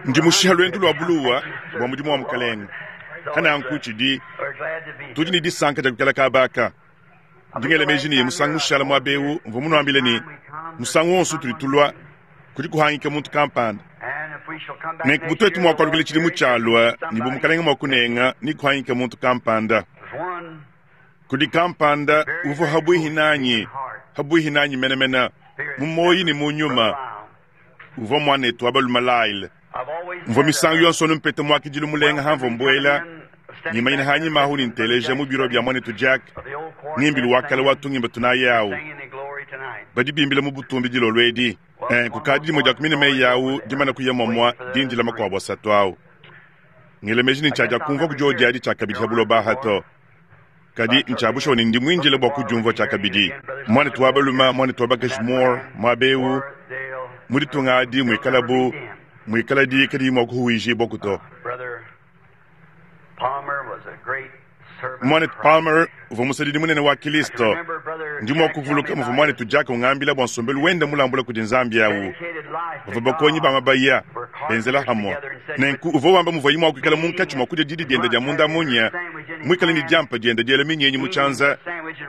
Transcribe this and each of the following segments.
Ndi mushiha luendu lua buluwa bua mudimu wa Mukelenge. Hananku tshidi tudi ne disanka dia kuikala kaba aka. Ndi ngela meji ne musangu mushala muaba eu mvua munuambile ne, musangu wonso utudi tulua kudi kuhangika muntu kampanda. Nenku bu tuetu mua kualukila tshidimu tshialua ne bu Mukelenge mua kunenga ne kuhangika muntu kampanda. Kudi kampanda uvua habuihi nanyi, habuihi nanyi menemene, mu muoyi ne mu nyuma, uvua muanetu wa balume Lyle. Mvua misangu yonso anu mpeta muakidilu mulenga hamvua mbuela, ngimanyina hanyima ahu ne nteleja mu biro bia muanetu Jack ngimbilu wa kale wa tungimba tunayi awu. Badi bimbila mu butumbi dilolo edi. Eh, kukadi dimue dia ku mine meyi awu dimana kuya muamua dindila makuabu asatu awu. Ngela meji ne ntshiadiakumvua ku diodi adi tshiakabidi ha buloba aha to. Kadi ntshia bushuwa ne ndi muindile bua kudiumvua tshiakabidi. Muanetu wa balume, muanetu wa bakaji Moore, muaba eu, mu ditunga adi muikalabu, muikaladi kadiyi mua kuhuwijibuaku to. Muanetu Palmer uvua musadidi munene wa Kilisto. Ndi mua kuvuluka muvua muanetu Jack ungambila bua nsombelu wende mulambula kudi Nzambi au. Bavua bakonyi ba mabaya, benzela hamue. Nenku uvua wamba muvuaye mua kuikala munkatshi mua kudia didi diende dia munda munya, muikale ne diampa diende diela minyinyi mu tshianza,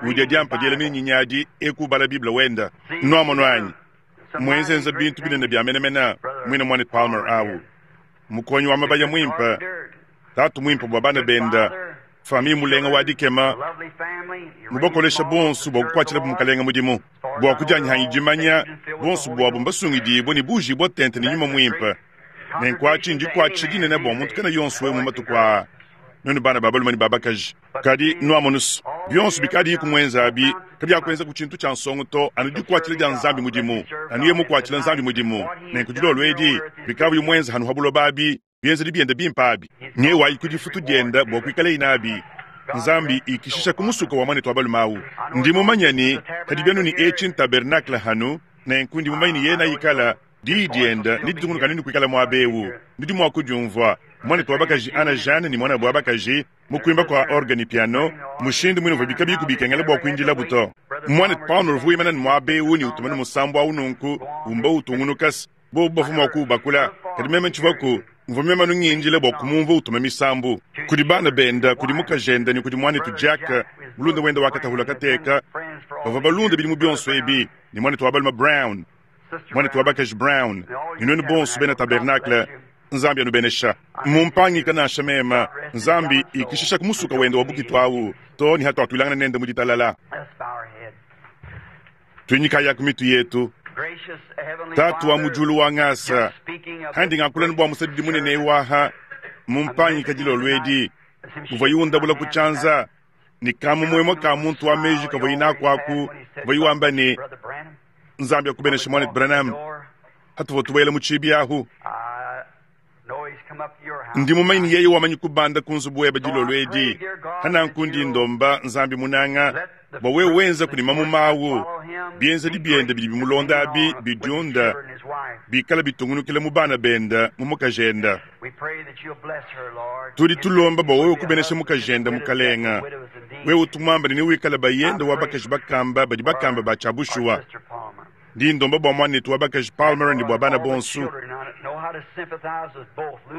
udia diampa diela minyinyi adi eku ubala Bible wende. Nuamonu anyi? Muenzenza bintu binene bia menemene, muine muanetu Palmer au. Mukonyi wa mabaya muimpe, tatu muimpe bua bana bende, famille mulenga wa dikema, mubakolesha bonso bua kukuatshilabu Mukalenge mudimu. Bua kudianyihanyi dimanya, bonso buabu mbasungidibue ne buujibue tente ne Nyuma Muimpe. Nenku atshi ndikuatshisha dinene bua muntu kena yonso eu mu matuku aa, nuenu bana ba balume ne ba bakaji. Kadi nuamonu's, bionso bikadiyiku muenze abi kabiakuenzaku tshintu tshia nsongo to, anu dikuatshila dia Nzambi mudimu, anu yeye mukuatshila Nzambi mudimu. Nenku dilolo edi, bikavuyi muenze hanu ha buloba abi, bienzedi biende bimpe abi, nyewayi ku difutu diende bua kuikalayi nabi. Nzambi ikishisha ku musuka wa muanetu wa balume awu. Ndi mumanye ne, kadi bienu ne etshi ntabernakle hanu, nenku ndi mumanye ne yena ikala Diyi diende neditungunuke anu ne kuikala muaba eu. Nudi mua kudiumvua, muanetu wa bakaji Anna Jeanne ne muanabu wa bakaji, mu kuimba kua orgue ne piano, mushindu muine uvuabi kabiyiku bikengela bua kuindilabu to. Muanetu Palmer uvua wimana ne muaba eu ne utuma ne musambu au nunku, umba utungunuka. Bobu bavua mua kuwubakula, kadi meme ntshivuaku. Mvua meme anu ngindila bua kumumvua utuma misambu. Kudi bana bende, kudi mukajende ne kudi muanetu Jack, mulunda wende wa katahula kateka, bavua balunda bidimu bionso ebi, ne muanetu wa balume Brown, muanetu wa bakaji Brown, ne nuenu bonso bena tabernacle, Nzambi anubenesha. Mmumpangika nansha meme. Nzambi ikishisha ku musuka wende wa bukitu awu too ne hatuatuilangana nende mu ditalala. Tuinyikayaku ku mitu yetu. Tatu wa mu diulu wa ngasa, handi ngakula bua musadidi munene eu aha, mumpangika dilolo edi, muvuaye undabula ku tshianza, ne kamumuemue ka muntu wa meji kavuaye naku aku, kavuaye wamba ne, Nzambi akubeneshe muanetu Branham, hatuvua tubuela mu tshibi ahu. Ndi mumanye ne yeye wamanyi kubanda ku nzubu webe dilolo edi. Hananku ndi ndomba Nzambi munanga bua wewe wenza kudi mamuma awu, bienzedi biende bidi bimulonda abi bidiunda, bikala bitungunukila mu bana bende, mu mukajende. Tudi tulomba bua wewe kubenesha mukajende, Mukalenga. Wewe utu muamba ne newikale bayende wa bakaji bakamba badi bakamba ba tshia bushuwa. Ndi ndomba bua muanetu wa bakaji Palmer ne bua bana bonso.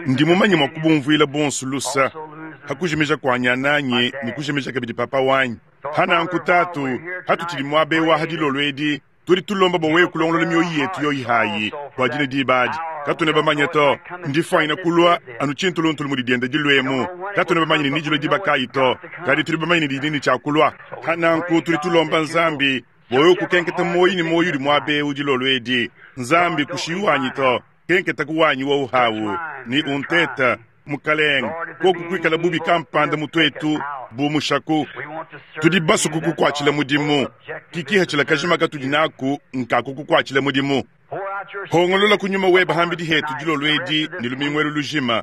Ndi mumanye mua kubumvuila bonso lusa ha kujimija kua nyananyi ne kujimija kabidi papa wanyi. Ha nanku, Tatu, hatutshidi muaba eu aha dilolo edi, Tudi tulomba bua wewe kulongolola mioyo yetu yoyi hayi bua dine diba adi. Katuena bamanye to, ndifuanyine kulua anu tshintuluntulu mudi dienda diluemu. Katuena bamanye ne nedilue diba kayi to, kadi tudi bamanye ne didi ne tshia kulua. Pa nanku tudi tulomba Nzambi bua wewe kukenketa muoyo ne muoyo udi muaba eu dilolo edi. Nzambi, kushiyi wanyi to, kenketaku wanyi wowu hawu ne unteta. Mukalenge, koku kuikala bubi kampanda mu tuetu bumushaku, tudi basue kukukuatshila mudimu. Kikihachila kajima katudi naku nka kukukuatshila mudimu. Hongolola ku nyuma webe hambidi hetu dilolo edi ne lumingu elu lujima.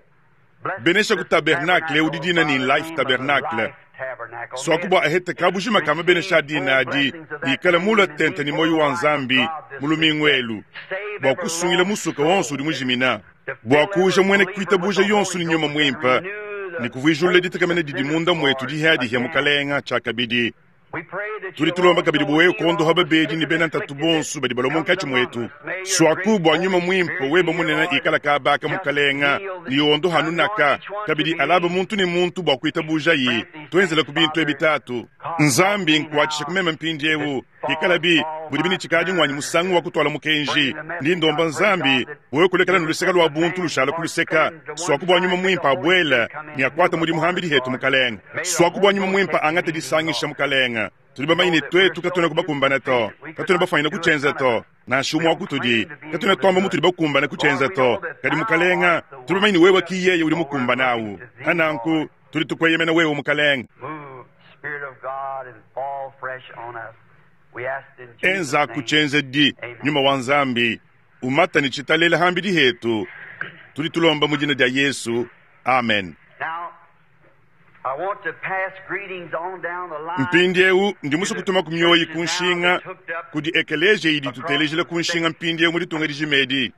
Benesha ku tabernacle eu didina ne Life Tabernacle. Suaku bua ahete kabujima ka mabenesha a dina adi ikale mula tente ne muoyo wa Nzambi mu lumingu elu bua kusungila musuka wonso udi mujimina. Bua kuuja muena kuitabuja yonso ne Nyuma Muimpe ne kuvuijulula ditekemena didi munda muetu dihiadihia Mukalenga tshiakabidi. Tudi tulomba kabidi bua wewe kuondoha babedi ne bena ntatu bonso badi balua munkatshi muetu. Suaku bua nyuma muimpe webe munene ikala kabaka mukalenga ne yondoha nunaka kabidi alaba muntu ne muntu bua kuitabujayi. Tuenzela ku bintu ebi Tatu. Nzambi nkuatshisha ku meme mpindieu. Pikalabi mudibi ne tshikadi nguanyi musangu wa kutuala mukenji, ndi ndomba Nzambi wewe kulekela ne luseka lua buntu lushala ku luseka. Suaku bua nyuma muimpe abuele ne akuate mudimu hambidi hetu, Mukalenge. Suaku bua nyuma muimpe angate disangisha, Mukalenge. Tudi bamanye ne tuetu katuena kubakumbana to, katuena bafuanyine kutshienza to, nansha umue wa kutudi. Katuena tuamba mutudi bakumbane kutshienza to, kadi Mukalenge, tudi bamanye ne wewe ki yeye udi mukumbane awu. Pananku tudi tukueyemena wewe, Mukalenge. Enzaku tshienzedi, Nyuma wa Nzambi, umata ne tshitalela hambidi hetu. Tudi tulomba mu dina dia Yesu. Amen. Mpindieu ndi musue kutuma ku mioyi ku nshinga kudi ekeleziya idi itutelejila ku nshinga mpindieu mu ditunga dijima edi.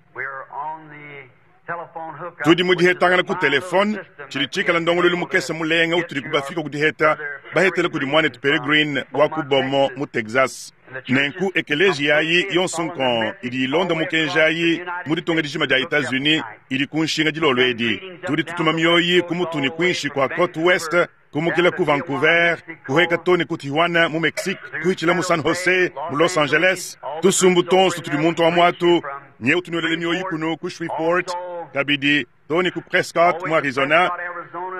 Tudi mu dihetangana ku telefone, tshidi tshikala ndongoluelu mukese mulenga utudi kubafika ku diheta bahetela kudi muanetu Peregrine wa ku Beaumont mu Texas. Nenku ekeleziya ayi yonso nkong idi ilonda mukenji ayi mu ditunga dijima dia Etats-Unis idi ku nshinga dilolo edi. Tudi tutuma mioyi ku mutu ne kuinshi kua Cote Ouest, kumukila ku Vancouver, kuheka too ne ku Tijuana mu Mexique, kuhitshila mu San Jose mu Los Angeles. Tusumbu tuonso tudi muntu wa muatu nyeu tunuelele mioyi kunu ku Shreveport, kabidi too ne ku Prescott mu Arizona,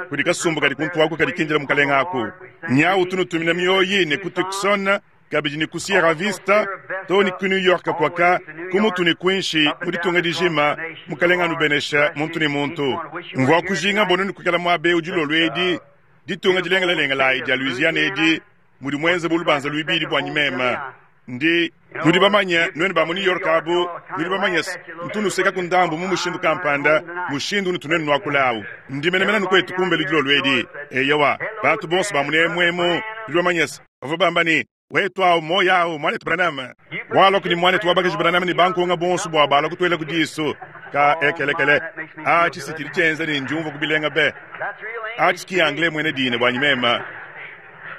kudi kasumbu kadi kuntu aku kadi kindila mukalenga aku. Nyau tunutumina mioyi ne ku Tucson, kabidi ne ku Sierra Vista, too ne ku New York kuaka, ku mutu ne kuinshi mu ditunga dijima. Mukalenga anubenesha muntu ne muntu. Mvua kujinga bua nuenu kuikala muaba eu dilolo edi, ditunga dilengelalengelayi dia Louisiana edi, mudi muenze bu lubanza luibidi buanyi meme. Ndi, nudi bamanye, nuenu ba mu New York abu, nudi bamanye se, ntu nusekaku ndambu mu mushindu kampanda, mushindu unutu nuenu nuakula awu. Ndi menemene anu kuetu kumbelu dilolo edi. Eyowa, bantu bonso ba munemu emu, nudi bamanye se, bavua bamba ne, Wetu awu, muoyo awu, muanetu Branham. Walua kudi muanetu wa bakaji Branham ne bankonga bonso bua balua kutuela ku disu. Ka ekelekele. Atshi si tshidi tshienza ne ndiumvua ku bilenga be. Atshi ki anglais muena dina buanyi mema.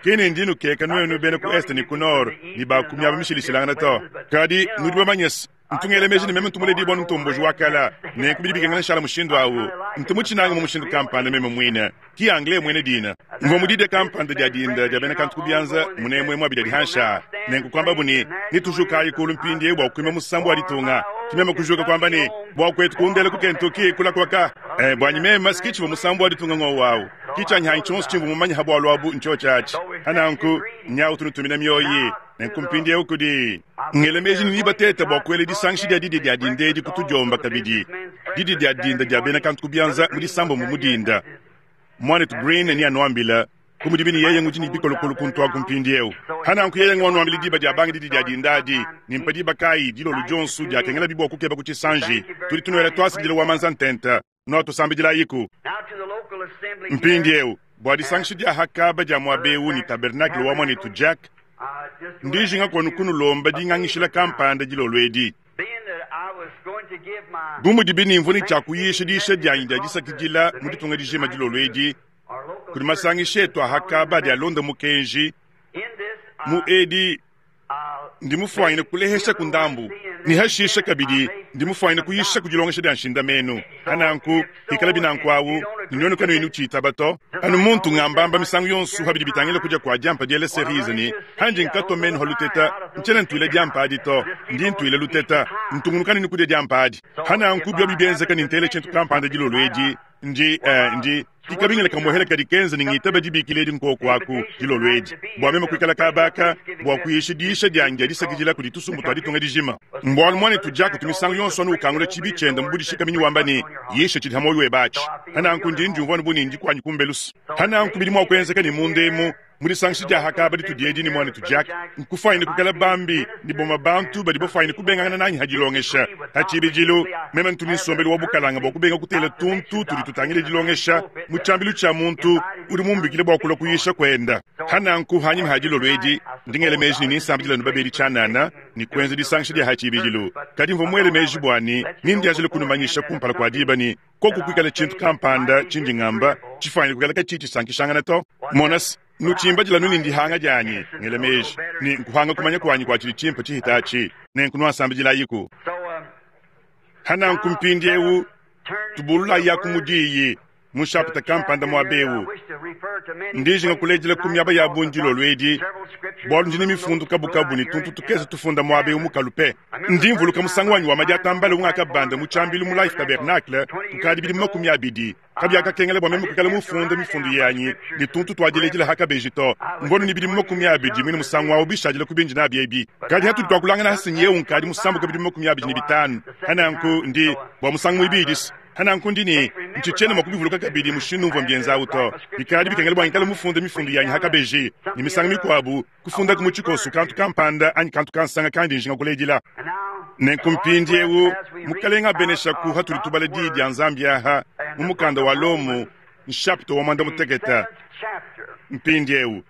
Ki ne ndi nukeka nuenu bena ku est ne ku nord ne ba ku miaba mishilashilangana to. Kadi nudi bamanye se, ntu ngela meji ne meme ntu muledibua anu ntomboji wa kala, nenku bidi bikengela nshala mushindu awu. Ntu mutshinanga mu mushindu kampanda meme muine. Ki anglais muena dina. Mvua mu didia kampanda dia dinda dia bena kantu ku bianza munemue mua bidia dihansha. Nenku kuambabu ne, Netujukayi kulu mpindieu bua kuimba musambu wa ditunga. Ki meme kujuka kuamba ne, Bua kuetu kundela ku Kentucky kula kuaka. Eh, buanyi meme si ki tshivua musambu wa ditunga ngowu awu. Ki tshianyi tshionso tshimvua mumanye ha bualu abu ntshiotshi atshi. Ha nanku, nyawu tunutumina mioyi. Nenku mpindieu kudi ngela meji ne nibateta bua kuela disangisha dia didia dia dinda edi ku tudiomba kabidi, didia dia dinda dia bena kantu ku bianza mu disambombo mu dinda. Muanetu Green neanuambila ku mudibi ne yeye ngudi ne bikolokolo kuntu aku mpindieu. Ha nanku yeye nguanuambila diba dia banga didia dia dinda adi, ne mpa diba kayi dilolo dionso diakengelabi bua kukeba ku tshisanji. Tudi tunuela tuasakidila wa manza ntenta. Nuatusambidilayiku. Mpindieu, bua disangisha dia hakaba dia muaba eu ne tabernakle wa muanetu Jack, ndi njinga kuenu kunulomba dingangishila kampanda dilolo edi. Bu mudibi ne mvua ne tshia kuyisha diyisha dianyi dia disakidila mu ditunga dijima dilolo edi, kudi masangisha etu a hakaba adi alonda mukenji mu edi, Ndi mufuanyine kuleheshaku ndambu, ne hashisha kabidi ndi mufuanyine kuyishaku dilongesha dia nshindamenu. Hananku, hikalabi nanku awu, ne nuenu kanuyi nutshitaba to, anu muntu ngambamba misangu yonso ha bidi bitangila kudia kua diampa diela cerise ne, Handi nkatua menu ha luteta, ntshiena ntuila diampa adi to, ndi ntuila luteta, ntungunuka ne kudia diampa adi. Hananku biobi bienzeka ne ntela tshintu kampanda dilolo edi, Ndi, eh, ndi kikabingila kamuehela kadi kenza ne ngitaba dibikila edi nkoku aku dilolo edi bua meme kuikala kaba aka bua kuyisha diyisha dianyi dia disakidila kudi tusumbu tua ditunga dijima. Mbualu muanetu Jack utu misangu yonso anu ukangula tshibi tshiende mu budishikaminyi wamba ne, Yisha tshidi ha muoyo webe atshi. Hananku ndi ndiumvua anu bu ne ndi kuanyi kumbelusa. Hananku bidi mua kuenzeka ne munda emu Mu disangisha dia hakaba ditudi edi ne muanetu Jack, nkufuanyine kuikala bambi ne bamue bantu badi bafuanyine kubengangana nanyi ha dilongesha. Ha tshibidilu, meme ntu ne nsombelu wa bukalanga bua kubenga kutela tuntu tudi tutangila dilongesha mu tshiambilu tshia muntu udi mumbikile bua kulua kuyisha kuenda. Ha nanku, hanyima ha dilolo edi, ndi ngela meji ne ninsambidila anu babedi tshianana ne kuenza disangisha dia ha tshibidilu. Kadi mvua muele meji bua ne nindianjile kunumanyisha kumpala kua diba ne koku kuikala tshintu kampanda tshindi ngamba tshifuanyine kuikala katshiyi tshisankishangana to. Mona se, Nutshimbadila anu ne ndihanga dianyi, ngela meji ne nkuhanga kumanya kuanyi kua tshidi tshimpe tshihita atshi, nenku nuasambidilayiku. Hananku mpindiewu tubululayaku mu diyi mu nshapita kampanda muaba eu. Ndi njinga kuledila ku miaba ya bungi dilolo edi, bualu ndi ne mifundu kabukabu ne tuntu tukese tufunda muaba eu mu kalupe. Ndi mvuluka musangu wanyi wa madiatambala ungakabanda mu tshiambilu mu Life Tabernacle kukadi bidimu 20. Kabiakakengela bua meme kuikala mufunde mifundu yanyi ne tuntu tua diledila ha kabeji to. Mvua ne bidimu 20 muine musangu au bishadile ku bindi nabi ebi. Kadi hatudi tuakulangana ha sinyi eu nkadi musambuke bidimu 25. Hananku ndi, bua musangu muibidi, hananku ndi ne ntshitshiena mua kubivuluka kabidi mushindu umvua mbienza au to. Bikadi bikengela bua ngikale mufunde mifundu yanyi ha kabeji, ne misangu mikuabu kufundaku mu tshikoso kantu kampanda anyi kantu kansanga kandi njinga kuledila. Nenku mpindiewu, Mukalenga abeneshaku hatudi tubala Diyi dia Nzambi aha mu mukanda wa Lomo, nshapita wa 16. Mpindiewu,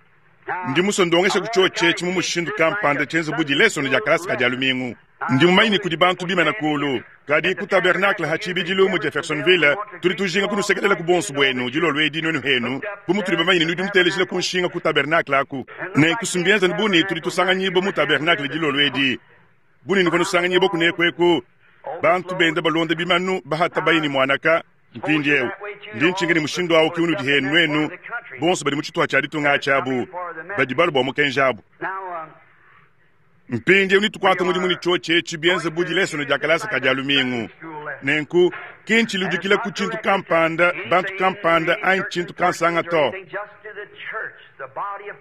ndi musue ndongeshaku tshiotshi etshi mu mushindu kampanda tshienze bu dilesona dia kalasa ka dia lumingu. Ndi mumanye ne kudi bantu bimana kulu, kadi ku tabernacle ha tshibidilu mu Jeffersonville, tudi tujinga kunusekelela ku buonso buenu dilolo edi nuenu henu, bu mutudi bamanye ne nudi nutelejila ku nshinga ku tabernacle aku. Nenku si mbienza bu ne tudi tusanganyibua mu tabernacle dilolo edi, bu ne nuvua nusanganyibua kuneku eku, bantu benda balonda bimanu bahata bayi ne muanaka. Mpindieu ndi ntshinka ne mushindu au ke unudi henu nuenu bonso badi mu tshituha tshia ditunga atshi abu badi balua bua mukenji abu. Mpindieu netukuate mudimu ne tshiotshi etshi bienze bu dilesono dia kalasa ka dia lumingu. Nenku ki ntshiludikila ku tshintu kampanda, bantu kampanda anyi tshintu kansanga to.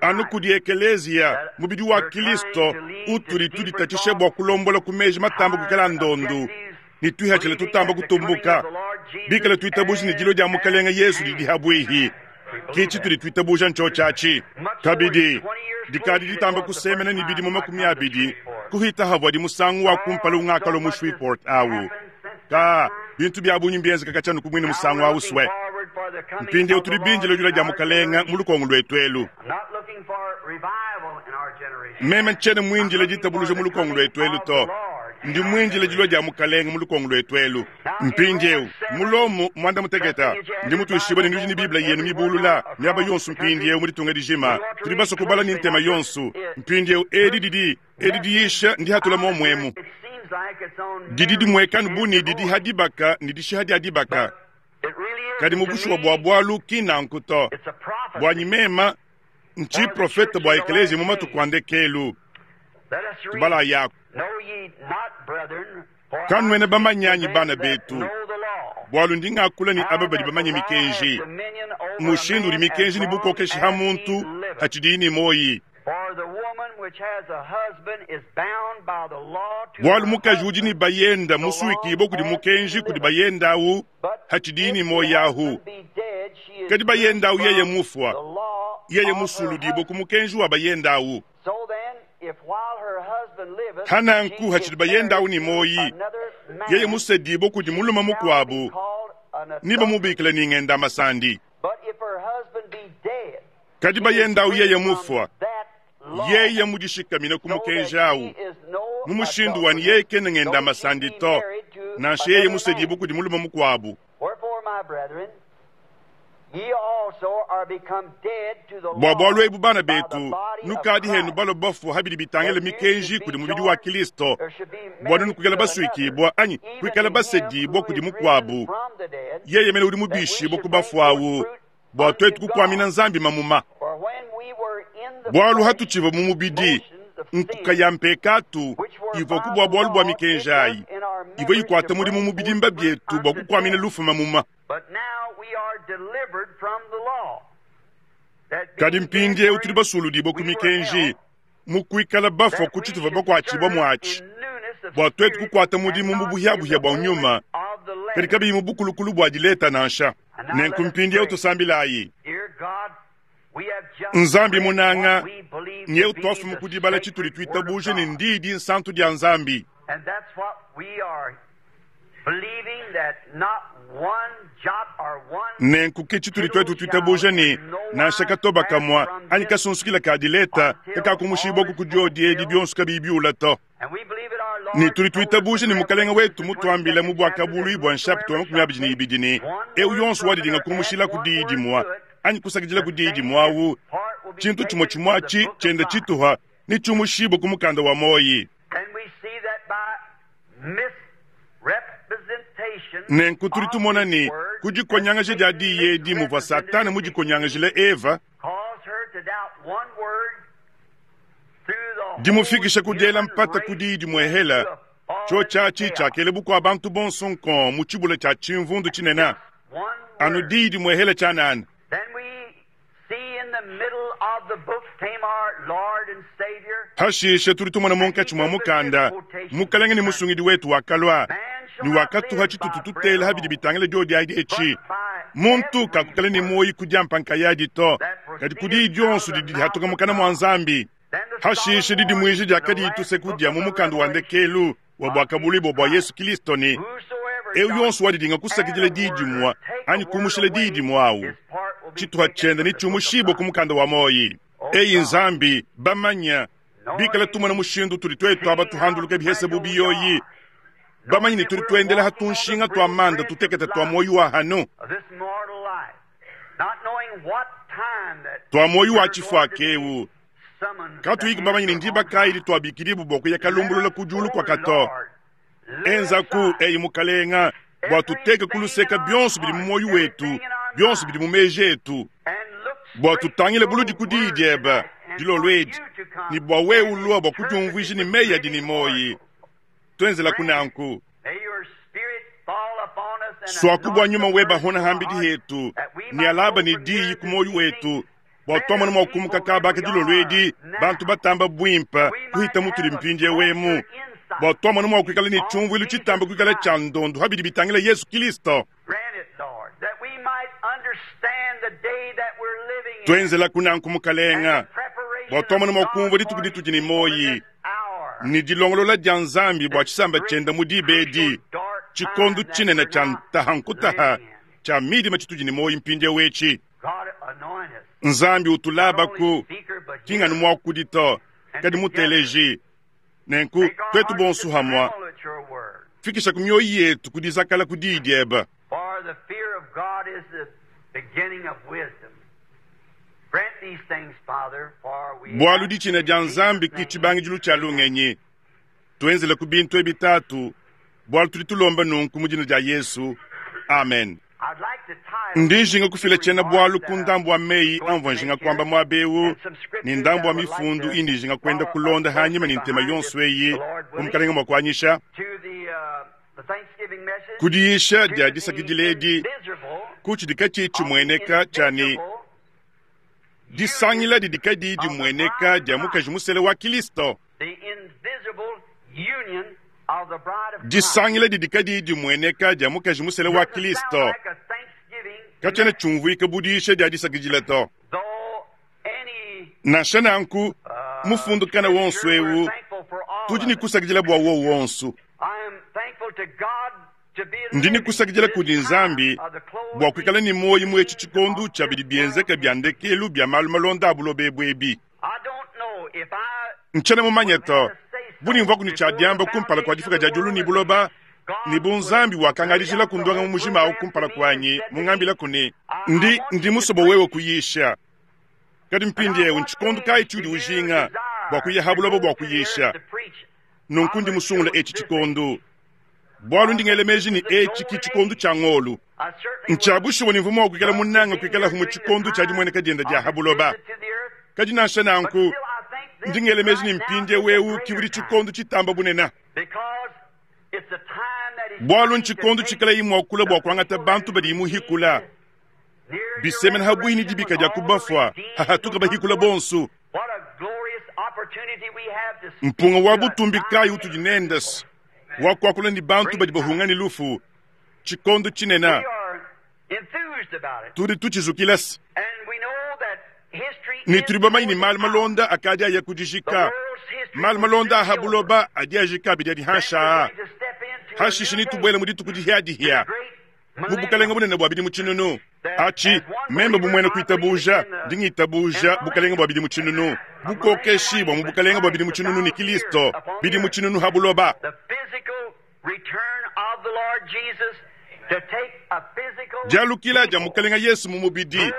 Anu kudi ekeleziya, mubidi wa Kristo, utudi tuditatshisha bua kulombola ku meji matamba kuikala ndondu ne tuihatshila tutamba kutumbuka, bikala tuitabuja ne dilua dia Mukalenge Yesu didi habuihi. Ke tshitudi tuitabuja ntshiotshi atshi. Kabidi, dikadi ditamba kusemena ne bidimu 20 kuhita havuadi musangu wa kumpala ungakalua mu Shreveport au. Ka, bintu bia bungi mbienzeka katshia anu ku muine musangu au sue. Mpindieu tudi bindile dilua dia Mukalenge mu lukongo luetu elu. Meme ntshiena muindile ditabuluja mu lukongo luetu elu to. Ndi muindile dilua dia Mukalenge mu lukongo luetu elu. Mpindieu, mu Lomo 16, ndi mutuishibue ne nudi ne Bible yenu mibulula miaba yonso mpindieu mu ditunga dijima. Tudi basue kubala ne ntema yonso. Mpindieu edi didi, edi diyisha ndihatula muomu emu. Didi dimueka anu bu ne didi ha dibaka ne dishiha dia dibaka. Kadi mu bushuwa bua bualu ki nanku to. Buanyi mema, ntshiprofete bua ekeleziya mu matuku a ndekelu. Tubalayaku. Kanuena bamanye anyi, bana betu, bualu ndi ngakula ne aba badi bamanye mikenji, mushindu udi mikenji ne bukokeshi ha muntu hatshidiyi ne muoyi. Bualu mukaji udi ne bayenda musuikibue kudi mukenji kudi bayenda au hatshidiyi ne muoyi ahu, kadi bayenda au yeye mufua, yeye musuludibue ku mukenji wa bayenda au. Hananku hatshidi bayenda au ne muoyi, yeye musedibue kudi mulume mukuabu, ne bamubikila ne ngenda masandi. Kadi bayenda au yeye mufua, yeye mudishikamine ku mukenji au mu mushindu wa ne yeye kena ngenda masandi to, nansha yeye musedibue kudi mulume mukuabu. Bua bualu ebu, bana betu, nukadi henu balua bafua ha bidi bitangila mikenji kudi mubidi wa Kilisto, bua nuenu kuikala basuikibua anyi kuikala basedibua kudi mukuabu, yeye mene udi mubishibua ku bafua au, bua tuetu kukuamina Nzambi mamuma. Bualu hatutshivua mu mubidi, nkuka ya mpekatu ivuaku bua bualu bua mikenji ayi ivua ikuata mudimu mu bidimba bietu bua kukuamina lufu mamuma. Kadi mpindieu tudi basuludibue ku mikenji, mu kuikala bafua ku tshituvua bakuatshibua muatshi, bua tuetu kukuata mudimu mu buhiabuhia bua nyuma, kadi kabiyi mu bukulukulu bua dileta nansha. Nenku mpindieu tusambilayi. Nzambi munanga, nyeu tuafuma ku dibala tshitudi tuitabuja ne ndiyi dinsantu dia Nzambi. Nenku ke tshitudi tuetu tuitabuja ne, nansha katoba kamua anyi kasunsukila ka dileta kakakumushibua ku diodi edi bionso kabiyi biula to. Ne tudi tuitabuja ne Mukalenge wetu mutuambila mu Buakabuluibua nshapita wa 22 ne, eu yonso wadidinga kumushila ku diyi dimua anyi kusakidila ku diyi dimua au. Tshintu tshimue tshimue atshi tshienda tshituha netshiumushibue ku mukanda wa muoyi. Nenku tudi tumona ne, ku dikonyangaja dia diyi edi muvua Satana mudikonyangajile Eva, dimufikisha ku diela mpata ku diyi dimuehela, tshiotshi atshi tshiakela bukua-bantu bonso nkong mu tshibula tshia tshimvundu tshinene, anu diyi dimuehela tshianana. Hashishe tudi tumona munkatshi mua mukanda, Mukelenge ne Musungidi wetu wakalua ne wakatuha tshitutu tutela ha bidi bitangila diodi adi etshi, Muntu kakukala ne muoyo ku diampa nkayadi to, kadi ku diyi dionso didi dihatuka mukana mua Nzambi. Hashishe didimuija diakadi tuseku dia mu mukanda wa ndekelu wa Buakabuluibua bua Yesu Kilisto ne, Eu yonso wadidinga kusakidila diyi dimue anyi kumushila diyi dimue au, tshituha tshiende netshiumushibue ku mukanda wa muoyo. Eyi Nzambi, bamanya, bikala tumona mushindu utudi tuetu aba tuhanduluka bihese bu biyoyi, bamanye ne tudi tuendela ha tunshinga tua manda tutekete tua muoyo wa hanu, tua muoyo wa tshifuaka eu, katuyi bamanye ne ndiba kayi dituabikidibue bua kuya kalumbulula ku diulu kua kato. Enzaku, eyi Mukalenga, bua tuteke ku luseka bionso bidi mu muoyo wetu, bionso bidi mu meji etu, bua tutangile buludi ku diyi diebe dilolo edi, ne bua wewe ulua bua kudiumvuija ne meyi adi ne muoyo. Tuenzelaku nanku. Suaku bua nyuma webe ahona hambidi hetu ne alaba ne diyi ku muoyo wetu, bua tuamona mua kumuka kaba aka dilolo edi bantu batamba buimpe kuhita mutudi mpindieu emu, bua tuamona mua kuikala ne tshiumvuilu tshitamba kuikala tshia ndondu ha bidi bitangila Yesu Kilisto. Tuenzelaku nanku, Mukalenga, bua tuamona mua kumvua dituku ditudi ne muoyi ne dilongolola dia Nzambi bua tshisamba tshienda mu diba edi, tshikondo tshinene tshia ntaha nkutaha tshia midima tshitudi ne muoyi mpindieu etshi. Nzambi utulabaku, ki nganu muakudi to, kadi muteleji. Nenku tuetu bonso hamua, fikisha ku mioyo yetu ku dizakala ku diyi diebe. Bualu ditshina dia Nzambi ki tshibangidilu tshia lungenyi. Tuenzele ku bintu ebi Tatu, bualu tudi tulomba nunku mu dina dia Yesu. Amen. Ndi njinga kufila tshiena-bualu ku ndambu wa meyi amvua njinga kuamba muaba eu ne ndambu wa mifundu indi njinga kuenda kulonda hanyima ne ntema yonso eyi bu Mukalenge mua kuanyisha. Ku diyisha dia disakidila edi ku tshidi katshiyi tshimueneka tshia ne, disangila didi kadiyi dimueneka dia mukaji musele wa Kristo. Disangila didi kadiyi dimueneka dia mukaji musele wa Kristo katshiena tshiumvuika bu diyisha dia disakidila to. Nansha nanku, mufundu kana wonso eu tudi ne kusakidila bua wowu wonso. Ndi ne kusakidila kudi Nzambi bua kuikala ne muoyo mu etshi tshikondo tshia bidi bienzeka bia ndekelu bia malu malonda a buloba ebu ebi. Ntshiena mumanye to, bu ne mvuaku ne tshia diamba kumpala kua difuka dia diulu ne buloba, ne bu Nzambi wakangadijilaku ndongamu mujima au kumpala kuanyi, mungambilaku ne, Ndi, ndi musue bua wewe kuyisha. Kadi mpindieu ntshikondo kayi tshiudi ujinga bua kuya ha buloba bua kuyisha? Nunku ndi musungule etshi tshikondo, bualu ndi ngela meji ne etshi ki tshikondo tshia ngolo. Ntshia bushuwa ne mvua mua kuikala munange kuikalahu mu tshikondo tshia dimueneka diende dia ha buloba. Kadi nansha nanku, ndi ngela meji ne mpindieu eu ki udi tshikondo tshitamba bunene. Bualu ntshikondo tshikalayi mua kulua bua kuangata bantu badi muhikula, bisemena ha buihi ne dibika dia ku bafua, hahatuka bahikula bonso. Mpunga wa butumbi kayi utudi nende wa kuakula ne bantu badi bahunga ne lufu, tshikondo tshinene tudi tutshizukila se ne tudi bamanye ne malu malonda akadi aya kudijika, malu malonda a ha buloba adi ajika abidi adi hanshi aa. Hashishe netubuele mu dituku dihiadihia mu bukalenge bunene bua bidimu tshinunu. Atshi, meme bu muena kuitabuja, ndi ngitabuja bukalenge bua bidimu tshinunu, bukokeshi bua mu bukalenge bua bidimu tshinunu ne Kilisto bidimu tshinunu ha buloba. Dialukila dia Mukalenge Yesu mu mubidi.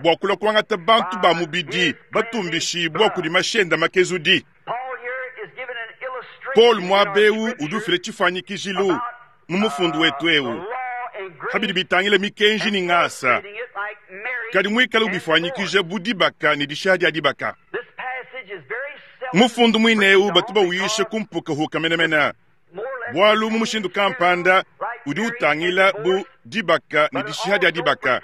bua kulua kuangata bantu ba mubidi batumbishibua kudi mashi ende makezudi. Paul muaba eu udi ufila tshifuanyikijilu mu mufundu wetu eu pa bidi bitangila mikenji ne ngasa, kadi muikale ubifuanyikija bu dibaka ne dishiha dia dibaka. Mufundu muine eu batu bawuyisha ku mpukahuka menemene, bualu mu mushindu kampanda udi utangila bu dibaka ne dishiha dia dibaka,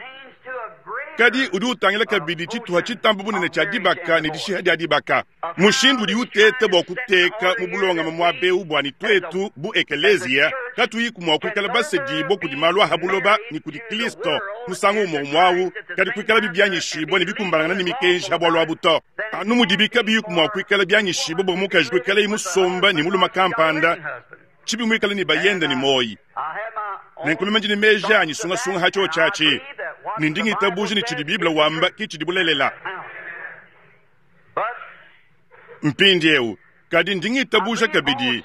kadi udi utangila kabidi tshituha tshitamba bunene tshia dibaka ne dishiha dia dibaka. Mushindu udi uteta bua kuteka mu bulongame muaba eu bua ne tuetu bu ekeleziya katuyiku mua kuikala basedibue kudi malu a ha buloba ne kudi Kristo musangu umue umue au, kadi kuikalabi bianyishibue ne bikumbanangana ne mikenji ha bualu abu to. Anu mudibi kabiyiku mua kuikala bianyishibue bua mukaji kuikalaye musomba ne mulume kampanda tshibi muikale ne bayende ne muoyi. Nenku meme ndi ne meji anyi sungasunga ha tshiotshi atshi, ne ndi ngitabuja ne tshidi Bible wamba ki tshidi bulelela. Mpindieu, kadi ndi ngitabuja kabidi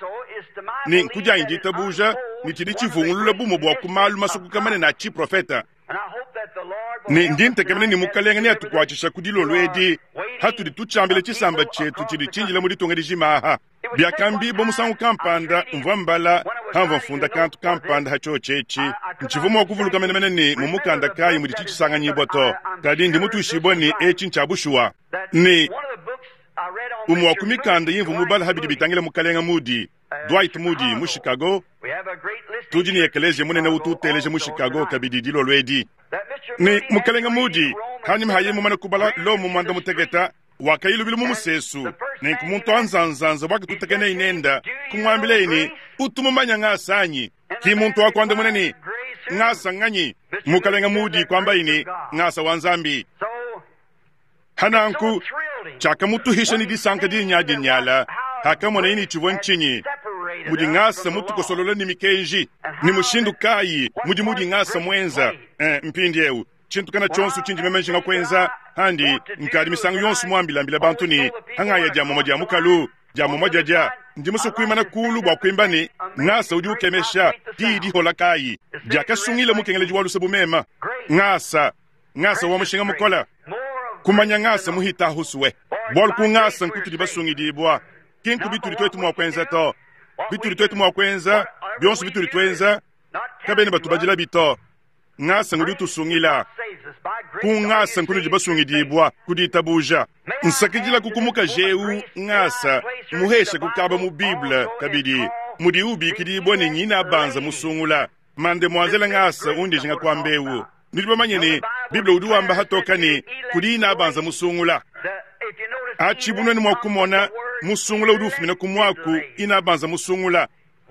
ne ku dianyi ditabuja ne tshidi tshivungulula bumue bua ku malu masokoka manene a tshiprofete. Ne ndi ntekemena ne Mukalenge neatukuatshisha ku dilolo edi hatudi tutshiambila tshisamba tshietu tshidi tshindila mu ditunga dijima aha. Biakambibua musangu kampanda, mvua mbala hamvua mfunda kantu kampanda ha tshiotshi etshi, ntshivua mua kuvuluka menemene ne mu mukanda kayi mudi tshitshisanganyibua to, kadi ndi mutuishibue ne etshi ntshia bushuwa. Ne umue wa ku mikanda imvua mubala ha bidi bitangila Mukalenge Moody, Dwight Moody, mu Chicago, tudi ne ekeleziya munene utu uteleja mu Chicago kabidi dilolo edi. Ne Mukalenge Moody, hanyima ha yeye mumane kubala Lomo muanda muteketa, wakaya lubilu mu musesu, nenku muntu wa nzanzanza wakatutakena nende, kumuambilaye ne, Utu mumanye ngasa anyi? Ki muntu wakuandamuna ne, Ngasa nganyi? Mukalenge Moody kuambaye ne, Ngasa wa Nzambi. Hananku tshiakamutuhisha ne disanka dinyadinyala hakamonaye ne tshivua ntshinyi mudi ngasa mutukosolola ne mikenji, ne mushindu kayi mudimu udi ngasa muenza. Mpindieu tshintu kana tshionso tshindi meme njinga kuenza handi nkadi misangu yonso muambilambila bantu ne hangaya dia mumue dia mukalu dia mumue diadia ndi musue kuimana kulu bua kuimba ne ngasa udi ukemesha diyi dihola kayi diakasungila mukengeledi wa luse bu mema. Ngasa, ngasa wa mushinga mukole, kumanya ngasa muhita husue, bualu ku ngasa nkutudi basungidibua, ki nku bitudi tuetu mua kuenza to. Bitudi tuetu mua kuenza, bionso bitudi tuenza, kabena batubadilabi to. Ngasa ngudi utusungila. Ku ngasa nkunudi basungidibua ku ditabuja. Nsakidilaku ku mukaji eu ngasa muhesha kukaba mu Bible kabidi mudi ubikidibua ne nyina banza musungula. Mademoiselle ngasa undi jinga kuamba eu. Nudi bamanye ne Bible udi wamba hatoka ne kudi ina banza musungula. Atshi bunuenu mua kumona musungula udi ufumina ku muaku ina banza musungula.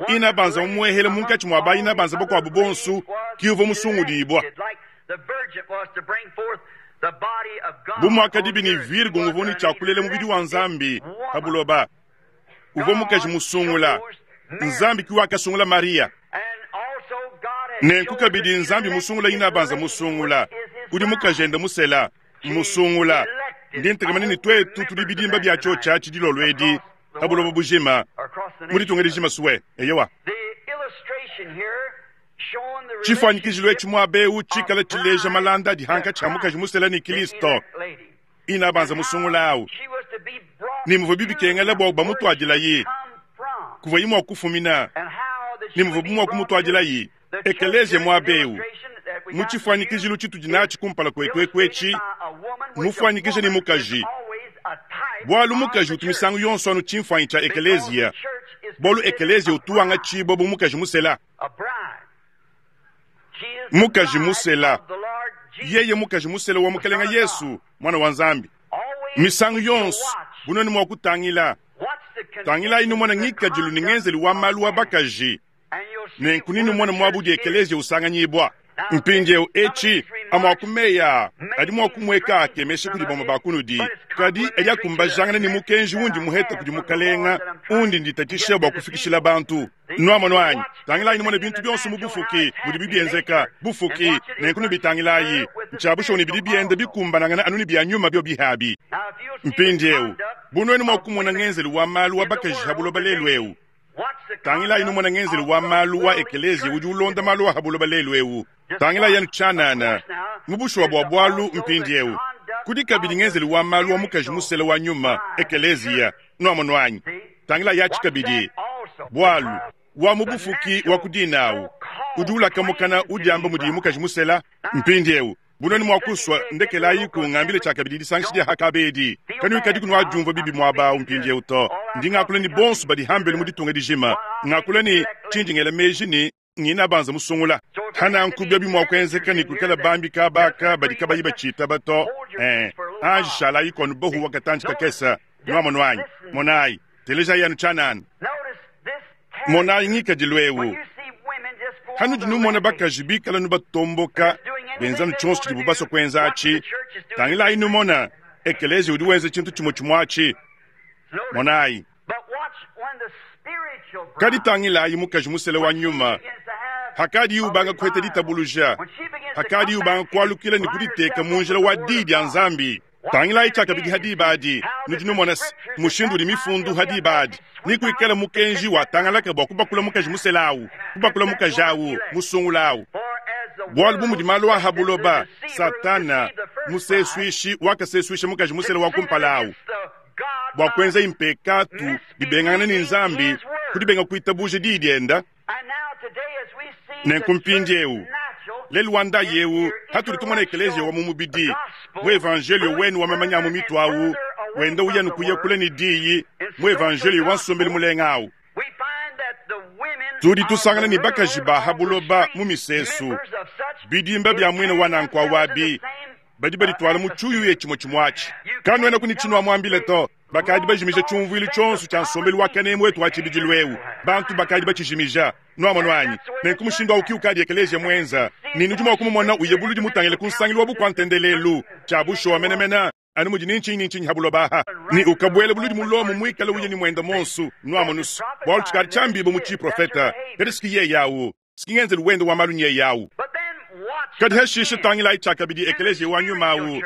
Ina banza mumuehele munkatshi mua ba ina banza bakuabu bonso ki uvua musungudibua. Bu muakadibi ne Virgo nguvua ne tshia kulela mubidi wa Nzambi pa buloba, uvua mukaji musungula. Nzambi ki wakasungula Mariya. Nenku kabidi Nzambi musungula ina banza musungula, udi mukajende musela musungula. Ndi ntekemena ne tuetu tudi bidimba bia tshiotshi atshi dilolo edi pa buloba bujima, mu ditunga dijima sue. Eyowa. Tshifuanyikijilu etshi muaba eu tshikala tshileja malanda adi hankatshi ha mukaji musela ne Kristo, ina banza musungula au, ne muvua bibikengela bua bamutuadilayi kuvuayi mua kufumina, ne muvuabu mua kumutuadilayi ekeleziya muaba eu. Mu tshifuanyikijilu tshitudi natshi kumpala kuetu eku etshi, mufuanyikije ne mukaji, bualu mukaji utu misangu yonso anu tshimfuanyi tshia ekeleziya, bualu ekeleziya utu wangatshibua bu mukaji musela. Mukaji musela, yeye mukaji musela wa Mukelenge Yesu, Muana wa Nzambi. Misangu yonso bunuenu mua kutangila, tangilayi numone ngikadilu ne ngenzelu wa malu wa bakaji, nenku nenumone muaba udi ekeleziya usanganyibua. Mpindieu etshi, amue a ku meyi aa adi mua kumueka akemesha kudi bamue ba kunudi, kadi adi akumbajangana ne mukenji undi muhete kudi Mukalenga, undi nditatshisha bua kufikishila bantu. Nuamonu anyi? Tangilayi numone bintu bionso mu bufuki mudibi bienzeka, bufuki, nenku nubitangilayi. Ntshia bushuwa ne bidi bienda bikumbanangana anu ne bia nyuma biobi abi. Mpindieu, bu nuenu mua kumona ngenzelu wa malu wa bakaji ha buloba lelu eu, tangilayi numone ngenzelu wa malu wa ekeleziya udi ulonda malu a ha buloba lelu eu. Tangilayi anu tshianana, mu bushuwa bua bualu mpindiewu, kudi kabidi ngenzelu wa malu wa mukaji musela wa nyuma, ekeleziya. Nwamonu anyi? Tangilayi aci kabidi, bualu wa mu bufuki wa ku dina awu udi ulaka mukana udiamba mudiyi mukaji musela. Mpindiewu, bu nuenu mua kusua, ndekelayiku ngambile tshiakabidi disangisha dia Hakaba edi. Kanuikadiku nuadiumvua bibi muaba awu mpindiewu to. Ndi ngakula ne bonso badi hambelu mu ditunga dijima. Ngakula ne tshindi ngela meji ne nginabanza musungula. Hananku biobi mua kuenzeka ne kuikala bambi kaba aka badi kabayi batshitaba to. Ee, anji shalayiku anu bahuwa katantshi kakese. Nuamonu anyi? Monayi, telejayi anu tshianana. Monayi ngikadilu eu. Hanudi numona bakaji bikala nubatomboka, benza nu tshionso tshidibu basue kuenza atshi, tangilayi numona ekeleziya udi wenza tshintu tshimue tshimue atshi. Monayi. Kadi tangilayi mukaji musela wa nyuma, hakadiye ubanga kuheta ditabuluja, hakadiye ubanga kualukila ne kuditeka mu njila wa Diyi dia Nzambi. Tangilayi tshiakabidi ha diba adi, nudi numona se, mushindu udi mifundu ha diba adi, ne kuikala mukenji watangalaka bua kubakula mukaji musela awu, kubakula mukaji awu, musungula awu. Bualu bu mudi malu a ha buloba, Satana, musesuishi, wakasesuisha mukaji musela wa kumpala awu, bua kuenzaye mpekatu bibengangana ne Nzambi ku dibenga kuitabuja Diyi dienda. Nenku mpindiewu, lelu wa ndayi ewu, hatudi tumona ekeleziya wa mu mubidi, mu evanjeliyo wenu wa mamanya a mu mitu awu, wenda uya ne kuya kule ne Diyi, mu evanjeliyo wa nsombelu mulenga awu, tudi tusangana ne bakaji ba ha buloba mu misesu, bidimba bia muine wa nanku awu abi, badi badituala mu tshiuyuya tshimue tshimue atshi. Kanuenaku ne tshinuamuambile to. Bakadi bajimija tshiumvuilu tshionso tshia nsombelu wa kanemu wetu wa tshibidilu eu. Bantu bakadi batshijimija. Nuamonu anyi? Nenku mushindu au ki ukadi ekeleziya muenza, ne nudi mua kumumona uya buludi mutangile ku nsangilu wa bukua-ntendelelu. Tshia bushuwa menemene, anu mudi ni ntshinyi ni ntshinyi ha buloba aha, ne ukabuela buludi mu Lomo muikale uya ne muende muonso. Nuamonu's, bualu tshikadi tshiambibue mu tshiprofete, kadi s'ki yeye au. S'ki ngenzelu wende wa malu nyeye au. Kadi hashishe tangilayi tshiakabidi ekeleziya wa nyuma au,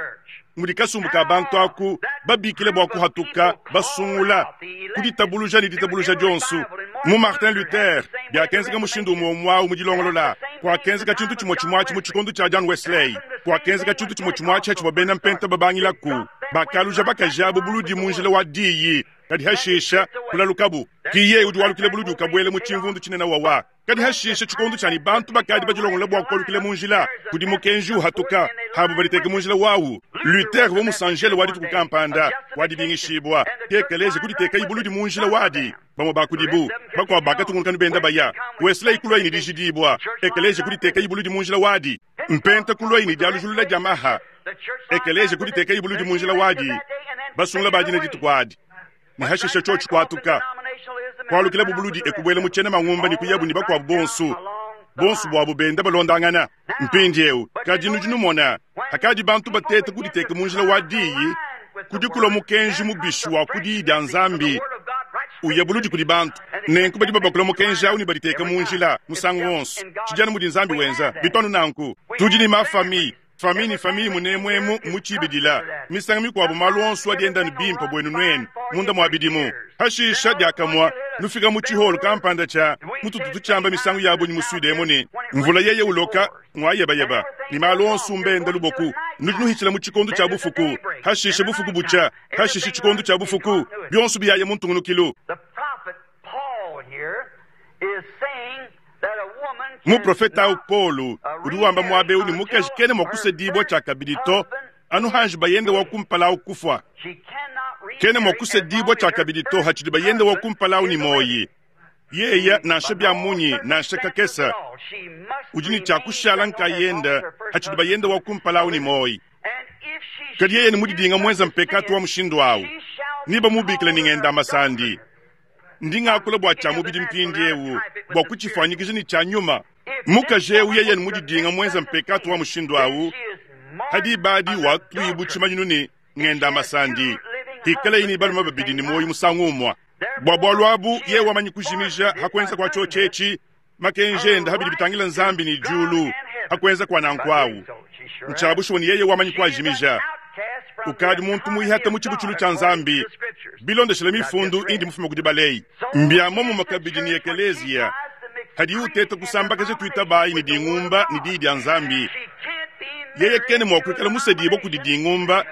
mudi kasumbu ka bantu aku babikila bua kuhatuka, basungula ku ditabuluja ne ditabuluja dionso. Mu Martin Luther biakenzeka mushindu umue umue au mu dilongolola. Kuakenzeka tshintu tshimue tshimue atshi mu tshikondo tshia John Wesley. Kuakenzeka tshintu tshimue tshimue atshi hatshivua bena Mpenta babangilaku. Bakaluja bakaji abu buludi mu njila wa diyi, kadi hashisha kulalukabu. Ki yeye udi walukila buludi ukabuela mu tshimvundu tshinene wawa. Kadi hashishe tshikondo tshianyi bantu bakadi badilongolola bua kualukila mu njila kudi mukenji uhatuka, habo baditeke mu njila wawu. Luther uvua musanjele wa dituku kampanda wa dibingishibua, ke ekeleziya kuditekayi buludi mu njila wadi. Bamue ba kudibu, bakuabu bakatungunuka ne benda baya. Wesley kuluaye ne dijidibua, ekeleziya kuditekayi buludi mu njila wadi. Mpenta kuluaye ne dialujulula dia maha, ekeleziya kuditekayi buludi mu njila wadi. Basungula ba dina dituku adi. Ne hashishe tshiotshi kuatuka, kualukilabu buludi e kubuela mu tshiena mangumba ne kuyabu ne bakuabu bonso, bonso buabu benda balondangana. Mpindieu, kadi nudi numona, hakadi bantu bateta kuditeka mu njila wa diyi, kudi kulua mukenji mubishi wa ku diyi dia Nzambi uya buludi kudi bantu. Nenku badi babakula mukenji au ne baditeka mu njila musangu wonso. Tshidi anu mudi Nzambi wenza. Bitu anu nanku. Tudi ne mafami Famille ne famille munemu emu mu tshibidila. Misangu mikuabu malu onso adi enda anu bimpe buenu nuenu munda mua bidimu. Hashisha diakamue nufika mu tshiholo kampanda tshia mututu tutshiamba misangu ya bungi mu Sud emu ne, mvula yeye uloka ngua yebayeba ne malu onso mbenda luboku. Nudi nuhitshila mu tshikondo tshia bufuku, hashisha bufuku butshia, hashisha tshikondo tshia bufuku, bionso biyaya mu ntungunukilu. Muprofete au Paulo udi wamba muaba eu ne mukaji kena mua kusedibua tshiakabidi to, anu hanji bayende wa kumpala au kufua. Kena mua kusedibua tshiakabidi to hatshidi bayende wa kumpala au ne muoyi. Yeya nansha bia munyi nansha kakese udi ne tshia kushala nkayende hatshidi bayende wa kumpala au ne muoyi. Kadi yeye ne mudidinga muenza mpekatu wa mushindu au, nebamubikile ne ngenda masandi. Ndi ngakula bua tshia mubidi mpindieu, bua kutshifuanyikija ne tshia nyuma. Mukaji eu yeye ne mudidinga muenza mpekatu wa mushindu au, ha diba adi watuibu tshimanyinu ne ngenda masandi, hikalayi ne balume babidi ne muoyo musangu umue. Bua bualu abu yeye wamanyi kujimija ha kuenza kua tshiotshi etshi makenji ende ha bidi bitangila Nzambi ne diulu. Ha kuenza kua nanku au ntshia bushuwa ne yeye wamanyi kuajimija. Ukadi muntu muihata mu tshibutshilu tshia Nzambi bilondeshile mifundu indi mufume kudi baleyi. Mbia momumue kabidi ne ekeleziya. Hadiye uteta kusambakaja tuitabayi ne dingumba ne Diyi dia Nzambi. Yeye kena mua kuikala musedibue kudi dingumba,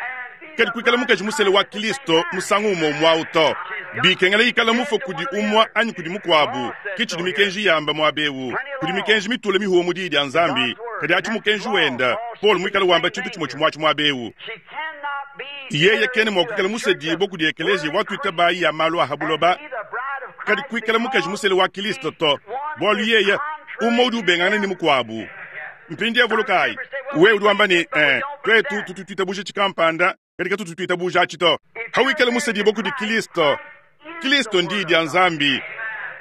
kadi kuikala mukaji musele wa Kilisto musangu umue umue au to. Bikengela ikala mufue kudi umue anyi kudi mukuabu. Ke tshidi mikenji yamba muaba eu. Kudi mikenji mitule mihuwe mu Diyi dia Nzambi, kadi atshi mukenji wenda, Paulo muikale wamba tshintu tshimue tshimue atshi muaba eu. Yeye kena mua kuikala musedibue kudi ekeleziya wa tuitabayi ya malu a ha buloba, kadi kuikala mukaji musele wa Kilisto to, bualu yeye umue udi ubengangana ne mukuabu. Mpindieu vulukayi, wewe udi wamba ne, eh, tuetu tutu tuitabuja tshikampanda, kadi katutu tuitabuja atshi to. Hawikala musedibue kudi Kilisto, Kilisto ndiyi dia Nzambi.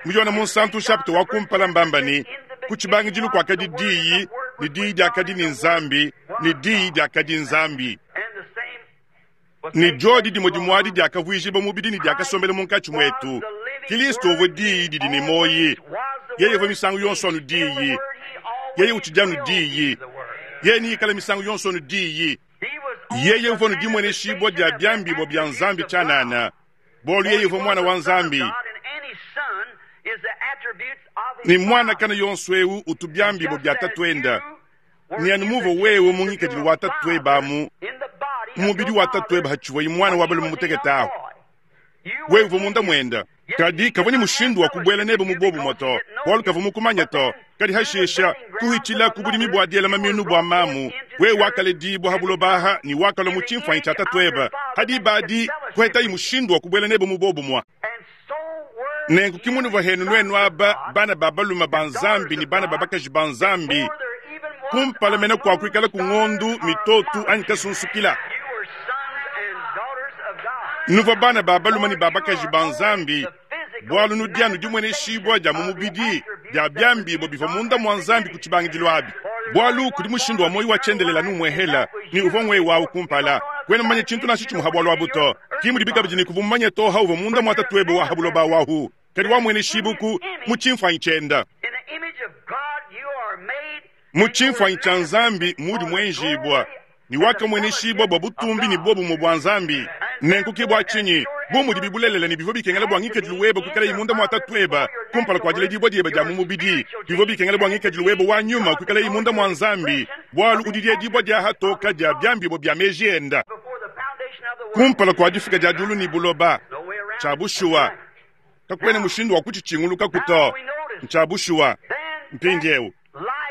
Mu Yone Munsantu nshapita wa kumpala mbamba ne, ku tshibangidilu kuakadi Diyi, ne Diyi diakadi ne Nzambi, ne Diyi diakadi Nzambi. Ne diodi dimue dimue adi diakavuijibua mubidi ne diakasombela munkatshi muetu. Kilisto uvua Diyi didi ne muoyi. Yeye uvua misangu yonso anu Diyi. Yeye utshidi anu Diyi. Yeye neikale misangu yonso anu Diyi. Yeye uvua anu dimueneshibua dia biambibua bia Nzambi tshianana, bualu yeye uvua Muana wa Nzambi. Ne muana kana yonso eu utu biambibua bia Tatuende. Ne anu muvua wewe mu ngikadilu wa tatuebe amu mu mubidi wa tatuebe hatshivuaye muana wa balume mutekete ahu, wewe uvua munda muende. Kadi kavua ne mushindu wa kubuela nebe mu buobumue to, bualu kavua mukumanye to. Kadi hashisha, kuhitshila ku budimi bua diela maminu bua mamu, wewe wakaledibua ha buloba aha ne wakalua mu tshimfuanyi tshia tatuebe. Ha diba adi kuhetayi mushindu wa kubuela nebe mu buobumue. Nenku ki munuvua henu nuenu aba bana ba balume ba Nzambi ne bana ba bakaji ba Nzambi kumpala mene kua kuikala ku ngondu, mitotu anyi kasunsukila. Nuvua bana ba balume ne ba bakaji ba Nzambi bualu nudi anu dimueneshibua dia mu mubidi dia biambibua bivua munda mua Nzambi ku tshibangidilu abi. Bualu kudi mushindu wa muoyo wa tshiendelele anu umuehela, ne uvua ngwewe wawu kumpala. Kuena mumanye tshintu nansha tshimue ha bualu abu to. Ki mudibi kabidi ne kuvua mumanye to ha uvua munda mua tatuebe wa ha buloba wahu, kadi wamueneshibue mu tshimfuanyi tshienda. Mu tshimfuanyi tshia Nzambi muudi muenjibua, ne wakamueneshibua bua butumbi ne buobumue bua Nzambi. Nenku ke bua tshinyi, bu mudibi bulelela ne bivua bikengela bua ngikadilu webe kuikalayi munda mua tatuebe kumpala kua diledibua diebe dia mu mubidi, bivua bikengela bua ngikadilu webe wa nyuma kuikalayi munda mua Nzambi, bualu udi diedibua dia hatoka dia biambibua bia meji enda kumpala kua difuka dia diulu ne buloba. Tshia bushuwa, kakuena mushindu wa kutshitshingulukaku to. Ntshia bushuwa. Mpindieu,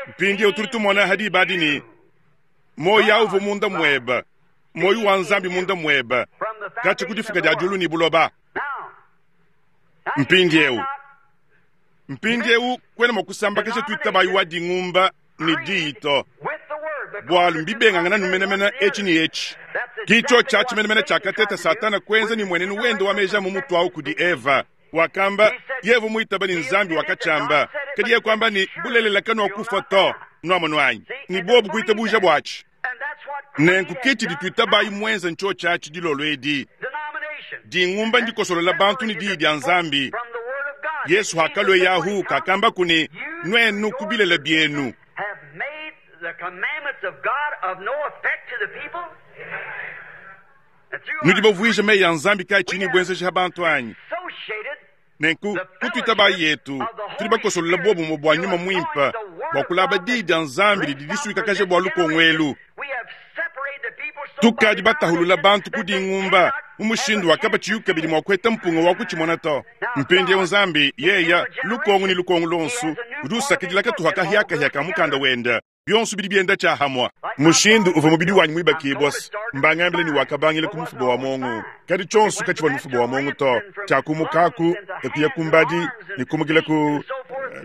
mpindieu tudi tumona ha diba adi ne, Muoyo au uvua munda muebe, muoyo wa Nzambi munda muebe, katshia ku difuka dia diulu ne buloba. Mpindieu, mpindieu kuena mua kusambakaja tuitabayi wa dingumba ne diyi to, bualu mbibengangana nu menemene etshi ne etshi. Ki tshiotshi atshi menemene tshiakateta Satana kuenza ne muenenu wende wa meji a mu mutu au kudi Eva. Wakamba, yeye uvua muitaba ne Nzambi wakatshiamba, kadi yeye kuamba ne, Bulelela kanuakufua to. Nuamonu anyi? Ne buobu kuitabuja buatshi. Nenku ke tshidi tuitabayi muenze ntshiotshi atshi dilolo edi. Dingumba ndikosolola bantu ne Diyi dia Nzambi. Yesu hakalueye ahu kakambaku ne, Nuenu ku bilele bienu. Nudi bavuije meyi a Nzambi kaatshiyi ne buenzeji ha bantu anyi? Nenku, ku tuitabayi yetu, tudi bakosolole buobumue bua Nyuma Muimpe bua kulaba Diyi dia Nzambi didi disuikakaja bua lukongo elu. Tukadi batahulula bantu ku dingumba mu mushindu wa kabatshiyi kabidi mua kuheta mpunga wa kutshimona to. Mpindieu Nzambi, yeya, lukongo ne lukongo luonso, udi usakidila katuha kahiakahia ka mukanda wende. Bionso bidi bienda tshiahamua. Mushindu uvua mubidi wanyi muibakibua, mbangambile ne wakabangila ku mufuba wa muongo, kadi tshionso katshivua ne mufuba wa muongo to. Tshiakumukaku e kuya ku mbadi ne kumukila ku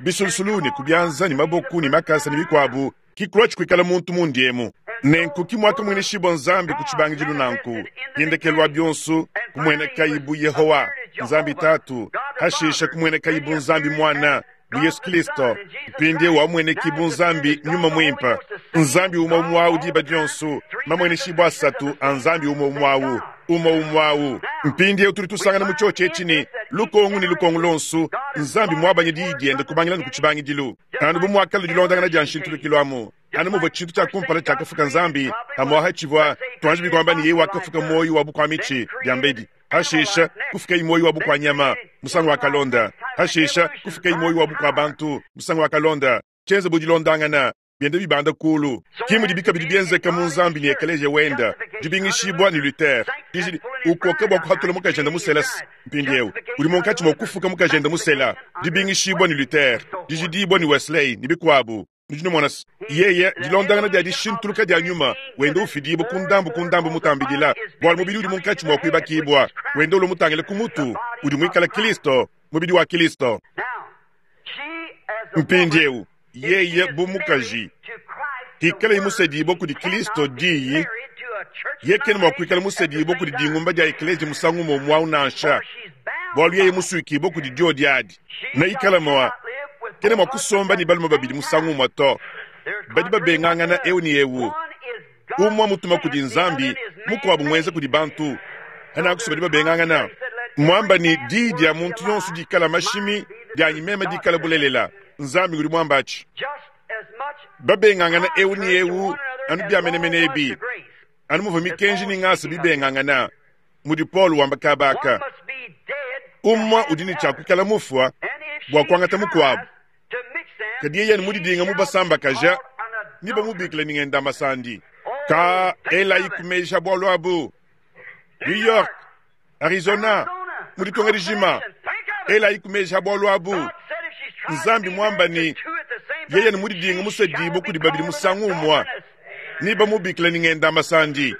bisulusulu ne ku bianza ne maboku ne makasa ne bikuabu, ki kulua kuikala muntu mundi emu. Nenku ki muakamueneshibua Nzambi ku tshibangidilu nanku, ki ndekelu wa bionso kumuenekayi bu Yehowa, Nzambi Tatu, hashishe kumuenekayi bu Nzambi Muana, bu Yesu Kilisto, mpindieu wamueneki bu Nzambi Nyuma Muimpe, Nzambi umue umue au diba dionso, mamueneshibua asatu a Nzambi umue umue au, umue umue au. Mpindieu tudi tusangana mu tshiotshi etshi ne, lukongu ne lukongu luonso, Nzambi muabanye Diyi diende kubangila ne ku tshibangidilu, anu bu muakale dilondangana dia nshintulukilu amu, anu muvua tshintu tshia kumpala tshiakafuka Nzambi, amu aha tshivua, tuanjibi kuamba ne, yeye wakafuka muoyo wa bukua-mitshi diambedi. Hashisha, kufukayi muoyo wa bukua-nyama, musangu wakalonda. Hashisha, kufukayi muoyo wa bukua-bantu, musangu wakalonda. Tshienza bu dilondangana, bienda bibanda kuulu. Ki mudibi kabidi bienzeka mu Nzambi ne Ekeleziya wenda, dibingishibua ne Luther, dijidi, ukoka bua kuhatula mukajende musela. Mpindieu udi munkatshi mua kufuka mukajende musela, dibingishibua ne Luther, dijidibua ne Wesley, ne bikuabu. Nudi numona se, yeye, dilondangana dia dishintuluka dia nyuma, wenda ufidibua ku ndambu ku ndambu mutambidila, bualu mubidi udi munkatshi mua kuibakibua, wenda ulua mutangile ku mutu, udi muikale Kristo, mubidi wa Kristo. Mpindieu, yeye bu mukaji, hikaleye musedibua kudi Kristo, Diyi, yeye kena mua kuikala musedibua kudi dingumba dia ekeleziya musangu umue umue au nansha, bualu yeye musuikibua kudi diodi adi, neikale mua kena mua kusomba ne balume babidi musangu umue to. Badi babengangana eu ne eu. Umue mutuma kudi Nzambi, mukuabu muenza kudi bantu. Hanakusu badi babengangana. Muamba ne, Diyi dia muntu yonso dikala mashimi, dianyi meme dikala bulelela. Nzambi ngudi muamba atshi. Babengangana eu ne eu anu bia menemene ebi, anu muvua mikenji ne ngasa bibengangana, mudi Paulo wamba kaba aka. Umue udi ne tshia kuikala mufua bua kuangata mukuabu, kadi yeye anu mudidinga mubasambakaja ne bamubikila ne ngenda masandi. Ka elayi ku meji a bualu abu. New York, Arizona, mu ditunga dijima, elayi ku meji a bualu abu. Nzambi muamba ne, yeye ne mudidinga musedibue kudi babidi musangu umue, ne bamubikila ne ngenda masandi.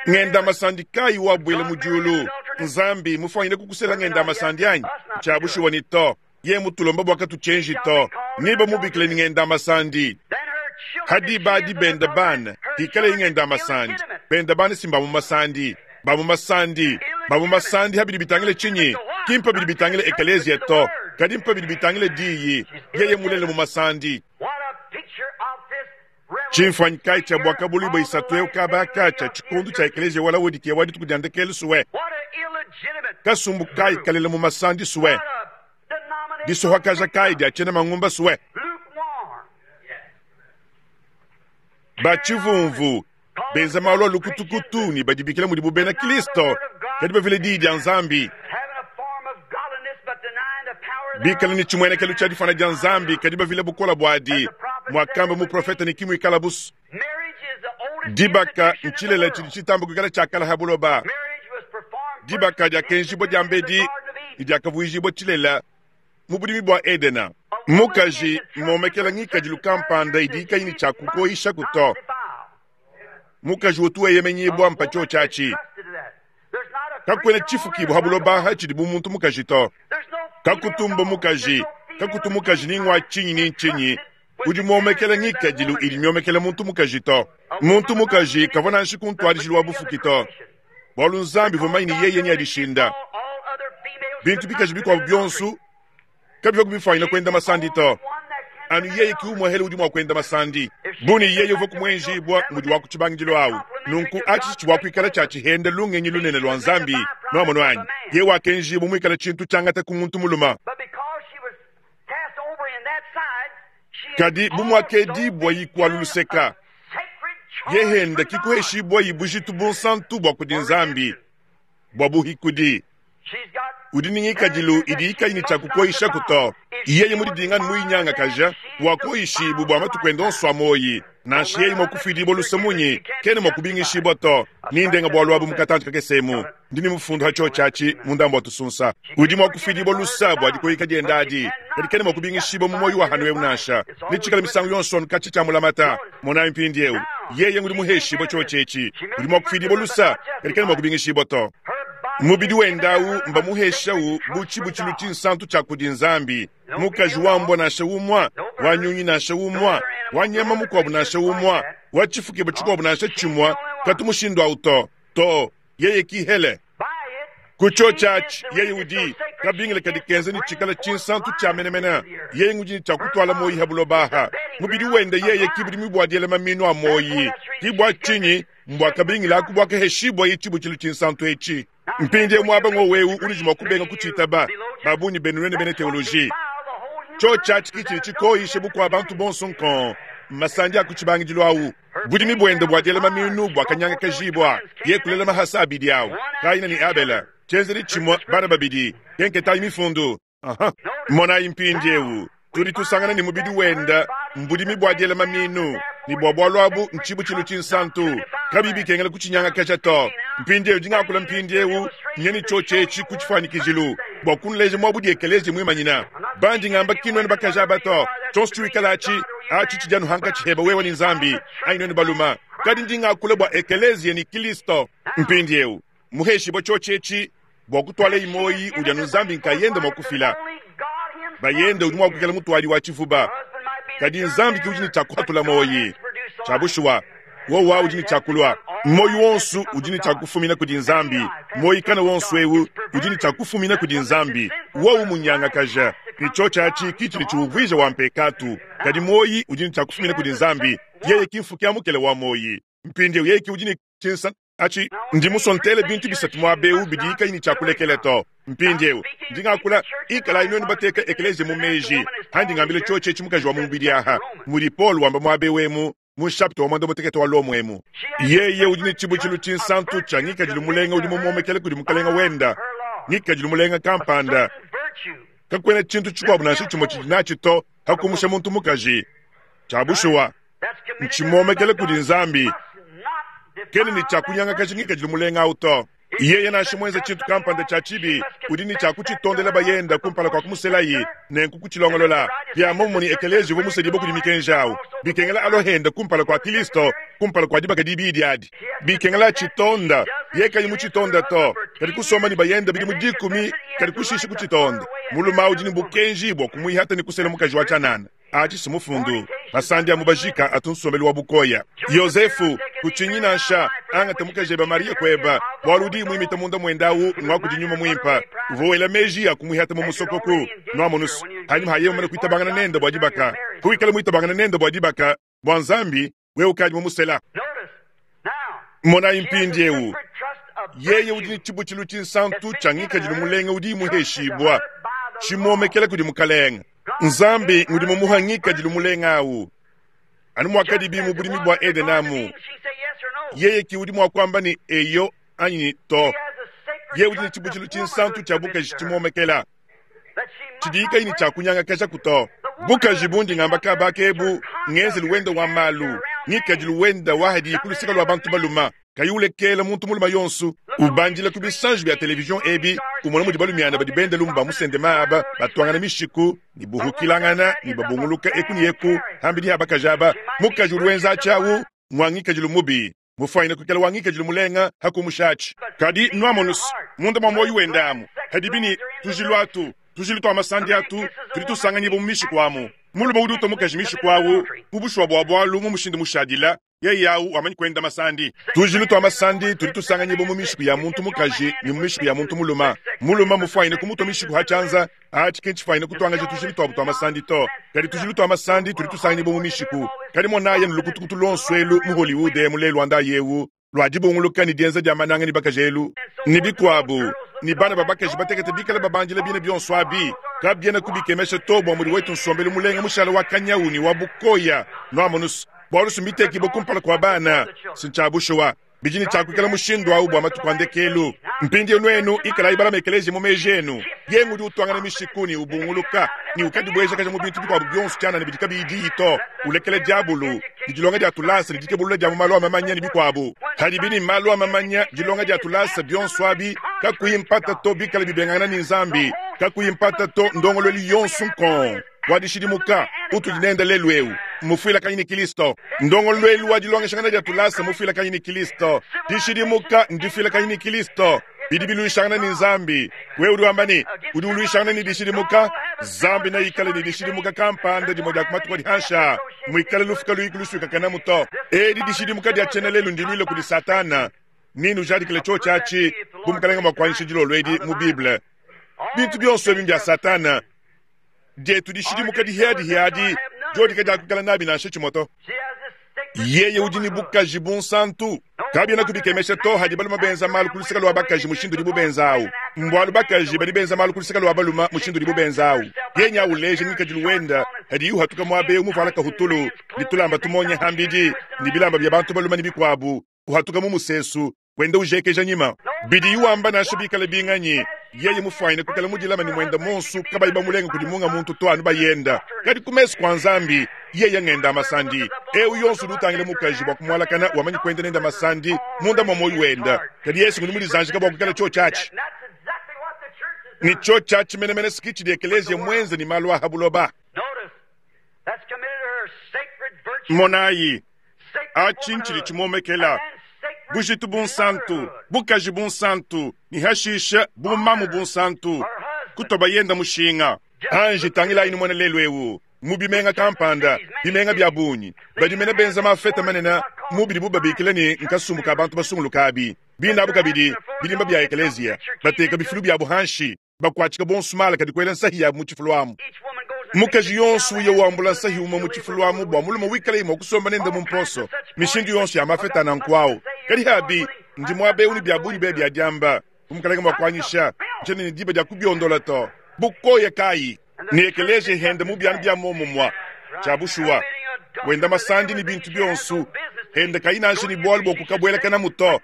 Ngenda masandi kayi wabuela mu diulu? Nzambi mufuanyine kukusela ngenda masandi anyi? Tshia bushuwa ni to. Yeye mutulomba bua katutshienji to, ne bamubikila ne ngenda masandi. Hadi badi benda bana, hikale ngenda masandi. Benda bana si mba mu masandi, ba mu masandi, ba mu masandi habidi bitangile tshinyi? Ki mpa bidi bitangile ekeleziya to, kadi mpa bidi bitangile diyi. Yeye mulele mu masandi. Tshimfuanyi kayi tshia Buakabuluibua isatu eu kaba aka tshia tshikondo tshia ekeleziya wa Laodikiya wa dituku dia ndekelu sue? Kasumbu kayi kalela mu masandi sue? Disohakaja kayi dia tshiena mangumba sue? Ba tshivumvu benza malu a lukutukutu ne badibikila mudibu bena Kristo, kadi bavile diyi dia Nzambi, bikale ne tshimuenekelu tshia difuana dia Nzambi, kadi bavile bukole buadi, muakamba muprofete ne kimuikala busu. Dibaka ntshilele tshidi tshitamba kuikala tshia kale ha buloba. Dibaka diakenjibua diambedi ne diakavuijibua tshilela mu budimi bua Edena. Mukaji mmomekela ngikadilu kampanda idi kayi ne tshia kukoyishaku to. Mukaji utu weyemenyibua mpa tshiotshi atshi. Kakuena tshifukibua ha buloba aha tshidi bu muntu mukaji to. Kakutu mbua mukaji, kakutu mukaji ni ngua tshinyi ni ntshinyi udi muomekela ngikadilu idi miomekela muntu mukaji to. Muntu mukaji kavua nansha ku ntuadijilu wa bufuki to, bualu Nzambi uvua mumanye ne yeye neadishinda. Bintu bikaji bikuabu bionso kabivua kubifuanyina kuenda masandi to. Anu yeye ki umuehele udi mua kuenda masandi. Bu ne yeye uvua kumuenjibua mudi wa ku tshibangidilu awu. Nunku atshi tshivua kuikala tshia tshihenda lungenyi lunene lua Nzambi. Nuamonu anyi? Yeye wakenjibua muikale tshintu tshiangata ku muntu mulume. Kadi bu muakedibua kualu luseka, yehenda kikuheshibua bujitu bunsantu bua kudi Nzambi bua buhikudi. Udi ne ngikadilu idi kayi ne tshia kukoyishaku to. Yeye mudidinga ne muyinyangakaja, wakoyishibu bua matuku ende onso a muoyi. Nansha yeye mua kufuidibua luse munyi, kena mua kubingishibua to. Nindenga bualu abu mu katantshi kakese emu. Ndi ne mufundu ha tshiotshi atshi mu ndambu wa tusunsa. Udi mua kufuidibua luse bua dikoyika diende adi, kadi kena mua kubingishibua mu muoyo wa hanu eu nansha. Netshikale misangu yonso anu katshi tshia mulamata. Monayi mpindieu, yeye ngudi muheshibue tshiotshi etshi. Udi mua kufuidibua luse, kadi kena mua kubingishibua to. Mubidi wende au mbamuheshawu bu tshibutshilu tshinsantu tshia kudi Nzambi. Mukaji wa mbua nansha umue, wa nyunyi nansha umue, wa nyama mukuabu nansha umue, wa tshifukibua tshikuabu nansha tshimue katu mushindu au to. To, yeye ki hele. Ku tshiotshi atshi, yeye udi kabingila kadi kenza ne tshikala tshinsantu tshia menemene. Yeye ngudi ne tshia kutuala muoyi ha buloba aha. Mubidi wende yeye ki budimi bua diela maminu a muoyi. Ki bua tshinyi mbua kabingila aku buakaheshibuaye tshibutshilu tshinsantu etshi. Mpindieu muaba ngowu eu unudi mua kubenga kutshitaba, ba bungi benu nuenu bena teoloji. Tshiotshi atshi ki tshidi tshikoyishe bukua bantu bonso nkong, mmasandi a ku tshibangidilu au. Budimi buende bua diela mamiinu buakanyangakajibua, yeye kulela mahasa abidi au, Kaina ne Abele. Tshienzedi tshimue, bana babidi. Kenketayi Mifundu. Aha. Monayi mpindieu, tudi tusangana ne mubidi wenda mbudimi bua diela mamiinu, ne bua bualu abu ntshibutshilu tshinsantu, kabiyi bikengela kutshinyangakaja to. Mpindieu ndi ngakula mpindieu nye ne tshiotshi etshi ku tshifuanyikijilu bua kunuleja muabudi ekeleziya muimanyina. Bandi ngamba ki nuenu bakaji aba to, tshionso tshiwikala atshi, atshi tshidi anu hankatshi heba wewe ne Nzambi, anyi nuenu baluma, kadi ndi ngakula bua ekeleziya ne Kilisto. Mpindieu muheshibua tshiotshi etshi bua kutuala muoyi udi anu Nzambi nkayende mua kufila. Bayende udi mua kuikala mutuadi wa tshivuba, kadi Nzambi ke udi ne tshia kuhatula muoyi. Tshia bushuwa, wowa udi ne tshia kulua. Muoyi wonso udi ne tshia kufumina kudi Nzambi. Muoyi kana wonso eu udi ne tshia kufumina kudi Nzambi. Wowu munyangakaja ne tshiotshi atshi ki tshidi tshiuvuija wa mpekatu, kadi muoyi udi ne tshia kufumina kudi Nzambi. Yeye ki mfuki amukele wa muoyi. Mpindieu yeye ke udi ne tshinsa atshi. Ndi musue ntele bintu bisatu muaba eu bidi kayi ne tshia kulekela to. Mpindieu ndi ngakula, ikalayi nuenu bateka ekeleziya mu meji andi ngambila tshiotshi etshi mukaji wa mu mubidi aha, mudi Paulo wamba muaba eu emu mu nshapita wa muanda mutekete wa Lomo emu. Yeye udi ne tshibutshilu tshinsantu tshia ngikadilu mulenga udi mumuomekela kudi mukalenga wenda, ngikadilu mulenga kampanda. Kakuena tshintu tshikuabu nansha tshimue tshidi natshi to hakumusha muntu mukaji. Tshia bushuwa ntshimuomekela kudi Nzambi, kena ne tshia kunyangakaja ngikadilu mulenga au to. Yeye nansha muenze tshintu kampanda tshia tshibi, udi ne tshia kutshitondela bayenda kumpala kua kumuselayi, nenku kutshilongolola. Bia muomumue ne ekeleziya uvua musedibue kudi mikenji au, bikengela alua henda kumpala kua Kristo, kumpala kua dibaka dibidi adi. Bikengela atshitonda, yeye kayi mutshitonda to, kadi kusomba ne bayenda bidimu dikumi, kadi kushisha kutshitonda. Mulume au udi ne bukenji bua kumuihata ne kusela mukaji wa tshianana. Atshi si mufundu. Masandi a mu bajika atu nsombelu wa bukoya. Yozefu, kutshinyi nansha, angata mukajebe Mariya kueba, bualu udi muimita munda muende au ngua kudi Nyuma Muimpe. Uvua wela meji a kumuihata mu musokoku. Nuamonusu, hanyima ha yeye mumane kuitabangana nende bua dibaka, kuikala muitabangana nende bua dibaka, bua Nzambi, wewe ukadi mumusela. Monayi mpindieu, yeye udi ne tshibutshilu tshinsantu tshia ngikadilu mulenga udi muheshibua, tshimuomekela kudi Mukalenge. Nzambi ngudi mumuha ngikadilu mulenga au, anu muakadibi mu budimi bua Edene amu. Yeye ki udi mua kuamba ne eyo anyi ne to. Yeye udi ne tshibutshilu tshinsantu tshia bukaji tshimuomekela, tshidi kayi ne tshia kunyangakajaku to. Bukaji bundi ngamba kaba kebu ngenzelu wenda wa malu, ngikadilu wenda wa hadi ku luseke lua bantu baluma, kayi ulekela muntu muluma yonso ubandila ku bisanji bia televizion ebi, umona mudi balumiana badi benda lumu ba musendema aba batuangana mishiku ne buhukilangana ne babunguluka eku ne eku hambidi ha bakaji aba. Mukaji udi wenza atshi awu ngua ngikadilu mubi, mufuanyine kuikala wa ngikadilu mulenga hakumusha atshi. Kadi nuamonus munda mua muoyo wende amu hadibi ne tujilu atu, tujilu tua masandi atu tudi tusanganyibua mu mishiku amu. Mulume udi utua mukaji mishiku awu mu bushuwa bua bualu mu mushindu mushadila, yeye awu wamanyi kuenda masandi. Tujilu tua masandi tudi tusanganyibua mu mishiku ya muntu mukaji ne mu mishiku ya muntu mulume. Mulume mufuanyine kumutua mishiku ha tshianza, atshi ki ntshifuanyine kutuangaja tujilu tuabu tua masandi to, kadi tujilu tua masandi tudi tusanganyibua mu mishiku. Kadi monayi anu lukutukutu luonso elu mu Hollywood emu lelu wa ndayi eu lua dibunguluka ne dienza dia mananga ne bakaji elu ne bikuabu, ne bana ba bakaji batekete bikale babandila bine bionso abi, kabiena kubikemesha to bua mudi wetu nsombelu mulenga mushala wa kanyawu ne wa bukoya. Nuamonus, bualu si mbitekibue kumpala kua bana, si ntshia bushuwa. Bidi ne tshia kuikala mushindu au bua matuku a ndekelu. Mpindieu nuenu ikalayi balame ekeleziya mu meji enu. Yeye ngudi utuangana mishiku ne ubunguluka ne ukadibuejakaja mu bintu bikuabu bionso tshianana bidi kabiyi diyi to, ulekela diabulu ne dilonga dia tulasa ne dikebulula dia mu malu a mamanya ne bikuabu. Padibi ne malu a mamanya, dilonga dia tulasa, bionso abi kakuyi mpata to bikale bibengangana ne Nzambi, kakuyi mpata to ndongoluelu yonso nkong wa dishidimuka utudi nende lelu eu mmufuilakanyi ne Kristo. Ndongoluelu wa dilongeshangana dia tulasa mmufuilakanyi ne Kristo. Dishidimuka ndifuilakanyi ne Kristo. Bidi biluishangana ne Nzambi. Wewe udi wamba ne, udi uluishangana ne dishidimuka. Nzambi neikale ne dishidimuka kampanda dimue dia ku matuku adi hanshi aa, muikale lufu kaluyi kulusuikakanamu to. Edi dishidimuka dia tshiena lelu ndiluile kudi Satana. Nenujadikile tshiotshi atshi bu Mukalenge mua kuanyisha dilolo edi mu Bible. Bintu bionso ebi mbia Satana. Dietu dishidimuka dihiadihia adi diodi kadiakuikala nabi nansha tshimue to. Yeye udi ne bukaji bunsantu. Kabiena kubikemesha to hadi balume benza malu ku luseke lua bakaji mushindu udibu benza au. Mbualu bakaji badi benza malu ku luseke lua balume mushindu udibu benza awu. Yeye nya uleja ngikadilu wenda hadiye uhatuka muaba eu muvuala kahutulu ne tulamba tumonya hambidi ne bilamba bia bantu balume ne bikuabu, uhatuka mu musesu wenda ujekeja nyima. Bidiye wamba nansha bikale binganyi, yeye mufuanyine kuikala mudilame ne muende muonso kabayi bamulenga kudi munga muntu to anu bayenda. Kadi ku mesu kua Nzambi, yeye ngenda masandi. Eu yonso udi utangila mukaji bua kumualakana wamanyi kuenda nende masandi munda mua muoyo wenda. Kadi Yesu ngudi mudizanjika bua kuikala tshiotshi atshi. Ne tshiotshi atshi menemene si tshidi ekeleziya muenze ne malu a ha buloba. Monayi, atshi ntshidi tshimuomekela bujitu bunsantu, bukaji bunsantu, ne hashishe bumamu bunsantu, kutua bayenda mushinga. Anji tangilayi numone lelu eu mu bimenga kampanda, bimenga bia bungi, badi mene benza mafeta manene mu bidibu babikila ne nkasumbu ka bantu basunguluka abi. Bine abu kabidi bilimba bia ekeleziya, bateka bifilu biabu hanshi, bakuatshika bonso mala kadi kuela nsahi yabu mu tshifulu amu. Mukaji yonso uya wambula nsahi umue mu tshifulu amu bua mulume wikalaye mua kusomba nende mu mposo. Mishindu yonso ya mafeta a nanku au. Kadi abi, ndi muaba eu ne bia bungi be bia diamba, bu Mukalenge mua kuanyisha, ntshiena ne diba dia kubiondola to. Bukoya kayi! Ne ekeleziya hende mu bianu bia muomumua. Tshia bushuwa, wenda masandi ne bintu bionso, hende kayi nansha ne bualu bua kukabuelakanamu to.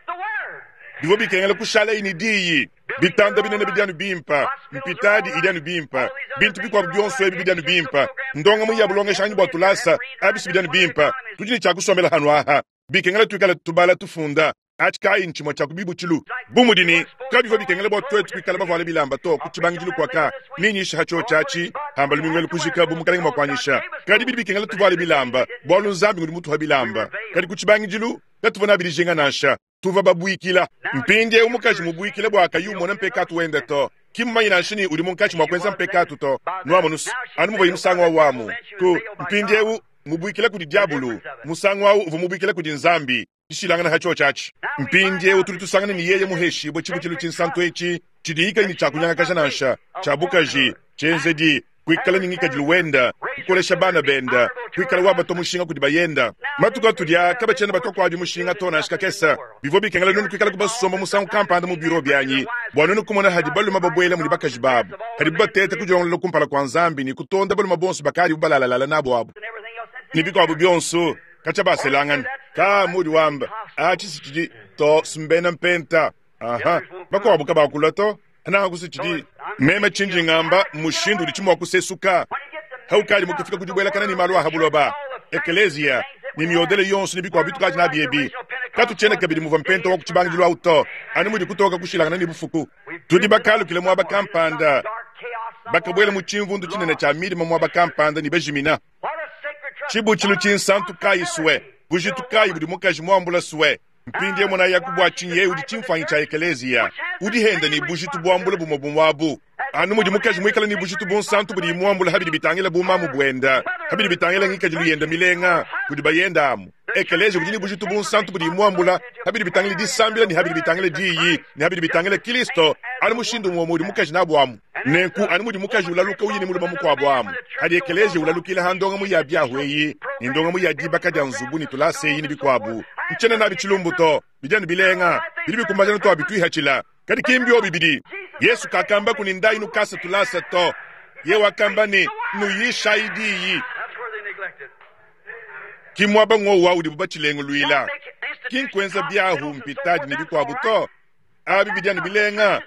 Bivua bikengela kushalaye ne diyi. Bitanda binene bidi anu bimpe, mpitadi idi anu bimpe, bintu bikuabu bionso ebi bidi anu bimpe, ndongamu ya bulongeshanyi bua tulasa abisi bidi anu bimpe. Tudi ne tshia kusombela hanu aha. Bikengela tuikale tubala tufunda. Atshi kayi ntshimue tshia ku bibutshilu. Bu mudi ne, kabivua bikengela bua tuetu kuikala bavuale bilamba to ku tshibangidilu kuaka, nenyishe ha tshiotshi atshi, hamba lumingu elu kujika bu Mukalenge mua kuanyisha. Kadi bidi bikengela tuvuale bilamba, bualu Nzambi ngudi mutuha bilamba. Kadi ku tshibangidilu katuvua nabi dijinga nansha. Tuvua babuikila. Mpindieu mukaji mubuikile bua kayi umona mpekatu wende to. Ki mmumanye nansha ne udi munkatshi mua kuenza mpekatu to. Nuamonus, anu muvuaye musangu au amu. Ku, mpindieu, mubuikila kudi diabulu, musangu au uvua mubuikila kudi Nzambi. Dishilangana ha tshiotshi atshi. Mpindieu tudi tusangana ne yeye muheshibue tshibutshilu tshinsantu etshi, tshidiyi kayi ne tshia kunyangakaja nansha, tshia bukaji, tshienzedi, kuikala ne ngikadilu wenda, kukolesha bana benda, kuikala wabatua mushinga kudi bayenda. Matuku atudi aa kabatshiena batua kuabi mushinga to nansha kakese. Bivua bikengela nuenu kuikala kubasomba musangu kampanda mu biro bianyi bua nuenu kumona hadi balume babuela mudi bakaji babu, hadibu bateta kudilongolola kumpala kua Nzambi ne kutonda balume bonso bakadibu balalalala nabu abu ne bikuabu bionso katshia baselangana. Ka mudi wamba atshi si tshidi to simbena mpenta. Aha, bakuabu kabakula to. Nanku si tshidi meme tshindi ngamba mushindu udi tshimua kusesuka. Haukadi mukufika ku dibuelakana ne malu a ha buloba, ekeleziya ne miodele yonso ne bikuabu bitukadi nabi ebi, katutshiena kabidi muvua mpenta wa ku tshibangidilu au to, anu mudi kutoka kushilangana ne bufuku. Tudi bakalukile muaba kampanda, bakabuela mu tshimvundu tshinene tshia midima muaba kampanda ne bajimina. Tshibutshilu tshinsantu kayi sue? Bujitu kayi budi mukaji muambula sue? Mpindieu monayaku bua tshinyi yeye udi tshimfuanyi tshia ekeleziya. Udi henda ne bujitu buambula bumue bumue abu. Anu mudi mukaji muikale ne bujitu bunsantu budiye muambula ha bidi bitangila bumamu buenda, ha bidi bitangila ngikadilu yenda milenga kudi bayenda amu, ekeleziya udi ne bujitu bunsantu budiye muambula ha bidi bitangila disambila ne ha bidi bitangila diyi ne ha bidi bitangila Kilisto, anu mushindu umue udi mukaji nabu amu. Nenku anu mudi mukaji ulaluka uya ne mulume mukuabu amu, hadi ekeleziya ulalukila ha ndongamu ya biahu eyi ne ndongamu ya dibaka dia nzubu ne tulasa eyi ne bikuabu. Ntshiena nabi tshilumbu to, bidi anu bilenga, bidi bikumbaja anu tuabituihatshila. Kadi ki mbiobi bidi Yesu kakambaku ne ndayi nukasa tulasa to. Yeye wakamba ne, Nuyishayi diyi. Ki muaba ng'wowu udibu batshilenguluila, ki nkuenza biahu, mpitadi ne bikuabu to. Abi bidi anu bilenga,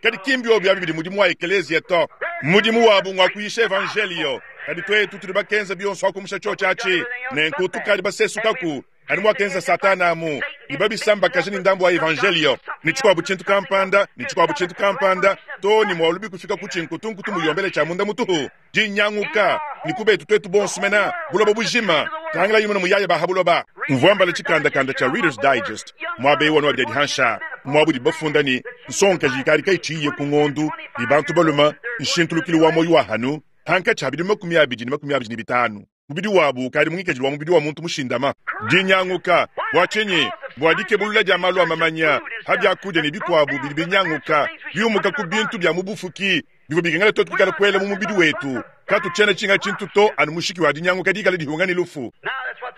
kadi ki mbiobi abi bidi mudimu wa ekeleziya to. Mudimu wabu ngua kuyisha evanjeliyo, kadi tuetu tudi bakenza bionso akumusha tshiotshi atshi. Nenku tukadi basesukaku anu muakenza Satana amu, ne babisambakaja ne ndambu wa evanjeliyo ne tshikuabu tshintu kampanda ne tshikuabu tshintu kampanda, too ne mualubi kufika ku tshinkutunkutu muyombele tshia munda mutuhu, dinyanguka ne kubetu tuetu bonso mena buloba bujima. Tangilayi numone muyaya ba ha buloba. Mvua mbala tshikandakanda tshia Reader's Digest muaba eu anu abidi adi hansha, muaba udibu bafunda ne, nsongakaji ikadi kayitshiyiye ku ngondu ne bantu balume, nshintulukilu wa muoyo wa hanu hankatshi ha bidimu 25 ne 25. Mubidi wabu ukadi mu ngikadilu wa mubidi wa muntu mushindama. Dinyanguka. Bua tshinyi? Bua dikebulula dia malu a mamanya pa biakudia ne bikuabu bidi binyanguka, biumuka ku bintu bia mu bufuki bivua bikengela tuetu kuikala kuela mu mubidi wetu. Katutshiena tshinga tshintu to, anu mushiki wa dinyanguka dikale dihunga ne lufu.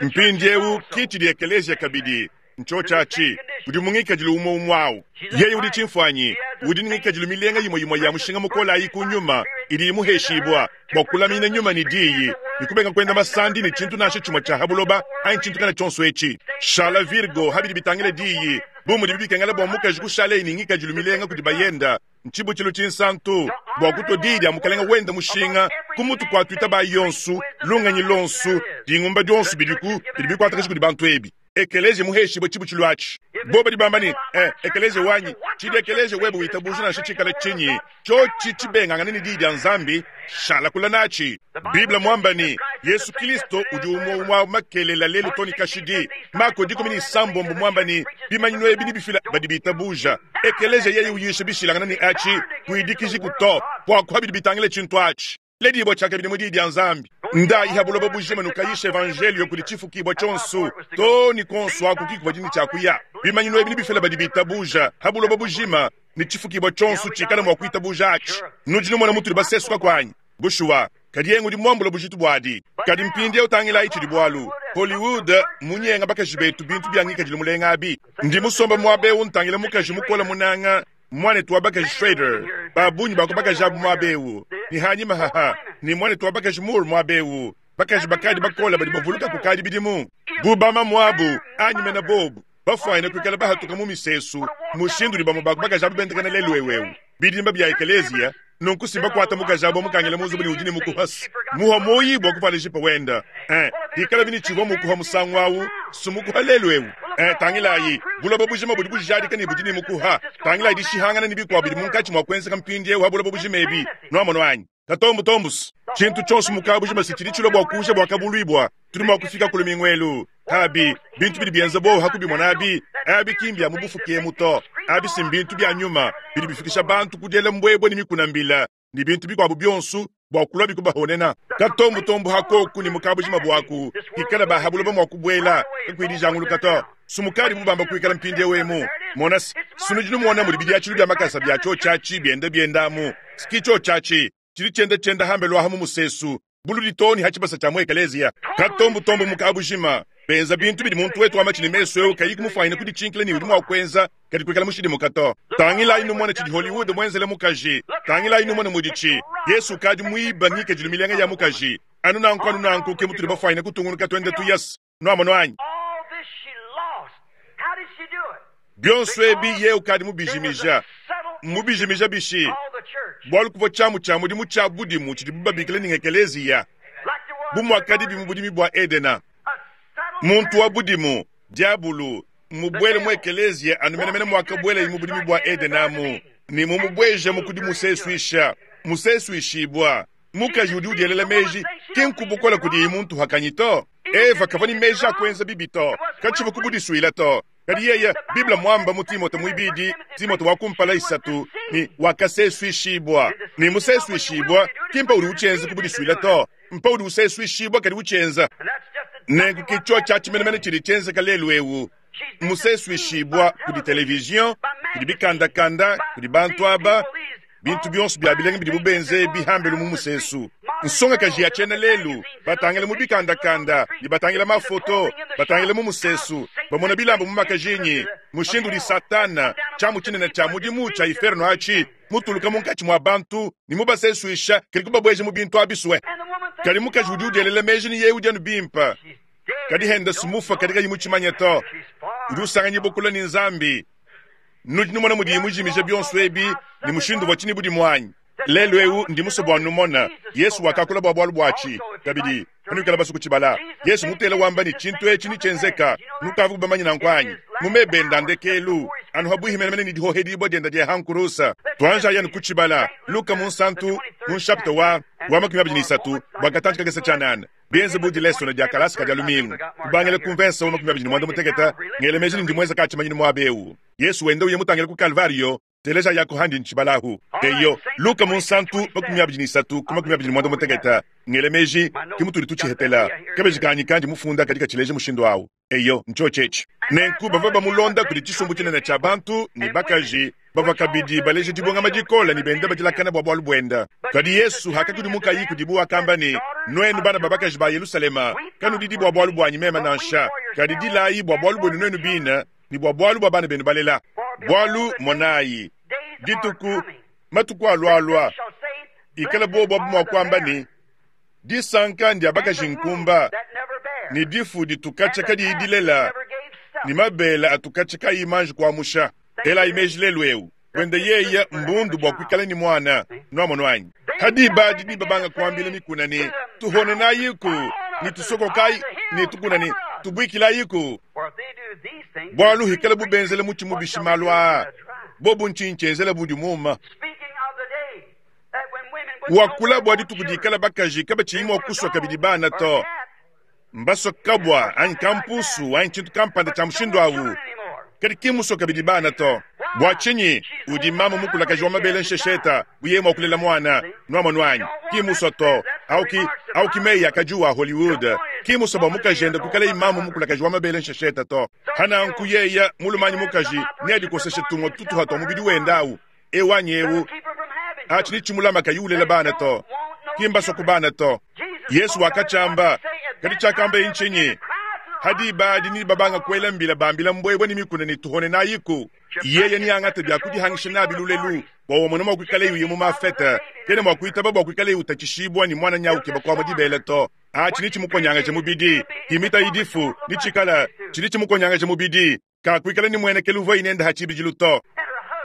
Mpindieu ki tshidi ekeleziya kabidi. Ntshiotshi atshi. Udi mu ngikadilu umue umue au. Yeye udi tshimfuanyi, udi ne ngikadilu milenga imue imue ya mushinga mukole ayi ku nyuma idi imuheshibua bua kulamina nyuma ne diyi ne kubenga kuenda masandi ne tshintu nansha tshimue tshia ha buloba anyi tshintu kana tshionso etshi. Shala virgo ha bidi bitangila diyi, bu mudibi bikengela bua mukaji kushaleye ne ngikadilu milenga kudi bayenda, Ntshibutshilu tshinsantu bua kutua diyi dia Mukalenge wende mushinga ku mutu kua tuitabayi yonso, lungenyi luonso, dingumba dionso bidiku bidi bikuatakaja kudi bantu ebi. Ekeleziya muheshibue tshibutshilu atshi. Bobo badi bamba ne, Eh, ekeleziya wanyi, tshidi ekeleziya webe witabuja nansha tshikale tshinyi, tshiotshi tshibengangane ne Diyi dia Nzambi, shala kule natshi. Bible muamba ne, Yesu Kilisto udi umue umue makelela lelu to ne kashidi. Mako 16 muamba ne, bimanyinu ebi nebifila badi bitabuja. Ekeleziya yeye uyisha bishilangane ne atshi, kuidikijiku to, bua bidi bitangila tshintu atshi. Ledibua tshiakabidi mu Diyi dia Nzambi. Ndayi ha buloba bujima nukayisha evanjelio kudi tshifukibua tshionso, to ne kuonso aku kikuvua ne tshia kuya. Bimanyinu ebi nebifila badi bitabuja ha buloba bujima, ne tshifukibua tshionso tshikale mua kuitabuja atshi. Nudi numona mutudi basesuka kuanyi? Bushuwa, kadi yeye ngudi muambule bujitu buadi. Kadi mpindieu tangilayi tshidi bualu. Hollywood mmunyenga bakaji betu bintu bia ngikadilu mulenga abi. Ndi musombe muaba eu ntangila mukaji mukole munanga, muanetu wa bakaji Schrader, ba bungi ba ku bakaji abu muaba eu, ne hanyima haha, ne muanetu wa bakaji Moore muaba eu, bakaji bakadi bakole badi bavuluka kukadi bidimu bu bamamuabu anyi mene bobu bafuanyine kuikala bahatuka mu misesu mushindu udi bamue ba ku bakaji abu bendakana lelu'eu eu bidimba bia ekeleziya. Nunku si mbakuata mukaji abu mukangila mu nzubu ne udi ne mukuhas muha muoyi bua kuvuala jipa wenda. Eh, bikalabi ne tshivua mukuha musangu au, sumukuha lelu eu. Eh, tangilayi, buloba bujima budi bujadika ne budi ne mukuha. Tangilayi dishihangana ne bikuabu bidi munkatshi mua kuenzeka mpindieu ha buloba bujima ebi. Nuamono anyi? Katombutombus, tshintu tshionso mu kabujima si tshidi tshilua bua kuuja bua kabuluibua. Tudi mua kufika ku lumingu elu. Abi, bintu bidi bienza buowa ha kubimona abi, abi ki mbia mu bufuki emu to. Abi si mbintu bia nyuma bidi bifikisha bantu ku diela mbuebue ne mikuna mbila ne bintu bikuabu bionso bua kuluabi kubahonena. Katombutombu ha koku ne mu kabujima buaku kikala ba ha buloba mua kubuela kakuyi dijanguluka to. Sumukadi bubamba kuikala mpindieu emu. Mona se, sunudi numona mudi bidiatshilu bia makasa bia tshiotshi atshi bienda bienda amu. Ski tshiotshi atshi tshidi tshienda tshienda hambelu aha mu musesu buludi too ne ha tshibasa tshia mu ekeleziya. Katombutombu mu kabujima benza bintu bidi muntu wetu wa matshi ne mesu eu kayi kumufuanyina kuditshinkila ne udi mua kuenza kadi kuikala mushidimuka to. Tangilayi numone tshidi Hollywood muenzele mukaji. Tangilayi numone muditshi. Yesu ukadi muiba ngikadilu milenga ya mukaji. Anu nanku anu nanku ke mutudi bafuanyine kutungunuka tuenda tuyas. Nuamono anyi? Bionso ebi yeye ukadi mubijimija. Mmubijimija bishi? Bualu kuvua tshiamu tshia mudimu tshia budimu tshidibu babikila ne ngekeleziya, bu muakadibi mu budimi bua Edena. Muntu wa budimu, Diabulu, mmubuele mu ekeleziya anu menemene muakabuelaye mu budimi bua Edena amu, ne mumubuejamu ku dimusesuisha, musesuishibua. Mukaji udi udielela meji, ki nku bukole kudiyi muntu hakanyi to. Eva kavua ne meji a kuenza bibi to, katshivua ku budisuila to. Kadi yeye, Bible muamba mu Timote muibidi, Timote wa kumpala isatu, ne wakasesuishibua. Ne musesuishibua, ki mpa udi utshienza ku budisuila to, mpa udi usesuishibua kadi utshienza. Nenku ke tshiotshi atshi menemene tshidi tshienzeka lelu eu. Musesuishibua kudi televizion, kudi bikandakanda, kudi bantu aba, bintu bionso bia bilenga bidibu benze bihambelu mu musesu. Nsongakaji ya tshiena lelu batangila mu bikandakanda ne batangila mafoto, batangila mu musesu, bamona bilamba mu makajinyi, mushindu udi Satana, tshiamu tshinene tshia mudimu tshia iferno atshi, mutuluka munkatshi mua bantu ne mubasesuisha kadi kubabueja mu bintu abisue. Kadi mukaji udi udielela meji ne yeye udi anu bimpe, kadi henda sumufa kadi kayi mutshimanye to. Udi usanganyibua kule ne Nzambi. Nudi numona mudiye mujimije bionso ebi ne mushindu uvua tshini budimu anyi? Lelu eu ndi musue bua numona Yesu wakakula bua bualu buatshi. Kabidi, panuikala basue kutshibala, Yesu mutela wamba ne tshintu etshi nitshienzeka. Nukavua bamanye nanku anyi? Mu meba ende a ndekelu, anu habuihi menemene ne dihohedibua diende dia ha nkurusa. Tuanjayi anu kutshibala. Luka munsantu mu nshapita wa wa 23 bua katantshi kakese tshianana. Bienze bu dilesona dia kalasa ka dia lumingu, kubangila ku mvensa wa 28, ngela meji ne ndi muenza ka tshimanyinu muaba eu. Yesu wenda uya mutangile ku Kalvario, teleja yako handi ntshibalahu. Eyo, Luka munsantu 23 ku 25, ngela meji ke mutudi tutshihetela. Kabeji kanyi kandi mufunda kadi katshileja mushindu au. Eyo, ntshiotshi etshi. Nenku bavua bamulonda kudi tshisumbu tshinene tshia bantu ne bakaji Bavua kabidi baleja dibungama dikole ne benda badilakana bua bualu buende. Kadi Yesu hakakudimukayi kudibu wakamba ne, Nuenu bana ba bakaji ba Yelushalema, kanudidi bua bualu buanyi meme nansha, kadi dilayi bua bualu buenu nuenu bine ne bua bualu bua bana benu balela. Bualu monayi, dituku, matuku alualua, ikala bobu abu mua kuamba ne, Disanka ndia bakaji nkumba, ne difu ditu katshia kadiyi dilela, ne mabele atu katshia kayi manji kuamusha. Elayi meji lelu eu, buende yeye mbundu bua kuikala ne muana. Nuamonu anyi? Ha diba adi nebabanga kuambila mikuna ne, Tuhonenayiku, ne tusokokayi, ne tukuna ne, Tubuikilayiku. Bualu hikalabu benzele mutshi mubishi malu aa, bobu ntshinyi tshienzela budi muuma? Wakula bua dituku dikala bakaji kabatshiyi mua kusua kabidi bana to. Mbasua kabua anyi kampusu anyi tshintu kampanda tshia mushindu au, kadi ki mmusue kabidi bana to. Bua tshinyi? Udi mamu mukulakaji wa mabele nshesheta bu yeye mua kulela muana. Nuamonu anyi? Ki mmusue to. Au ki, au ki meyi a kadiwu a Hollywood. Ki mmusue bua mukajende kuikalaye mamu mukulakaji wa mabele nshesheta to. Pa nanku yeye, mulume anyi mukaji, neadikoseshe tumue tutuha tua mubidi wende au. Eu anyi eu, atshi netshimulama kayi ulela bana to. Ki mbasua ku bana to. Yesu wakatshiamba, kadi tshiakambaye ntshinyi? Ha diba adi nebabanga kuela mbila bambila mbuebue ne mikuna ne tuhone nayiku. Yeye neangate bia kudihangisha nabi lulelu bua wamona mua kuikaleye uya mu mafete. Kena mua kuitaba bua kuikaleye utatshishibua ne muana nyau ukeba kuamua dibele to. Atshi netshimukonyangaje mubidi. Himitayi difu, netshikala tshidi tshimukonyangaja mubidi. Kakuikala ne muenekelu uvuaye nende ha tshibidilu to,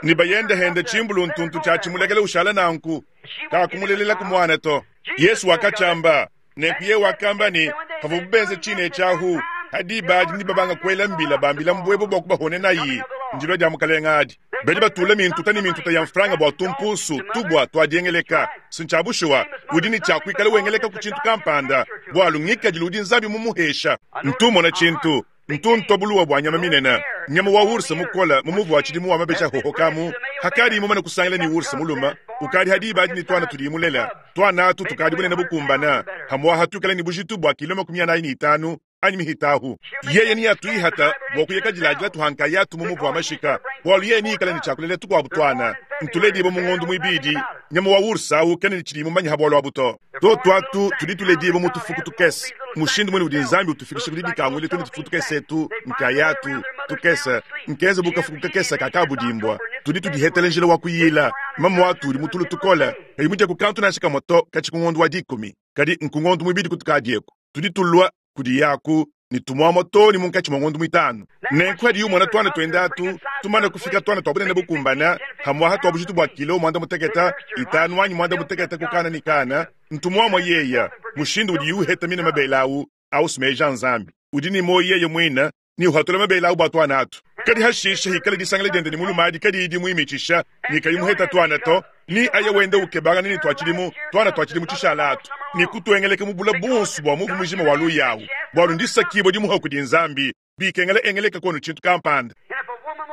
ne bayende hende tshimbulu ntuntu tshia tshimulekela ushala nanku, kakumulelelaku muana to. Yesu wakatshiamba. Nenku yeye wakamba ne, Pavuabu benza tshine etshi ahu, ha diba adi nebabanga kuela mbila bambila mbuebue bua kubahonenayi. Ndilua dia Mukalenge adi. Badi batula mintuta ne mintuta ya mfranga bua tumpuusu, tubua, tua diengeleka. Si ntshia bushuwa, udi ne tshia kuikala wengeleka ku tshintu kampanda, bualu ngikadilu udi Nzambi mumuhesha. Ntu mmona tshintu. Ntu ntua buluwa bua nyama minene, nyama wa ours mukole mu muvu wa tshidimu wa mabeji ahohokamu. Hakadiye mumane kusangila ne ours mulume, ukadi ha diba adi ne tuana tudiye mulela. Tuana atu tukadi bunene bukumbana, hamuaha tuikale ne bujitu bua kilo 45 anyi mihitahu. Yeye neatuihata bua kuya kadiladila tuha nkayatu mu muvu wa mashika, bualu yeye neikale ne tshia kulela tukuabu tuana. Ntuledibue mu ngondo muibidi. Nyama wa ours au kena ne tshidiye mumanye ha bualu abu to. Tuotu atu tudi tuledibua mu tufuku tukese. Mushindu muine udi Nzambi utufikisha ku didikanguila tuetu tufuku tukese etu nkayatu tukese, nkenze bu kafuku kakese ka kabudimbua. Tudi tudihetela njila wa kuyila. Mamuatu udi mu tulu tukole, kayi mudia ku kantu nansha kamue to katshia ku ngondo wa dikumi, kadi nku ngondo muibidi kutukadi eku. Tudi tulua kudiyaku ne tumuamua too ne munkatshi mua ngondo muitanu. Nenku hadiye umona tuana tuende atu tumane kufika tuana tua bunene bukumbana, hamuaha tua bujitu bua kilo muanda mutekete itanu anyi muanda mutekete ku kana ne kana, ntumuamua yeya. Mushindu udiye uheta mine mabele au, au meji a Nzambi. Udi ne muoyo yeye muine ne uhatula mabele au bua tuana atu. Kadi hashishe hikala disangila diende ne mulume adi kadiyi dimuimitshisha ne kayi muheta tuana to, ne aya wenda ukebangana ne tua tshidimu tuana tua tshidimu tshishala atu, ne kutuengeleka mu bula buonso bua muvu mujima wa luya awu, bualu ndisakibua dimuha kudi Nzambi, bikengela engeleka kono tshintu kampanda.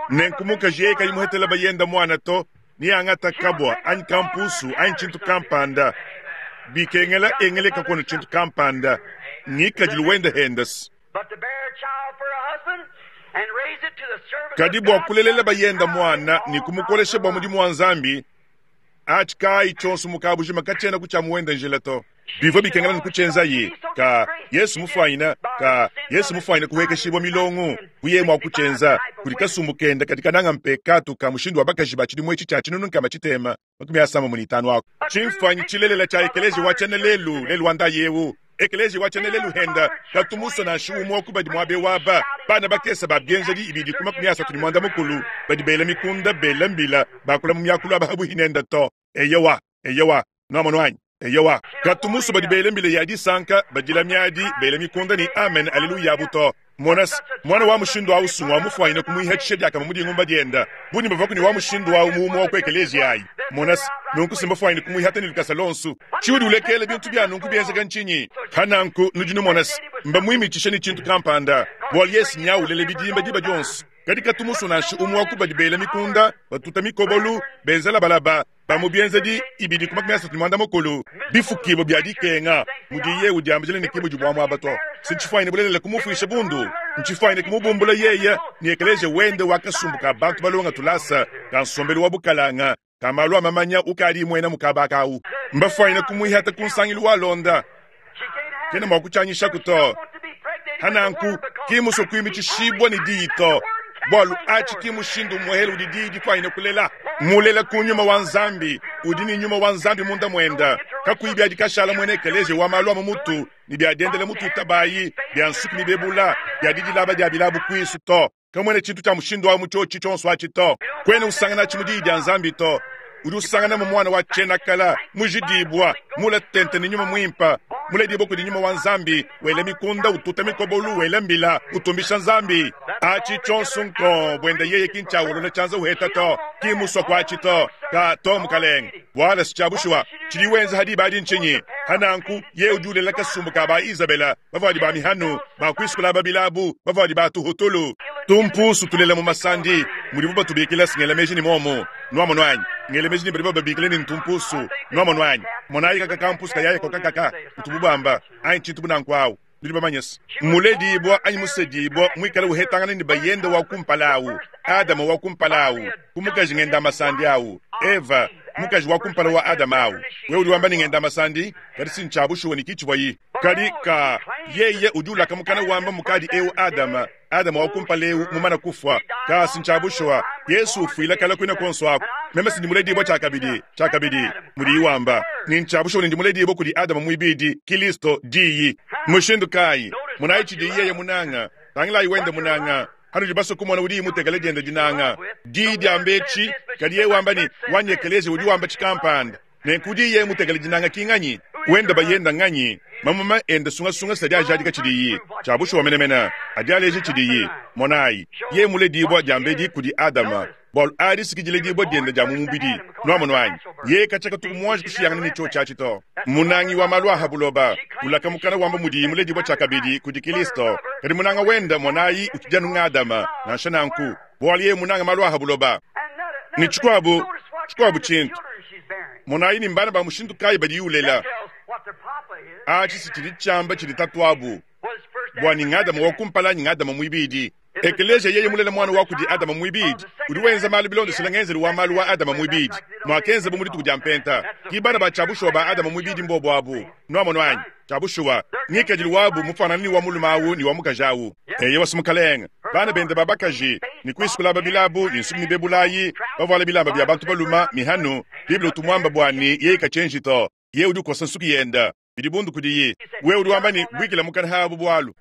Nenku mukaji yeye kayi muhetela bayenda muana to, neangata kabua anyi kampusu anyi tshintu kampanda, bikengela engeleka kono tshintu kampanda, ngikadilu wenda hendas. Kadi bua kulelela bayenda muana ne kumukolesha bua mudimu wa Nzambi, atshi kayi tshionso mu kabujima katshiena ku tshia muwenda njila to. Bivua bikengela ne kutshienzaye ka Yesu mufuanyina ka Yesu mufuanyina kuhuekeshibua milongo bu yeye mua kutshienza kudi kasumbu kende kadi kananga mpekatu ka mushindu wa bakaji ba tshidimu etshi tshia 1655 aku. Tshimfuanyi tshilelela tshia ekeleziya wa tshiena lelu lelu wa ndayi eu. Ekeleziya wa tshiena lelu henda katu musue nansha umue wa ku badi muaba eu aba, bana bakese ba bienzedi ibidi ku 35 badi bela mikunda, bela mbila, bakula mu miakulu aba habuhi nende to. Eyowa, eyowa, nuamonu anyi? Eyowa, katu musue badi bela mbila ya disanka, badila miadi, bela mikunda ne amen aleluya abu to. Mona se, muana wa mushindu au si ngua mufuanyine kumuihatshisha diakamue mu dingumba dienda. Bunyi bavaku ne wa mushindu au mu umue wa ku ekeleziya ayi. Mona se, nunku si mbafuanyine kumuihata ne lukasa luonso. Tshiudi ulekeela bintu bia nunku bienzeka ntshinyi? Pa nanku nudi numona se, mbamuimitshishe ne tshintu kampanda, bualu yeye si nyau ulela bidimba diba dionso. Kadi katu musue nansha umue wa ku badi bela mikunda, batuta mikobolu, benza labalaba, ba mu Bienzedi ibidi ku 34 bifukibua bia dikenga, mudiye udiambila ne ki mudi buamuaba to. Si ntshifuanyine bulelela kumufuisha bundu, ntshifuanyine kumubumbula yeye ne ekeleziya wende wa kasumbu ka bantu balonga tulasa ka nsombelu wa bukalanga ka malu a mamanya ukadi muena mu kaba aka au. Mbafuanyine kumuihata ku nsangilu walonda. Kena mua kutshianyishaku to. Hananku, ki musue kuimitshishibua ne diyi to, bualu atshi ki mushindu umuehele udi diyi difuanyine kulela. Mulela ku Nyuma wa Nzambi, udi ne Nyuma wa Nzambi munda muenda, kakuyi bia dikashala muena ekeleziya wa malu a mu mutu ne bia diendela mu tuitabayi, bia nsuki mibebula, bia didilaba dia bilabu kuisu to. Kamuena tshintu tshia mushindu au mu tshiotshi tshionso atshi to. Kuena usanganatshi mu Diyi dia Nzambi to. Udi usanganamu muana wa tshienakala, mujidibua, mule tente ne Nyuma Muimpe, muledibue kudi Nyuma wa Nzambi, wela mikunda, ututa mikobolu, wela mbila, utumbisha Nzambi. Atshi tshionso nkong buende yeye ki ntshiawolola tshianza uheta to. Ki musua kuatshi to. Ka to, mukalenge. Buala si tshia bushuwa. Tshidi wenza ha diba adi ntshinyi? Ha nanku, yeye udi ulela kasumbu ka ba Izabela, bavuadi ba mihanu, ba kuisukula aba bilabu, bavuadi ba tuhutulu, tumpusu tulela mu masandi, mudibu batubikila. Singela meji ne muomu, nuamonu anyi? Ngela meji ne badi bababikila ne ntumpusu, nuamonu anyi? Monayi kaka kampusu kayaya koka kaka, ntubu bamba, anyi tshintu bu nanku awu. Nudi bamanye se, muledibua anyi musedibua muikale uhetangana ne bayende wa kumpala awu, Adama wa kumpala awu, ku mukaji ngenda masandi awu, Eva, mukaji wa kumpala wa Adama awu. Wewe udi wamba ne ngenda masandi, kadi si ntshia bushuwa ne ki tshivuayi. Kadi ka, yeye udi ulaka mukana wamba mukadi eu Adama, Adama wa kumpala eu mumana kufua. Ka, si ntshia bushuwa, Yesu ufuila kala kuina kuonso aku. Meme si ndi muledibua tshiakabidi, tshiakabidi, mudiyi wamba, ne ntshia bushuwa ne ndi muledibua kudi Adama muibidi, Kilisto, Diyi. Mushindu kayi? Monayi tshidiyi yeye munanga. Tangilayi wende munanga. Hanudi basue kumona udiyi mutekele diende dinanga. Diyi diamba etshi, kadi yeye wamba ne, wanyi ekeleziya udi wamba tshikampanda. Nenku udiyi yeye mutekele dinanga ki nganyi? Wende bayenda nganyi? Mamuma ende sungasunga si adi ajadika tshidiyi. Tshia bushuwa menemene, adi aleja tshidiyi. Monayi, yeye muledibua diambedi kudi Adama, bualu adi si ki diledibua diende dia mu mubidi. Nuamonu anyi? Yeye katshia katuku muanji kushiyangana ne tshiotshi atshi to. Munangi wa malu a ha buloba, ulaka mukana wamba mudiyi muledibua tshiakabidi kudi Kilisto, kadi munanga wende, monayi, utshidi anu ng'Adama. Nansha nanku, bualu yeye munanga malu a ha buloba. Ne tshikuabu, tshikuabu tshintu, monayi ne mbana ba mushindu kayi badiyi ulela. Atshi si tshidi tshiamba tshidi tatuabu, bua ne ng'Adama wa kumpala anyi ng'Adama muibidi. Ekeleziya yeye mulela muana wa kudi Adama muibidi, udi wenza malu bilondeshile ngenzelu wa malu wa Adama muibidi, muakenzabo mu dituku dia Mpenta. Ki bana ba tshia bushuwa ba Adama muibidi mbobo abu. Nuamonu anyi? Tshia bushuwa, ngikadilu wabu mufuanangane ne wa mulume awu ne wa mukaji awu. Eyowa, si mukalenge, bana bende ba bakaji, ne kuisukulaba bilabu ne nsuki mibebulayi, bavuala bilamba bia bantu balume, mihanu. Bible utu muamba bua ne yeye katshienji to. Yeye udi ukosa nsuki yende. Bidi bundu kudiyi. Wewe udi wamba ne, Buikila mukana habu bualu.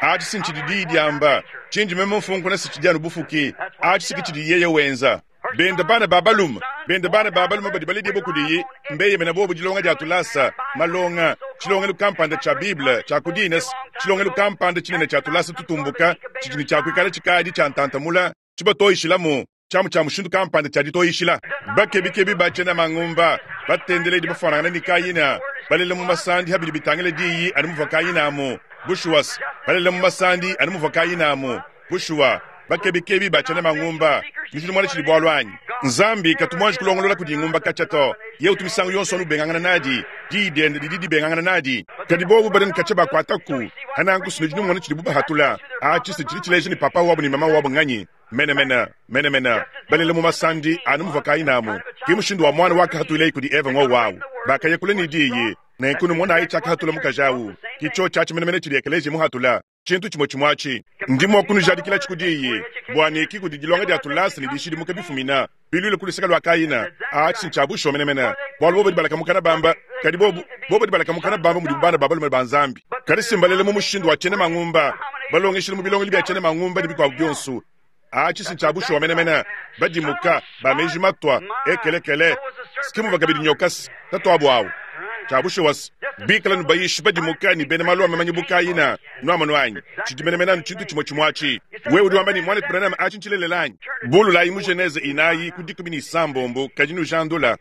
Atshi si ntshidi diyi diamba. Tshindi meme mfunkuna si tshidi anu bufuki. Atshi si ke tshidi yeye wenza. Bende bana ba balume, bende bana ba balume badi baledibue kudiyi, mbeyemena bobu dilonga dia tulasa, malonga, tshilongelu kampanda tshia Bible tshia ku dines, tshilongelu kampanda tshinene tshia tulasa tutumbuka tshidi ne tshia kuikala tshikadi tshia ntanta mula, tshibatoyishilamu tshiamu tshia mushindu kampanda tshia ditoyishila. Bakebikebi ba tshiena mangumba, batendeledi bafuanangane ne Kayina, balela mu masandi ha bidi bitangila diyi anu muvua Kayina amu. Bushuwa, balela mu masandi anu muvua Kayina amu. Bushuwa, bakebikebi ba tshiena mangumba, nudi numona tshidi bualu anyi? Nzambi katu muanji kulongolola kudi ngumba katshia to. Yeye utu misangu yonso anu ubengangana nadi, diyi diende didi dibengangana nadi. Kadi bobu badi ne katshia bakuataku, hananku nudi numona tshidibu bahatula. Atshi si tshidi tshileja ne papa wabu ne mama wabu nganyi? Menemene, menemene, balela mu masandi anu muvua Kaina amu. Ke mushindu wa muana wakahatuileyi kudi Eva ngowu awu. Bakaya kule ne diyi, nenku numonayi tshiakahatula mukaji awu. Ke tshiotshi atshi menemene tshidi ekeleziya muhatula, tshintu tshimue tshimue atshi. Ndi mua kunujadikilatshi ku diyi, bua ne ki kudi dilonga dia tulasa ne dishidimuka bifumina, biluile ku luseke lua Kaina. Atshi ntshia bushuwa menemene, bualu bobo badi balaka mukana bamba, kadi bobo, bobo badi balaka mukana bamba mudibu bana ba balume ba Nzambi. Kadi si mbalele mu mushindu wa tshiena mangumba, balongeshile mu bilongelu bia tshiena mangumba ne bikuabu bionso. Atshi si ntshia bushuwa menemene. Badimuka, ba meji matua, ekelekele, si muvua kabidi nyoka si tatuabu awu. Tshia bushuwa si bikala nubayishi badimuka ne bena malu a mamanya bu Kaina. Nuamonu anyi? Tshidi menemene anu tshintu tshimue tshimue atshi. Wewe udi wamba ne, Muanetu Branham, atshi ntshilelela anyi? Bululayi mu Genese inayi ku 16, kadi nujandula.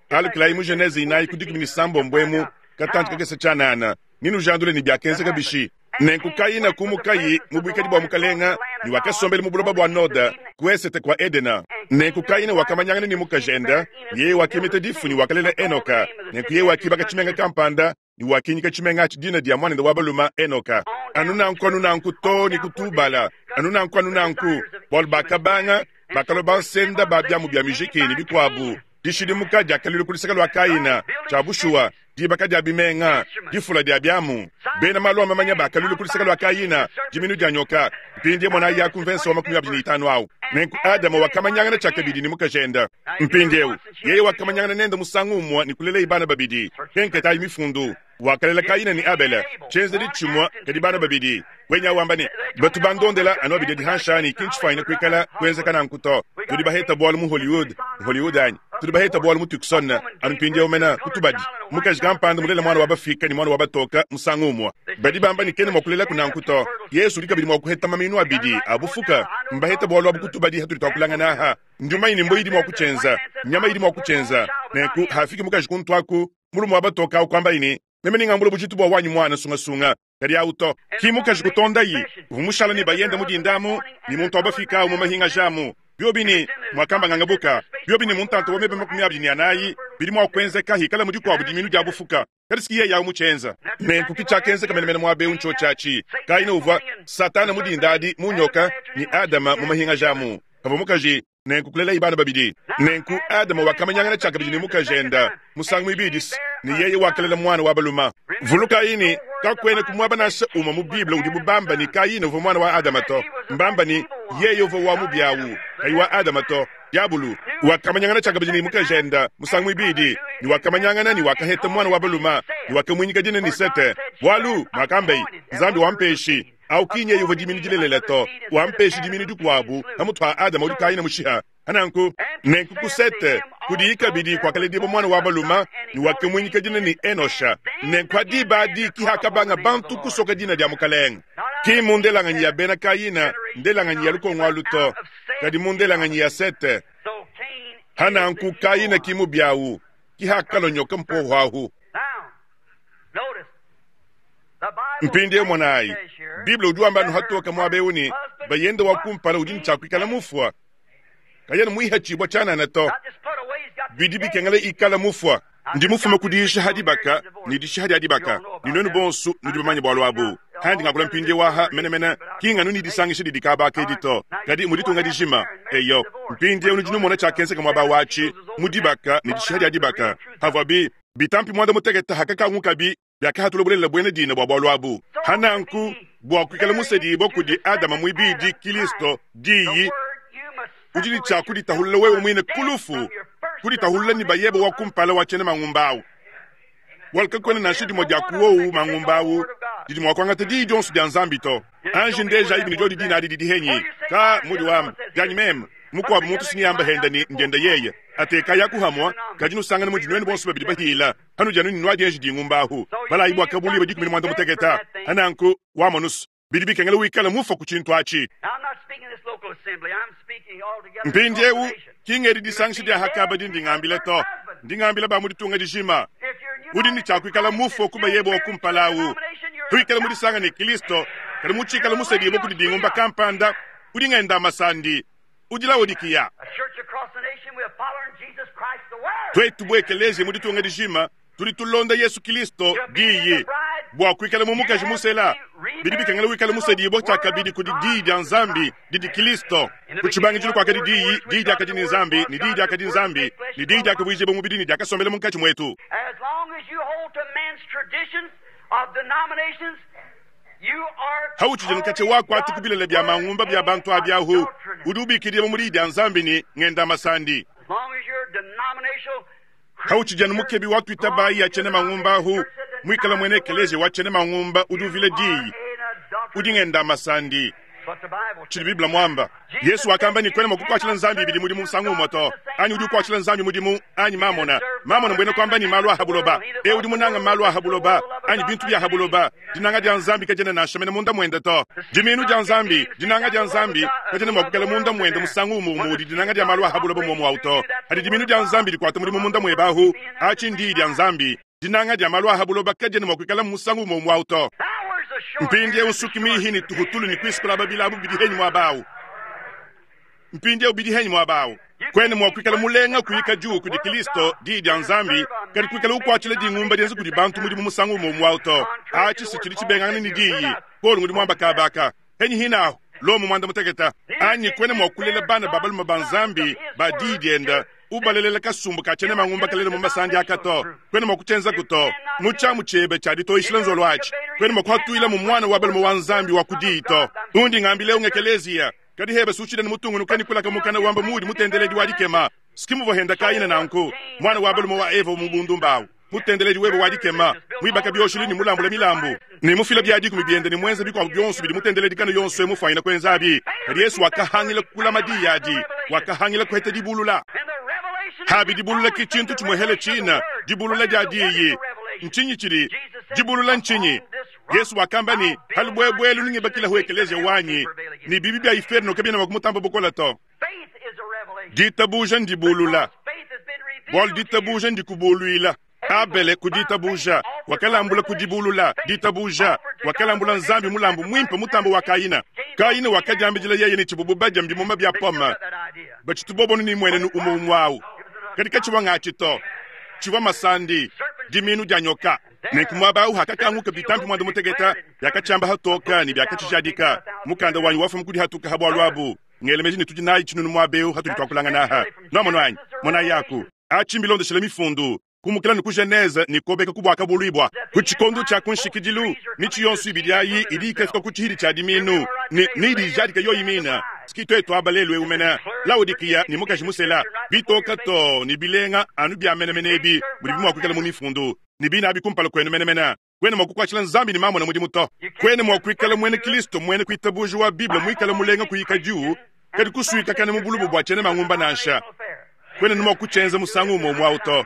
Alukilayi mu Genese inayi ku 16 emu, katantshi kakese tshianana, ne nujandule ne biakenzeka bishi. Nenku Kayina kumukayi mu buikadi bua Mukalenga, ne wakasombela mu buloba bua Noda, ku esete kua Edena. Nenku Kayina wakamanyangana ne mukajende, ne yeye wakimita difu ne wakalela Enoka. Nenku yeye wakibaka tshimenga kampanda ne wakinyika tshimenga atshi dina dia muanende wa balume Enoka. Anu nanku anu nanku too ne ku Tubala, anu nanku anu nanku, bualu bakabanga, bakalua bansenda ba biamu bia mijiki ne bikuabu. Dishidimuka diakaluila ku luseke lua Kayina, tshia bushuwa, dibaka dia bimenga, difula dia biamu. Bena malu a mamanya bakaluila ku luseke lua Kayina, diminu dia nyoka. Mpindieu monayi aku mvensa wa 25 au. Nenku Adama wakamanyangana tshiakabidi ne mukajende. Mpindieu, yeye wakamanyangana nende musangu umue ne kulelaye bana babidi. Kenketayi Mifundu. Wakalela Kayina ne Abele, tshienzedi tshimue, kadi bana babidi. Wenya wamba ne, Batu bandondela anu abidi adi hanshi anyi, ki ntshifuanyine kuikala kuenzeka nanku to. Tudi baheta bualu mu Hollywood, Hollywood anyi? Tudi baheta bualu mu Tucson, anu mpindieu mena, ku tubadi. Mukaji kampanda mulela muana wa bafika ne muana wa batoka musangu umue. Badi bamba ne kena mua kulelaku nanku to. Yesu udi kabidi mua kuheta maminu abidi a bufuka. Mbaheta bualu abu ku tubadi hatudi tuakulangana aha. Ndi mumanye ne mbua idi mua kutshienza, nyama idi mua kutshienza. Nenku hafiki mukaji kuntu aku, mulume wa batoka au kuambaye ne, Meme nengambule bujitu bua wanyi muana sungasunga, kadi au to. Ki mukaji kutondayi, uvua mushala ne bayende mu dinda amu, ne muntu wa bafika au mu mahingaja amu. Biobi ne, muakamba ngangabuka, biobi ne mu ntanta wa meba 24, bidi mua kuenzeka hikala mu dikuabu diminu dia bufuka, kadi si yeye au mutshienza. Nenku ki tshiakenzeka menemene muaba eu ntshiotshi atshi. Kayina uvua Satana mu dinda adi mu nyoka, ne Adama mu mahingaja amu pavua mukaji. Nenku kulelaye bana babidi. Nenku Adama wakamanyangana tshiakabidi ne mukajende musangu muibidi, ne yeye wakalela muana wa balume. Vulukayi ne, kakuena ku muaba nansha umue mu Bible udibu bamba ne, Kayina uvua muana wa Adama to. Mbamba ne, yeye uvua wa mubi au, kayi wa Adama to. Diabolo wakamanyangana tshiakabidi ne mukajende musangu muibidi, ne wakamanyangana ne wakaheta muana wa balume, ne wakamuinyika dina ne Sete, bualu, muakambeye, Nzambi wampeshi. Au ki nyeye uvua diminu dilelela to, wampeshi diminu dikuabu pamutu pa Adama udi Kayina mushiha. Hananku, nenku ku Sete kudiyi kabidi kuakaledibua muana wa balume, ne wakamuinyika dina ne Enosha. Nenku ha diba adi ki hakabanga bantu kusoka dina dia Mukelenge, ki mu ndelanganyi ya Bena Kayina, ndelanganyi ya lukongo alu to, kadi mu ndelanganyi ya Sete. Hananku Kayina ki mubi au, ki hakalua nyoka mpoho ahu. Mpindieu monayi, Bible udi wamba anu hatoke muaba eu ne, bayende wa kumpala udi ne tshia kuikala mufua, kayena muihatshibua tshianana to. Bidi bikengela ikala mufua. Ndi mufume ku diyisha ha dibaka ne dishiha dia dibaka, ne nuenu bonso nudi bamanye bualu abu. Handi ngakula mpindieu aha menemene, ki nganu ne disangisha didi kaba aka edi to, kadi mu ditunga dijima. Eyo, mpindieu nudi numona tshiakenzeka muaba watshi mu dibaka ne dishiha dia dibaka, havuabi Bitampi muanda mutekete hakakangukabi, biakahatula bulelela buena dina bua bualu abu. Hananku, bua kuikala musedibua kudi Adama muibidi, Kilisto, Diyi, udi ne tshia kuditahulula wewe muine ku lufu, kuditahulula ne bayebe wa kumpala wa tshiena mangumba au. Bualu kakuena nansha dimue dia ku wowu mangumba au didi mua kuangata diyi dionso dia Nzambi to. Anji ndejayibi ne diodi dina adi didi henyi? Ka mudi wamba, dianyi meme. Mukuabu muntu si neamba henda ne ndienda yeye. Atekayi aku hamua, kadi nusangane mudi nuenu bonso babidi bahila, hanudi anu ne nuadienji dingumba ahu. Balayi bua kabuluiba 15. Hananku, wamonus, bidi bikengela wikale mufua ku tshintu atshi. Mpindieu, ki ngedi disangisha dia hakaba dindi ngambila to, ndi ngambila ba mu ditunga dijima. Udi ne tshia kuikala mufua ku bayebe wa kumpala au. Tuikale mu disanga ne Kristo, kadi mutshikale musedibue kudi dingumba kampanda, udi ngenda masandi, udi Laodikiya. Tuetu bu ekeleziya mu ditunga dijima tudi tulonda Yesu Kilisto, Diyi. Bua kuikala mu mukaji musela, bidi bikengela wikale musedibua tshiakabidi kudi Diyi dia Nzambi, didi Kilisto. Ku tshibangidilu kuakadi Diyi, Diyi diakadi ne Nzambi, ne Diyi diakadi Nzambi, ne Diyi diakavuijibua mubidi ne diakasombela munkatshi muetu. Hautshidi nkatshia wakuata ku bilele bia mangumba bia bantu abi ahu, udi ubikidibua mu Diyi dia Nzambi ne, ngenda masandi. Hautshidi anu mukebi wa tuitabayi ya tshiena mangumba ahu, muikale muena ekeleziya wa tshiena mangumba udi uvila Diyi, udi ngenda masandi. Tshidi Bible muamba. Yesu wakamba ne, kuena mua kukuatshila Nzambi ibidi mudimu musangu umue to. Anyi udi ukuatshila Nzambi mudimu anyi mamona. Mamona mbuena kuamba ne malu a ha buloba. Eu udi munanga malu a ha buloba anyi bintu bia ha buloba, dinanga dia Nzambi kadiena nansha mene munda muende to. Dimiinu dia Nzambi, dinanga dia Nzambi, kadiena mua kuikala munda muende musangu umue umue udi dinanga dia malu a ha buloba muomu au to. Hadi dimiinu dia Nzambi dikuata mudimu munda muebe ahu, atshi ndiyi dia Nzambi. Dinanga dia malu a ha buloba kadiena mua kuikala musangu umue umue au to. Mpindieu nsuki mihi ne tuhutulu ne kuisukula babilabu bidi henyi muaba au. Mpindieu bidi henyi muaba au. Kuena mua kuikala mulenga kuyika diu kudi Kilisto, Diyi dia Nzambi, kadi kuikala ukuatshila dingumba dienza kudi bantu mudimu musangu umue umue au to. Atshi si tshidi tshibengangana ne Diyi. Paulo ngudi muamba kaba aka. Henyi hinahu, Lomo muanda mutekete. Anyi kuena mua kulela bana ba balume ba Nzambi ba Diyi dienda, ubalelela kasumbu ka tshiena mangumba kalela mu masandi aka to. Kuena mua kutshienzaku to. Mu tshiamu tshiebe tshia ditoyishila nzolo atshi, kuena mua kuhatuila mu muana wa balume wa Nzambi wa ku Diyi to. Undi ngambila eu ngekeleziya. Kadi hebe sushile ne mutungunuka ne kulaka mukana wamba muudi mutendeledi wa dikema. Ski muvua henda Kayina nanku, muana wa balume wa Eva mu bundumba awu, mutendeledi webe wa dikema, muibaka bioshelu ne mulambula milambu, ne mufila bia dikumi biende ne muenza bikuabu bionso bidi mutendeledi kanu yonso eu mufuanyina kuenzabi. Kadi Yesu wakahangila kulama diyi adi, wakahangila kuheta dibulula. Habi dibulula ki tshintu tshimuehele tshina, dibulula dia diyi. Ntshinyi tshidi dibulula ntshinyi? Yesu wakamba ne, Ha lubuebue elu nungibakilahu ekeleziya wanyi, ne bibi bia iferno kabiena mua kumutamba bukole to. Ditabuja ndibulula, bualu ditabuja ndikubuluila. Abele ku ditabuja wakalambula ku dibulula ditabuja, wakalambula Nzambi mulambu muimpe mutambe wa Kayina. Kayina wakadiambidila yeye ne tshibubu badia mbimuma bia pome batshitu bobonu ne muenenu umue umue au, kadi katshivua ngatshi to, tshivua masandi, diminu dia nyoka. Nenku muaba au hakakanguka bitampi muanda mutekete biakatshiamba hatoka ne biakatshijadika. Mukanda wanyi wafuma kudi hatuka ha bualu abu. Ngela meji ne tudi nayi tshinunu muaba eu hatudi tuakulangana aha. Nuamono anyi? Monayi aku. Atshi mbilondeshile mifundu, kumukila ne ku Genese ne kobeka ku Buakabuluibua. Ku tshikondo tshia ku nshikidilu, mitshi yonso ibidi ayi idi ikafika ku tshihidi tshia diminu ne ne idi ijadika yoyi mina. Ski tuetu aba lelu eu mene, Laodikiya ne mukaji musela, bitoka too ne bilenga anu bia menemene ebi mudibi mua kuikala mu mifundu, ne bine abi kumpala kuenu menemene. Kuena mua kukuatshila Nzambi ne mamona mudimu to. Kuena mua kuikala muena Kilisto muena kuitabuja wa Bible muikale mulenga kuyikadiu kadi kusuikakana mu bulubu bua tshiena mangumba nansha. Kuena mua kutshienza musangu umue umue au to.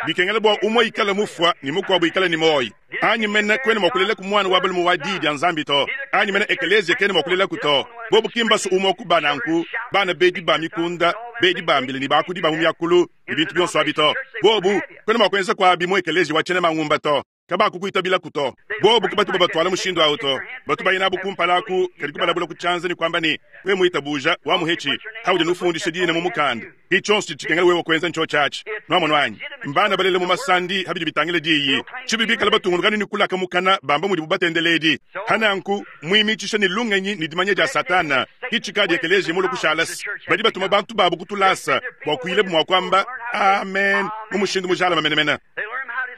Bikengela bua umue ikale mufua ne mukuabu ikale ne muoyo. Anyi mene kuena mua kulelaku muana wa balume wa Diyi dia Nzambi to. Anyi mene ekeleziya kena mua kulelaku to. Bobu ki mbasu umue ku ba nanku, bana bedi ba mikunda, bedi ba mbila ne bakudi ba mu miakulu ne bintu bionso abi to. Bobu kuena mua kuenza kuabi mu ekeleziya wa tshiena mangumba to. Kabakukuitabilaku to. Bobu ke batu babatuala mushindu au to. Batu baya nabu kumpala aku, kadi kubalabula ku tshianza ne kuamba ne, Wewe muitabuja, wamuhetshi, haudi nufundisha dina mu mukanda. Ki tshionso tshidi tshikengela wewe kuenza ntshiotshi atshi. Nuamonu anyi? Mbana balela mu masandi ha bidi bitangila diyi. Tshibi bikala batungunuka ne kulaka mukana bamba mudibu batendeledi. Ha nanku, muimitshisha ne lungenyi ne dimanya dia Satana, ki tshikadi ekeleziya mulue kushala se badi batuma bantu babu ku tulasa bua kuyilabu mua kuamba amen mu mushindu mujalame menemene.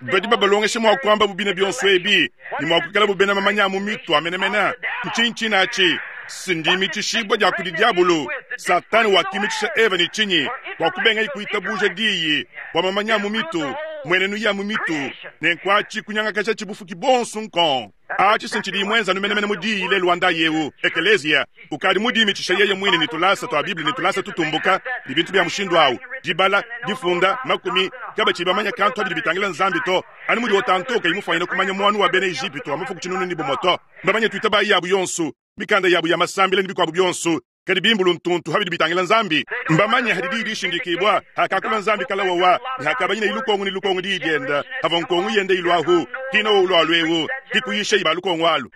Badi babalongesha mua kuamba bu bine bionso ebi ne mua kuikala bu bena mamanya a mu mitu a menemene. Ntshinyi tshine atshi? Si ndimitshishibua dia kudi diabolo. Satana wakimitshisha Eva ne tshinyi? Bua kubengaye kuitabuja diyi, bua mamanya a mu mitu, mmuenenu ya mu mitu, nenku atshi kunyangakajatshi bufuki buonso nkong. Atshi si ntshidiyi muenze anu menemene mu diyi lelu wa ndayi eu. Ekeleziya ukadi mudiimitshisha yeye muine ne tulasa tua Bible ne tulasa tutumbuka ne bintu bia mushindu au, dibala, difunda, makumi, kabatshiyi bamanya kantu pa bidi bitangila Nzambi to, anu mudi Otanto kayi mufuanyine kumanya muanu wa bena Ejipitu wa mafuku tshinunu ne bumue to. Mbamanye tuitabayi yabu yonso, mikanda yabu ya masambila ne bikuabu bionso, kadi bimbulu ntuntu ha bidi bitangila Nzambi. Mbamanye hadi diyi dishindikibua, hakakula Nzambi kala wawa, ne hakabanyina lukongo ne lukongo diyi dienda, havua nkongo yenda iluahu, kina wowu lualu eu, kikuyisha ba lukongo alu.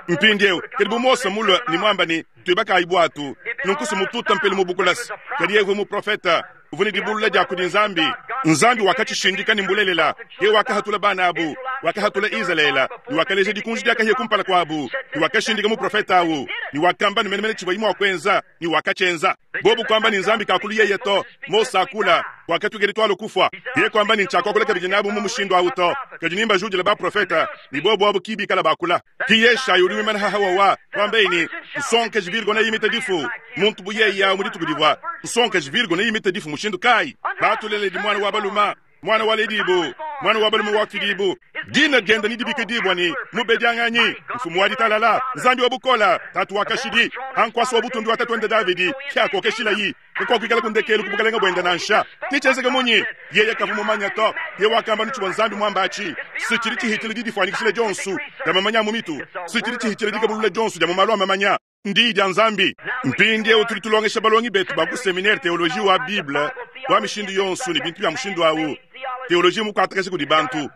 Mpindieu, kadi bu Mose mulue ne muamba ne, Tuibakayi buatu, nunku si mututa mpelu mu bukulasi, kadi yeye uvua muprofeta, uvua ne dibulula dia kudi Nzambi. Nzambi wakatshishindika ne mbulelela. Yeye wakahatula bana abu, wakahatula Izalele, ne wakaleja dikunji dia kahia kumpala kuabu, ne wakashindika muprofete au, ne wakamba ne menemene tshivuaye mua kuenza, ne wakatshienza. Bobu kuamba ne Nzambi kakulu yeye to, Mose akula, wakatuikadi tualu kufua. Yeye kuamba ne ntshiakuakula kabidi nabu mu mushindu au to, kadi nimbajudile baprofete, ne bobu abu ki bikala bakula. Ki Yeshayi udi wimana haha wawa, kuambaye ne, Nsonkaji Virgo neyimite difu. Muntu bu yeye awu mu dituku divua nsonkaji Virgo neyimite difu mushindu kayi? Batuleledi muana wa balume, muana waledibu, muana wa balume wafidibu. Dina diende nedibikidibua ne, Mubedianganyi, Mfumu wa Ditalala, Nzambi wa Bukole, Tatu wa Kashidi. Pa nkuasa wa butumbi wa tatuende Davidi, ke akokeshilayi. Kakuakuikala ku ndekelu ku bukalenge buende nansha. Netshienzeke munyi? Yeye kavua mumanye to. Yeye wakamba anu tshivua Nzambi muambe atshi. Si tshidi tshihitshila didifuanyikishila dionso dia mamanya a mu mitu, si tshidi tshihitshila dikebulula dionso dia mu malu a mamanya, n'Diyi dia Nzambi. Mpindieu tudi tulongesha balongi betu ba ku seminere teoloji wa Bible wa mishindu yonso ne bintu bia mushindu au. Teoloji mukuatakasha kudi bantu.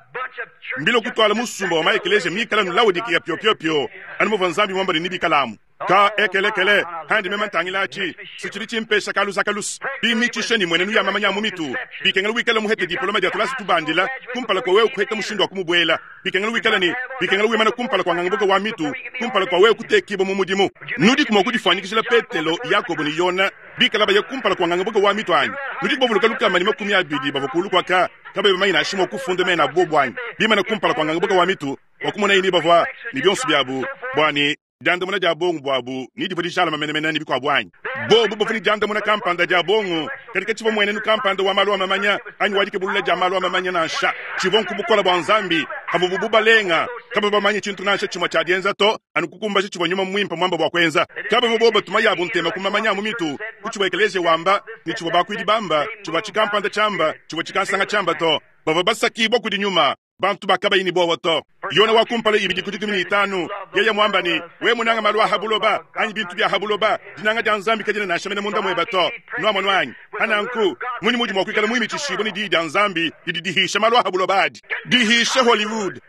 Mbilue kutuala musumba wa maekeleziya mikale anu Laodikiya piopio-pio, anu muvua Nzambi muamba ne nebikalamu. Ka ekelekele, handi meme ntangila atshi, si tshidi tshimpesha kaluza kalusa. Bimitshisha ne muenenu ya mamanya a mu mitu, bikengela wikale muhete diploma dia tulasa tubandila kumpala kua wewe kuheta mushindu wa kumubuela. Bikengela wikale ne, bikengela wimana kumpala kua ngangabuka wa mitu kumpala kua wewe kutekibua mu mudimu. Nudiku mua kudifuanyikijila Petelo, Yakobo ne Yona bikala baya kumpala kua ngangabuka wa mitu anyi? Nudiku bavuluka 120 bavua kulu kuaka kabayi bamanye nansha mua kufunda mena abu bobu anyi? Bimana kumpala kua ngangabuka wa mitu bua kumonaye ni bavua ne bionso biabu bua ne diandamuna dia bongo buabu ni divua dijalama menemene ne bikuabu anyi? Bobu bavua ne diandamuna kampanda dia bongo, kadi katshivua muenenu kampanda wa malu a mamanya anyi wa dikebulula dia malu a mamanya nansha. Tshivua nku bukole bua Nzambi havuabu bubalenga. Kabavua bamanye tshintu nansha tshimue tshia dienza to, anu kukumbaja tshivua Nyuma Muimpe muambe bua kuenza. Kabavua bobu batuma yabu ntema ku mamanya a mu mitu, ku tshivua ekeleziya wamba, ne tshivua bakuidi bamba, tshivua tshikampanda tshiamba, tshivua tshikansanga tshiamba to. Bavua basakibua kudi Nyuma. Bantu ba kabayi ne buowa to. Yona wa kumpala ibidi ku dikumi ne itanu, yeye muamba ne, We munanga malu a ha buloba, anyi bintu bia ha buloba, dinanga dia Nzambi kadiena nansha mene munda mueba to. Nuamonu anyi? Pa nanku, munyi mudi mua kuikala muimitshishibue ne Diyi dia Nzambi didi dihisha malu a ha buloba adi? Dihisha Hollywood,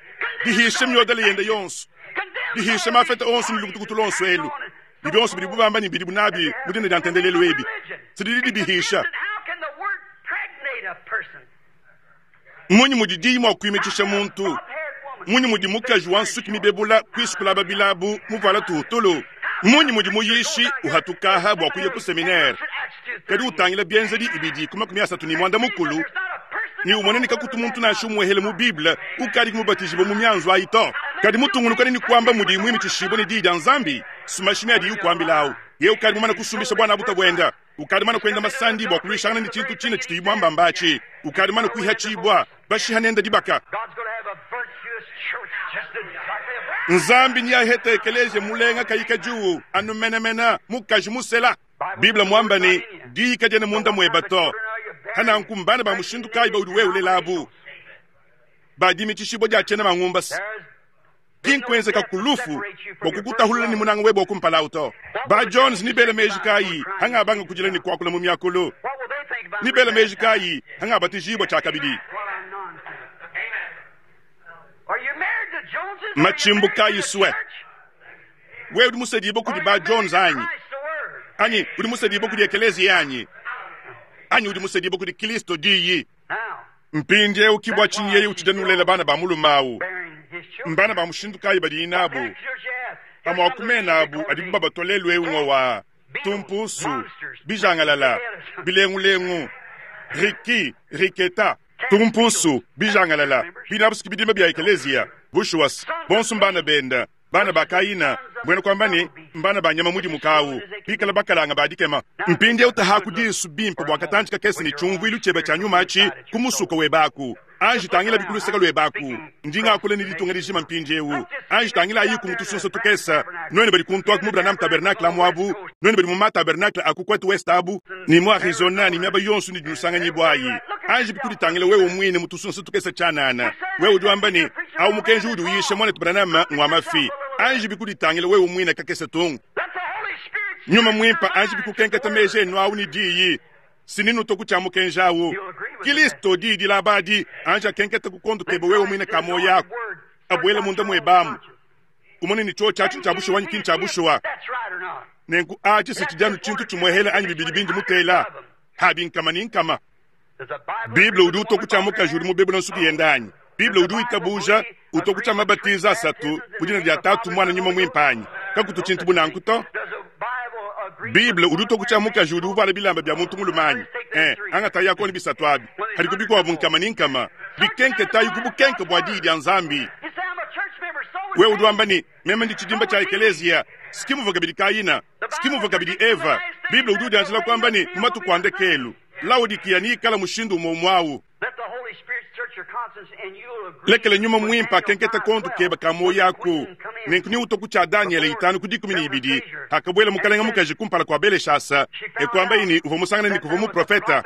dihisha miodele yende yonso, dihisha mafeta onso ne lukutukutu luonso elu, ne bionso bidibu bamba ne bidibu nabi mu dina dia ntendelelu ebi, si didi dibihisha. Mmunyi mudi diyi mua kuimitshisha muntu? Mmunyi mudi mukaji wa nsuki mibebula kuisukula babilabu muvuala tuhutulu? Mmunyi mudi muyishi uhatukaha bua kuya ku seminere, kadi utangila bienzedi ibidi ku 34 ne umona ne kakutu muntu nansha umuehele mu Bible ukadi mubatijibue mu mianzu ayi to, kadi mutungunukane ne kuamba mudiyi muimitshishibue ne diyi dia Nzambi? Sumashimi adiyi ukuambilawu, yeye ukadi mumane kusumbisha buana buta buenda. Ukadi mane kuenda masandi bua kuluishangana ne tshintu tshine tshituyi muambamba atshi. Ukadi mane kuihatshibua, bashiha nende dibaka. Nzambi neahete ekeleziya mulenga kayi kadiu anu menemene mukaji musela. Bible muamba ne, Diyi kadiena munda mueba to. Hananku mbana ba mushindu kayi baudi wewe ulela abu? Ba dimitshishibua dia tshiena mangumbasa. Ki nkuenzeka ku lufu bua kukutahulula ne munanga webe wa kumpala au to. Ba Jones ni bela meji kayi hangabanga kudila ne kuakula mu miakulu? Ni bela meji kayi hangabatijibua tshiakabidi? Matshimbu kayi sue? Wewe udi musedibue kudi ba Jones anyi? Anyi udi musedibue kudi ekeleziya anyi? Anyi udi musedibue kudi Kristo Diyi? Mpindieu ki bua tshinyi yeye utshidi nulela bana ba mulume au. Mbana ba mushindu kayi badiyi nabu? Amue a ku mena abu adibu babatua lelu'eu ngowa, tumpusu, bijangalala, bilengulengu, riki, riketa. Tumpusu, bijangalala, binabu si bidimba bia ekeleziya. Bushuwa, bonso mbana bende. Bana ba Kayina, mbuena kuamba ne, mbana ba nyama mudimuke au, bikale bakalanga ba dikema. Mpindieu tahaku disu bimpe bua katantshi kakese ne tshiumvuilu tshiebe tshia nyuma atshi ku musuka webe aku. Anji tangilabi ku luseke luebe aku. Ndi ngakula ne ditunga dijima mpindieu. Anji tangilayiku mu tusunsa tukese, nuenu badi kuntu aku mu Branham Tabernacle amu abu, nuenu badi mu ma-tabernacle a ku Cote Ouest abu, ne mu Arizona ne miaba yonso inudi nusanganyibua ayi. Anjibi kuditangila wewe muine mu tusunsa tukese tshianana. Wewe udi wamba ne, Au mukenji uudi uyisha, muanetu Branham, ngua mafi. Anjibi kuditangila wewe muine kakese tung. Nyuma Muimpe anjibi kukenketa meji enu au ne diyi. Sininutua ku tshia mukenji au. Kilisto, Diyi dilaba adi, anji akenketa ku kondo kebe wewe muine ka muoyo aku. Abuele munda muebe amu. Umone ne tshiotshi atshi ntshia bushuwa anyi ki ntshia bushuwa. Nenku atshi si tshidi anu tshintu tshimuehele anyi bibidi bindi mutela. Abi nkama ne nkama. Bible udi utua ku tshia mukaji udi mubebula nsuki yende anyi? Bible udi witabuja utua ku tshia mabatiza asatu mu dina dia Tatu, Muana, Nyuma Muimpe anyi? Kakutu tshintu bu nanku to. Bible udi utua ku tshia mukaji udi uvuala bilamba bia muntu mulume anyi? Eh, angatayi akone bisatu abi. Hadiku bikuabu nkama ne nkama. Bikenketayi ku bukenke bua Diyi dia Nzambi. Wewe udi wamba ne, Meme ndi tshidimba tshia ekeleziya. Si muvua kabidi Kayina, si muvua kabidi Eva. Bible udi udianjila kuamba ne, mu matuku a ndekelu, Laodikiya neikale mushindu umue umue au. Lekela Nyuma Muimpe akenkete kondo kebe ka muoyo aku. Nenku neutue ku tshia Danyele itanu ku 12, pakabuela mukalenge mukaji kumpala kua Beleshasa e kuambaye ne, uvua musangane ne kuvua muprofete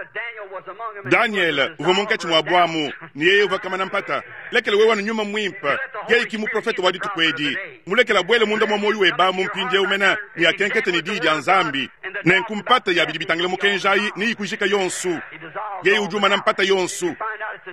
Danyele uvua munkatshi muabu amu, ne yeye uvua kamana mpata. Lekela wewe anu Nyuma Muimpe, yeye ki muprofete wa dituku edi. Mulekela abuele munda mua muoyo webe amu mpindieu mene ne akenkete ne Diyi dia Nzambi. Nenku mpata ya bidi bitangila mukenji ayi neyikujika yonso. Yeye udi umana mpata yonso.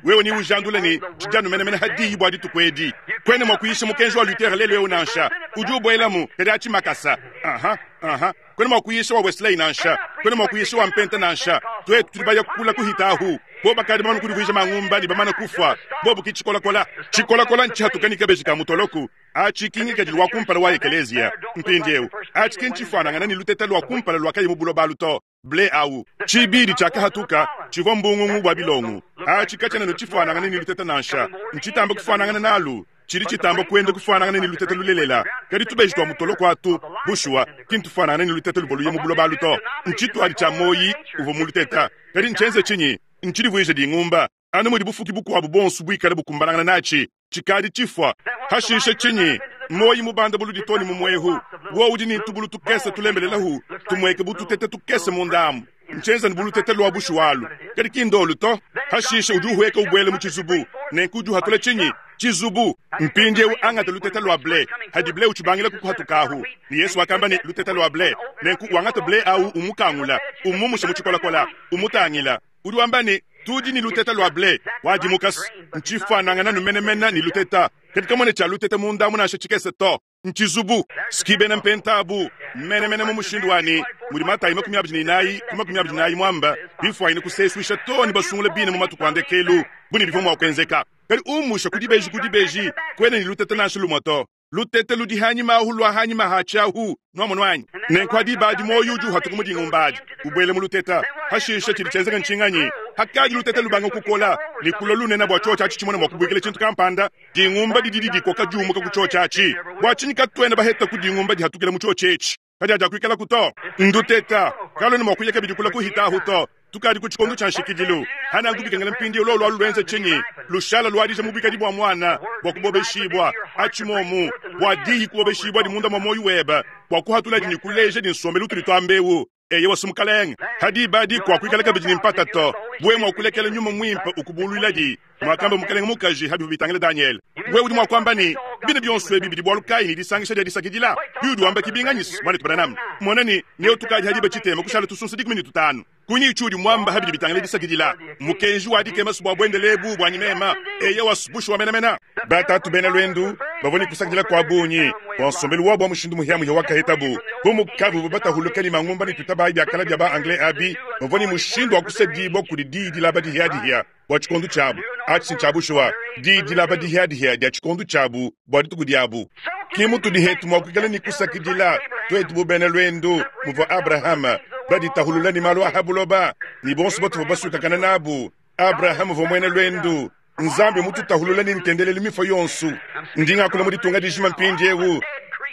Wewe niujandule ne, Tshidi anu menemene ha diyi bua dituku edi. Kuena mua kuyisha mukenji wa Luther lelu eu nansha. Udi ubuelamu, kadi atshi makasa. Uh-huh, uh-huh. Kuena mua kuyisha wa Wesley nansha. Kuena mua kuyisha wa Mpenta nansha. Tuetu tudi baya kula kuhita ahu. Bobo bakadi bamane kudivuija mangumba ne bamane kufua. Bobo ki tshikolakola. Tshikolakola ntshihatuka ne kabeji ka mutoloku. Atshi ki ngikadilu wa kumpala wa ekeleziya. Mpindieu, atshi ki ntshifuanangana ne luteta lua kumpala luakaya mu buloba alu to. Ble au. Tshibidi tshiakahatuka tshivua mbungungu bua bilongo. Atshi katshiena ne tshifuanangana ne luteta nansha. Ntshitamba kufuanangana nalu. Tshidi tshitamba kuenda kufuanangana ne luteta lulelela. Kadi tubeji tua mutoloko atu, bushuwa, ki ntufuanangane ne luteta luvua luye mu buloba alu to. Ntshituadi tshia muoyi uvua mu luteta. Kadi ntshienze tshinyi? Ntshidivuije dingumba. Anu mudi bufuki bukuabu buonso buikale bukumbanangana natshi, tshikadi tshifua. Hashishe tshinyi? Muoyi mubanda buludi too ne mu muehu, wowu udi ne tubulu tukese tulembelelahu, tumueke bu tutete tukese munda amu. Ntshienza ne bu lutete lua bushuwa alu, kadi ki ndolu to. Hashishe udi uhueka ubuela mu tshizubu, nenku udi uhatula tshinyi? Tshizubu. Mpindieu angata lutete lua ble, hadi ble utshibangila kukuhatukahu. Ne Yesu wakamba ne, Lutete lua ble. Nenku wangata ble au umukangula, umumusha mu tshikolakola, umutangila. Udi wamba ne, Tudi ne luteta lua ble. Wadimuka, ntshifuanangana nu menemene ne luteta, kadi kamuena tshia luteta munda amu nansha tshikese to. Ntshizubu. Ski bena mpenta abu menemene mu mushindu wa ne, mudi Matayi 24 ku 24 muamba, bifuanyine kusesuisha too ne basungula bine mu matuku a ndekelu, bu ne bivua mua kuenzeka. Kadi umusha ku dibeji ku dibeji, kuena ne luteta nansha lumue to. Lutete ludi hanyima ahu lua hanyima ha tshiahu, nuamonu anyi? Nenku ha diba adi muoyo udi uhatuka mu dingumba adi, ubuela mu luteta. Hashishe tshidi tshienzeka ntshinganyi? Hakadi luteta lubanga kukola ne kulua lunene bua tshiotshi atshi tshimone mua kubuikila tshintu kampanda, dingumba didi didikoka diumuka ku tshiotshi atshi. Bua tshinyi katuena baheta ku dingumba dihatukila mu tshiotshi etshi? Kadiakuikalaku to. Nduteta kaluena mua kuya kabidi kula kuhita ahu to. Tukadi ku tshikondo tshia nshikidilu. Hananku bikengela mpindieu lolu alu luenze tshinyi? Lushala luadija mu buikadi bua muana bua kubobeshibua atshi muomu, bua diyi kubobeshibua di munda mua muoyo webe, bua kuhatuladi ne kuleja di nsombelu utudi tuamba eu. Eyowa, si Mukalenge. Ha diba adi kuakuikala kabidi ne mpata to. Wewe mua kulekela Nyuma Muimpe ukubuluiladi, muakamba mukalenge mukaji ha bivua bitangila Danyele. Wewe udi mua kuamba ne, Bine bionso ebi bidi bualu kayi ne disangisha dia disakidila? Biudi wamba ki binganyi, muanetu Branham? Mona ne, neo tukadi ha diba tshitema kushala tusunsa 15. Kunyi tshiudi muamba ha bidi bitangila disakidila? Mukenji wa dikema bua buendele ebu buanyi mema. Eyowa, bushuwa menamena. Batatu bena luendu bavua ne kusakidila kua bungi bua nsombelu wabu wa mushindu muhiamuhia wakahetabu. Bu mukavuabu batahuluke ne mangumba ne tutabayi bia kala bia ba Anglais abi, bavua ne mushindu wa kusedibua kudi diyi dilaba dihiadihia bua tshikondo tshiabu. Atshi ntshia bushuwa, diyi dilaba dihiadihia dia tshikondo tshiabu bua dituku diabu. Ke mutudi hetu mua kuikala ne kusakidila, tuetu bu bena luendu, muvua Abrahama, baditahulula ne malu a ha buloba, ne bonso batuvua basuikakana nabu. Abrahama uvua muena luendu. Nzambi mututahulula ne ntendelelu mifua yonso. Ndi ngakula mu ditunga dijima mpindieu.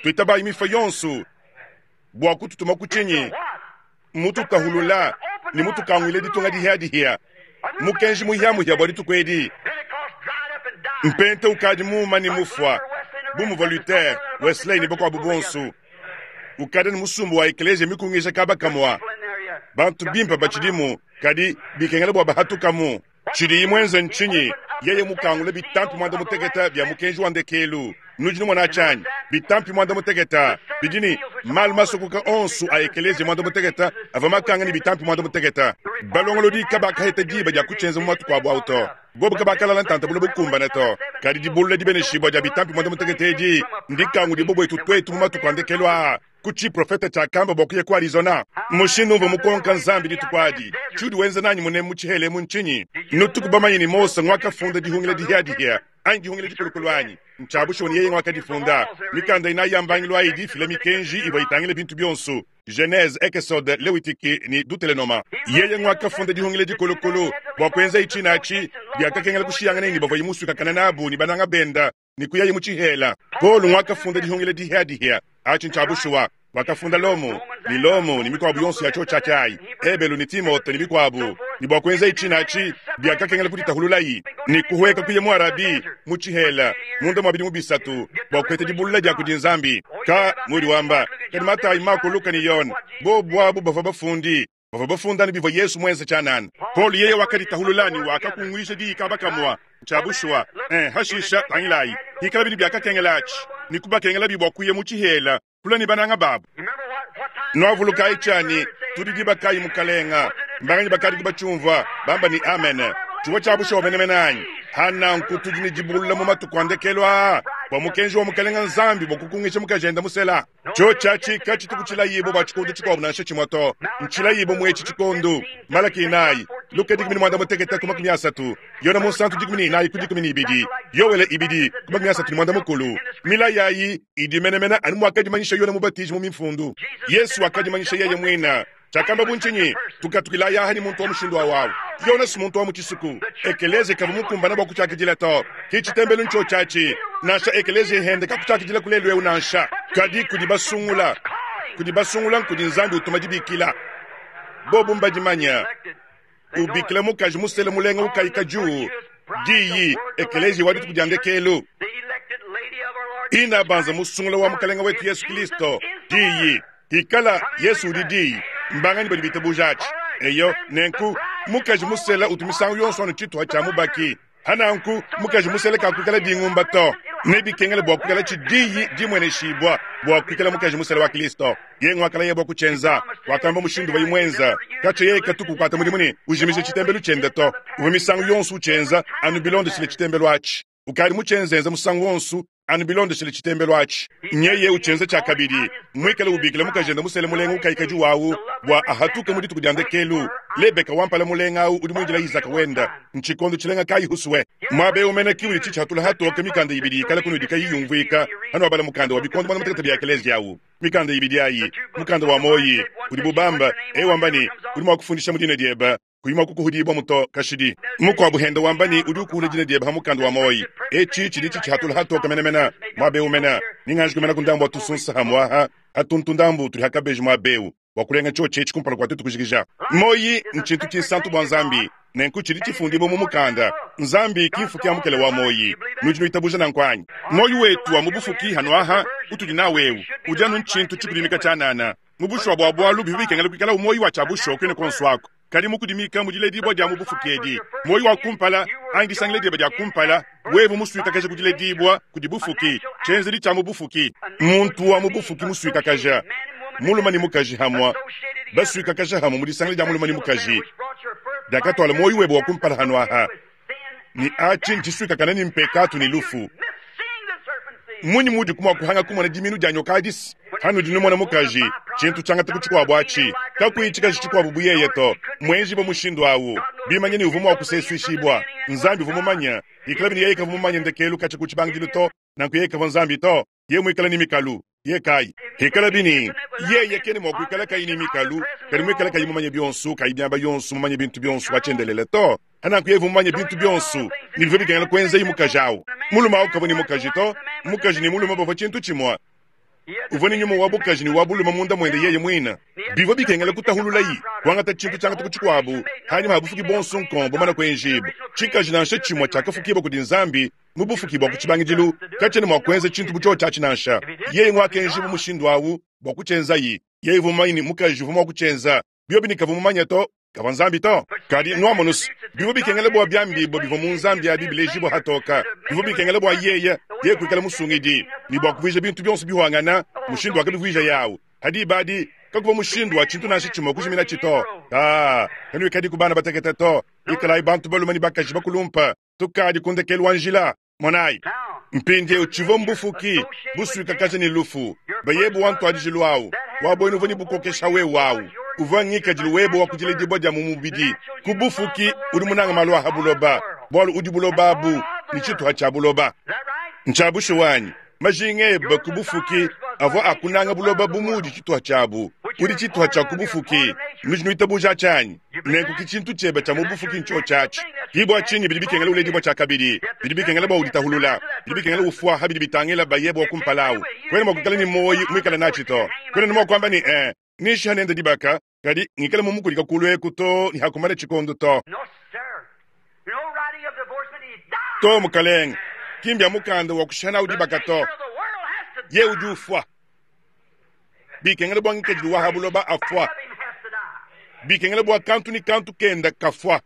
Tuitabayi mifua yonso bua kututuma ku tshinyi? Mututahulula ne mutukanguile ditunga dihiadihia. Mukenji muhiamuhia bua dituku edi. Mpenta ukadi muuma ne mufua, bu muvua Luther, Wesley ne bakuabu bonso. Ukadi ne musumba wa ekeleziya mikungija kaba kamua. Bantu bimpe batshidimu, kadi bikengela bua bahatukamu. Tshidiyi muenze ntshinyi? Yeye mukangule bitampi muanda mutekete bia mukenji wa ndekelu. Nudi numona tshianyi? Bitampi muanda mutekete bidi ne malu masokoka onso a ekeleziya muanda mutekete avua makanga ne bitampi muanda mutekete. Balongolodi kabakaheta diba dia kutshienza mu matuku abu au to. Bobu kabakalala ntanta bule bukumbane to. Kadi dibulula dibeneshibua dia bitampi muanda mutekete edi ndikangudibue buetu tuetu mu matuku a ndekelu aa. Ku tshiprofete tshiakamba bua kuya ku Arizona. Mushindu umvua mukonka Nzambi dituku adi, tshiudi wenza nanyi munemu mu tshihela emu ntshinyi? Nutuku bamanye ne Mose nguakafunda dihungila dihiadihia anyi dihungila dikulukulu anyi? Ntshia bushuwa ne yeye nguakadifunda. Mikanda inayi ya mbangilu ayi idi ifila mikenji ivua itangila bintu bionso, Genese, Ekesode, Lewitiki ne Dutelenoma. Yeye nguakafunda dihungila dikulukulu. Bua kuenzaye tshine atshi, biakakengela kushiyangana ne bavuaye musuikakane nabu ne bananga benda ne kuyaye mu tshihela. Paulo nguakafunda dihungila dihiadihia. Atshi ntshia bushuwa. Wakafunda Lomo ne Lomo ne mikuabu yonso ya tshiotshi atshi ayi, Ebelu ne Timote ne mikuabu. Ne bua kuenzaye tshine atshi, biakakengela kuditahululayi ne kuhueka kuya mu Arabie mu tshihela munda mua bidimu bisatu bua kupeta dibulula dia kudi Nzambi. Ka mudi wamba, kadi Matayi, Mako, Luka ne Yone bobu abu bavua bafundi bavua bafunda anu bivua Yesu muenze tshianana. Paulo yeye wakaditahulula ne wakakunguija diyi kaba kamua. Ntshia bushuwa. Hashisha, tangilayi, hikala bidi biakakengelatshi ne kubakengelabi bua kuya mu tshihela kula ne bananga babu. Nuavulukayi tshianyi, tudi diba kayi Mukalenga? Mbanganyi bakadi batshiumvua bamba ne amene? Tshivua tshia bushuwa menemene anyi? Ha nanku tudi ne dibulula mu matuku a ndekelu aa bua mukenji wa Mukalenga Nzambi bua kukungisha mukajende musela. Tshiotshi atshi katshituku tshilayibue bua tshikondo tshikuabu nansha tshimue to. Ntshilayibue mu etshi tshikondo. Malaki inayi, Luka 16 ku 30, Yona Munsantu 14 ku 12, Yoele 2 ku 35. Milayi ayi idi menemene anu muakadimanyisha Yona Mubatiji mu Mifundu. Yesu wakadimanyisha yeye muine. Tshiakambabu ntshinyi? Tukatukilayi aha ne muntu wa mushindu awu awu. Yonase muntu wa mu tshisuku. Ekeleziya kavua mukumbana bua kutshiakidila to. Ki tshitembelu ntshiotshi atshi. Nansha ekeleziya hende kakutshiakidila ku lelu eu nansha. Kadi kudi basungula. Kudi basungula nkudi Nzambi utuma dibikila. Bobu mbadimanya. Ubikila mukaji musele mulenga ukayi kadiu. Diyi, ekeleziya wa dituku dia ndekelu. Ina banza musungula wa Mukalenga wetu Yesu Kilisto. Diyi. Ikala Yesu udi Diyi. Mbanganyi badi bitabuja atshi? Eyo, nenku mukaji musela utu misangu yonso anu tshituha tshia mubaki. Hananku mukaji musela kakuikala dingumba to. Nebikengele bua kuikala tshi Diyi dimueneshibua bua kuikala mukaji musela wa Kristo. Yeye nguakalaya bua kutshienza. Wakamba mushindu uvuaye muenza. Katshia yeye katu kukuata mudimu ne ujimija tshitembelu tshiende to. Uvua misangu yonso utshienza anu bilondeshile tshitembelu atshi. Ukadi mutshienzenza musangu wonso anu bilondeshile tshitembelu atshi. Nyeye utshienza tshiakabidi, muikale ubikila mukajende musele mulenga ukayikadi wawu bua ahatuke mu dituku dia ndekelu. Lebeka wa mpala mulenga awu udi muindila Izaka wenda. Ntshikondo tshilenga kayi husue! Muaba eu mene ki udi tshitshihatula hatoke mikanda ibidi ikala kunudi kayiyi yumvuika hanuabala mukanda wa bikondo muanda-mutekete bia Ekeleziya awu. Mikanda ibidi ayi, mukanda wa muoyi udibu bamba, eu wamba ne, udi mua kufundisha mu dina diebe kuyi mua kukuhudibua to kashidi. Mukuabu henda wamba ne, udi ukuhula dina diebe ha mukanda wa muoyi. Etshi tshidi tshitshihatula hatoke menemene muaba eu mene. Ninganji kumena ku ndambu wa tusunsa hamue aha atuntu ndambu tudi ha kabeji muaba eu bua kulenga tshiotshi etshi kumpala kua tuetu kujikija. Muoyi ntshintu tshinsantu bua Nzambi, nenku tshidi tshifundibua mu mukanda. Nzambi ki mfuki a mukele wa muoyi. Nudi nuitabuja nanku anyi? Muoyi wetu wa mu bufuki hanu aha utudi nawu eu udi anu ntshintu tshikudimika tshianana. Mu bushuwa bua bualu, bivua bikengela kuikala muoyo wa tshia bushuwa kuine kuonso aku. Kadi mu kudimika mu diledibua dia mu bufuki edi, muoyo wa kumpala, anyi disangila diebe dia kumpala, wewe musuikakaja ku diledibua kudi bufuki, tshienzedi tshia mu bufuki. Muntu wa mu bufuki musuikakaja, mulume ne mukaji hamue, basuikakaja hamue mu disangila dia mulume ne mukaji, diakatuala muoyo webe wa kumpala hanu aha, ne atshi ntshisuikakane ne mpekatu ne lufu. Mmunyi muudi mua kuhanga kumona diminu dia nyoka adisi? Hanudi numona mukaji, tshintu tshiangata ku tshikuabu atshi, kakuyi tshikaji tshikuabu bu yeye to, muenjibue mushindu awu, bimanye ne uvua mua kusesuishibua. Nzambi uvua mumanye, ikalabi ne yeye kavua mumanye ndekelu katshia ku tshibangidilu to, nanku yeye kavua Nzambi to. Yeye muikale ne mikalu, yeye kayi. Hikalabi ne yeye kena mua kuikala kayi ne mikalu, kadi muikale kayi mumanye bionso, kayi miaba yonso, mumanye bintu bionso wa tshiendelele to. Nanku yeye uvua mumanye bintu bionso, ne bivua bikengela kuenzaye mukaji awu. Mulume awu kavua ne mukaji to, mukaji ne mulume bavua tshintu tshimue. Uvua ne nyuma wa bukaji ne wa bulume munda muende yeye muine. Bivua bikengela kutahululayi, kuangata tshintu tshiangata ku tshikuabu, hanyima ha bufuki buonso nkong bumana kuenjibua. Tshikaji nansha tshimue tshiakafukibua kudi Nzambi mu bufuki bua ku tshibangidilu katshiena mua kuenza tshintu bu tshiotshi atshi nansha. Yeye nguakenjibua mushindu awu bua kutshienzayi. Yeye uvua mumanye ne mukaji uvua mua kutshienza. Biobi ne kavua mumanye to, kavua Nzambi to. Kadi nuamonu's, bivua bikengela bua biambibua bivua mu Nzambi abi bilejibua hatoka. Bivua bikengela bua yeye, yeye kuikala musungidi, ne bua kuvuija bintu bionso bihuangana, mushindu wakabivuijaye awu. Ha diba adi, kakuvua mushindu wa tshintu nansha tshimue kujiminatshi to. Aa, kanuikadiku bana batekete to. Ikalayi bantu balume ne bakaji bakulumpe. Tukadi ku ndekelu wa njila. Monayi, mpindieu tshivua mbufuki busuikakaja ne lufu. Bayebu wa ntuadijilu awu wa buena uvua ne bukokesha wewe awu uvua ngikadilu webe wa ku diledibua dia mu mubidi. Ku bufuki udi munanga malu a ha buloba, bualu udi buloba abu ne tshituha tshia buloba. Ntshia bushuwa anyi? Majinga ebe ku bufuki avua a kunanga buloba bu muudi tshituha tshiabu. Udi tshituha tshia ku bufuki. Nudi nuitabuja atshi anyi? Nenku ki tshintu tshiebe tshia mu bufuki ntshiotshi atshi. Ki bua tshinyi bidi bikengela uledibua tshiakabidi. Bidi bikengela bua uditahulula. Bidi bikengela ufua ha bidi bitangila bayebe wa kumpala awu. Kuena mua kuikala ne muoyi muikale natshi to. Kuena ne mua kuamba ne, Ee, ninshiha nende dibaka, kadi ngikale mumukulika kulu eku too ne hakumana tshikondo to. To, mukalenge, ki mbia mukanda wa kushiha nawu dibaka to. Yeye udi ufua. Bikengela bua ngikadilu wa ha buloba afua. Bikengela bua kantu ne kantu kenda kafua.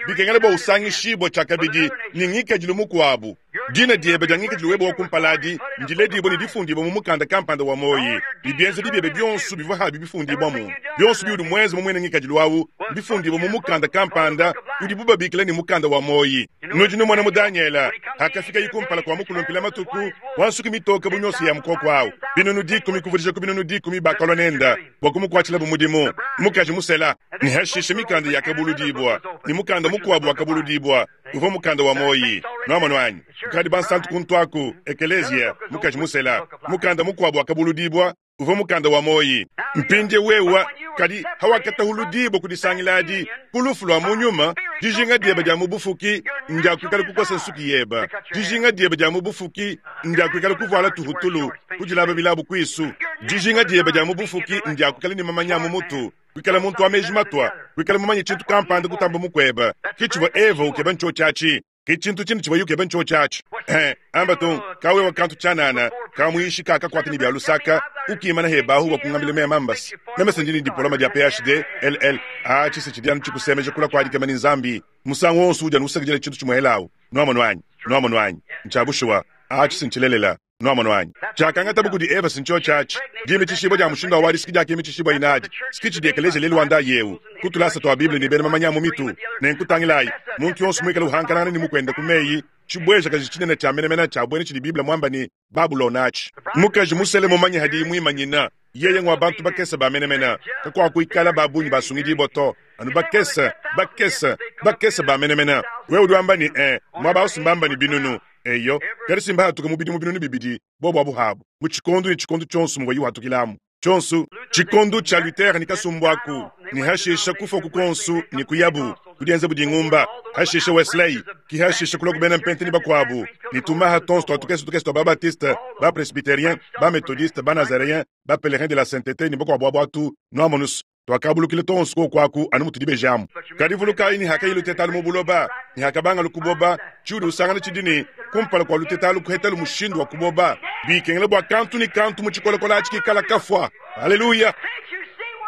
Bikengela bua usangishibua tshiakabidi ne ngikadilu mukuabu. Dina diebe dia ngikadilu webe wa kumpala adi ndiledibue ne difundibue mu mukanda kampanda wa muoyi, ne bienzedi biebe bionso bivua habi bifundibuamu. Bionso biudi muenze mu muena ngikadilu au mbifundibue mu mukanda kampanda udibu babikila ne, mukanda wa muoyi. Nudi numona mu Danyele, hakafikaye kumpala kua mukulumpila matuku wa nsuki mitoke bu nyonso ya mukoko au, 100,000 kuvudija ku 100,000 bakalua nende bua kumukuatshilabu mudimu, mukaji musela. Ne hashishe mikanda yakabuludibua, ne mukanda mukuabu wakabuludibua, uvua mukanda wa muoyi. Nuamonu anyi? Kukadi bansantu kuntu aku, ekeleziya, mukaji musela. Mukanda mukuabu wakabuludibua, uvua mukanda wa muoyi. Mpindiewu wewa, kadi hawakatahuludibua ku disangila adi, ku lufu lua mu nyuma, dijinga diebe dia mu bufuki ndia kuikala kukosa nsuki yeba. Dijinga diebe dia mu bufuki ndia kuikala kuvuala tuhutulu, kudilaba bilabu kuisu. Dijinga diebe dia mu bufuki ndia kuikala ne mamanya a mu mutu, kuikala muntu wa meji matua, kuikala mumanye tshintu kampanda kutamba mukuebe. Ke tshivua Eva ukeba ntshiotshi atshi. Ke tshintu tshine tshivuaye ukeba ntshiotshi atshi. Eh, amba tung, kawewa kantu tshianana, kamuyishi kakakuata ne bia lusaka, ukimana hebahu bua kungambila mema mbasi. Meme se ndi ne dipoloma dia PhD, LL, atshi se tshidi anu tshikusemeja kula kua dikema ne Nzambi. Musangu wonso udi anu usakidila tshintu tshimuelawu. Nuamonu anyi? Nuamonu anyi? Ntshia bushuwa. Atshi se ntshilelela. Nuamonu anyi? Tshiakangatabu kudi Eva si ntshiotshi atshi. Dimitshishibua dia mushindu wa wadi siki diakimitshishibua inadi. Siki tshidi ekeleziya lelu wa ndayi eu, ku tulasa tua Bible ne bena mamanya a mu mitu. Nenku tangilayi, muntu yonso muikale uhankanangana ne mukuende ku meyi, tshibuejakaji tshinene tshia menemene tshia buena tshidi Bible muamba ne, Babulona atshi. Mukaji musele mumanye hadiye muimanyina, yeye ngua bantu bakese ba menemene. Kakuakuikala ba bungi basungidibua to, anu bakese, bakese, bakese ba menemene. Wewe udi wamba ne, Eh, muaba au si mbamba ne binunu. Eyo, kadi si mbahatuke mu bidimu 2000 bobo abu habu, mu tshikondo ne tshikondo tshionso muvuayi uhatukilamu tshionso, tshikondo tshia Luther ne kasumbu aku, ne hashisha kufua ku kuonso ne kuyabu kudienza bu dingumba, hashisha Wesley, ki hashisha kulua ku bena Mpente ne bakuabu, ne tumaha tonso tua tukese tukese tua ba-Baptiste, ba-Presbyterien, ba-Methodiste, ba-Nazareens, ba-Pèlerins de la Sainteté ne bakuabu abu atu, nuamonus, tuakabulukila tonso kuoku aku anu mutudi bejamu. Kadi vulukayi ne hakayi luteta alu mu buloba ne hakabanga lukuboba, tshiudi usangana tshidi ne, kumpala kua luteta alu kuhetalu mushindu wa kuboba, bikengela bua kantu ne kantu mu tshikolakola atshi kikala kafua. Haleluya!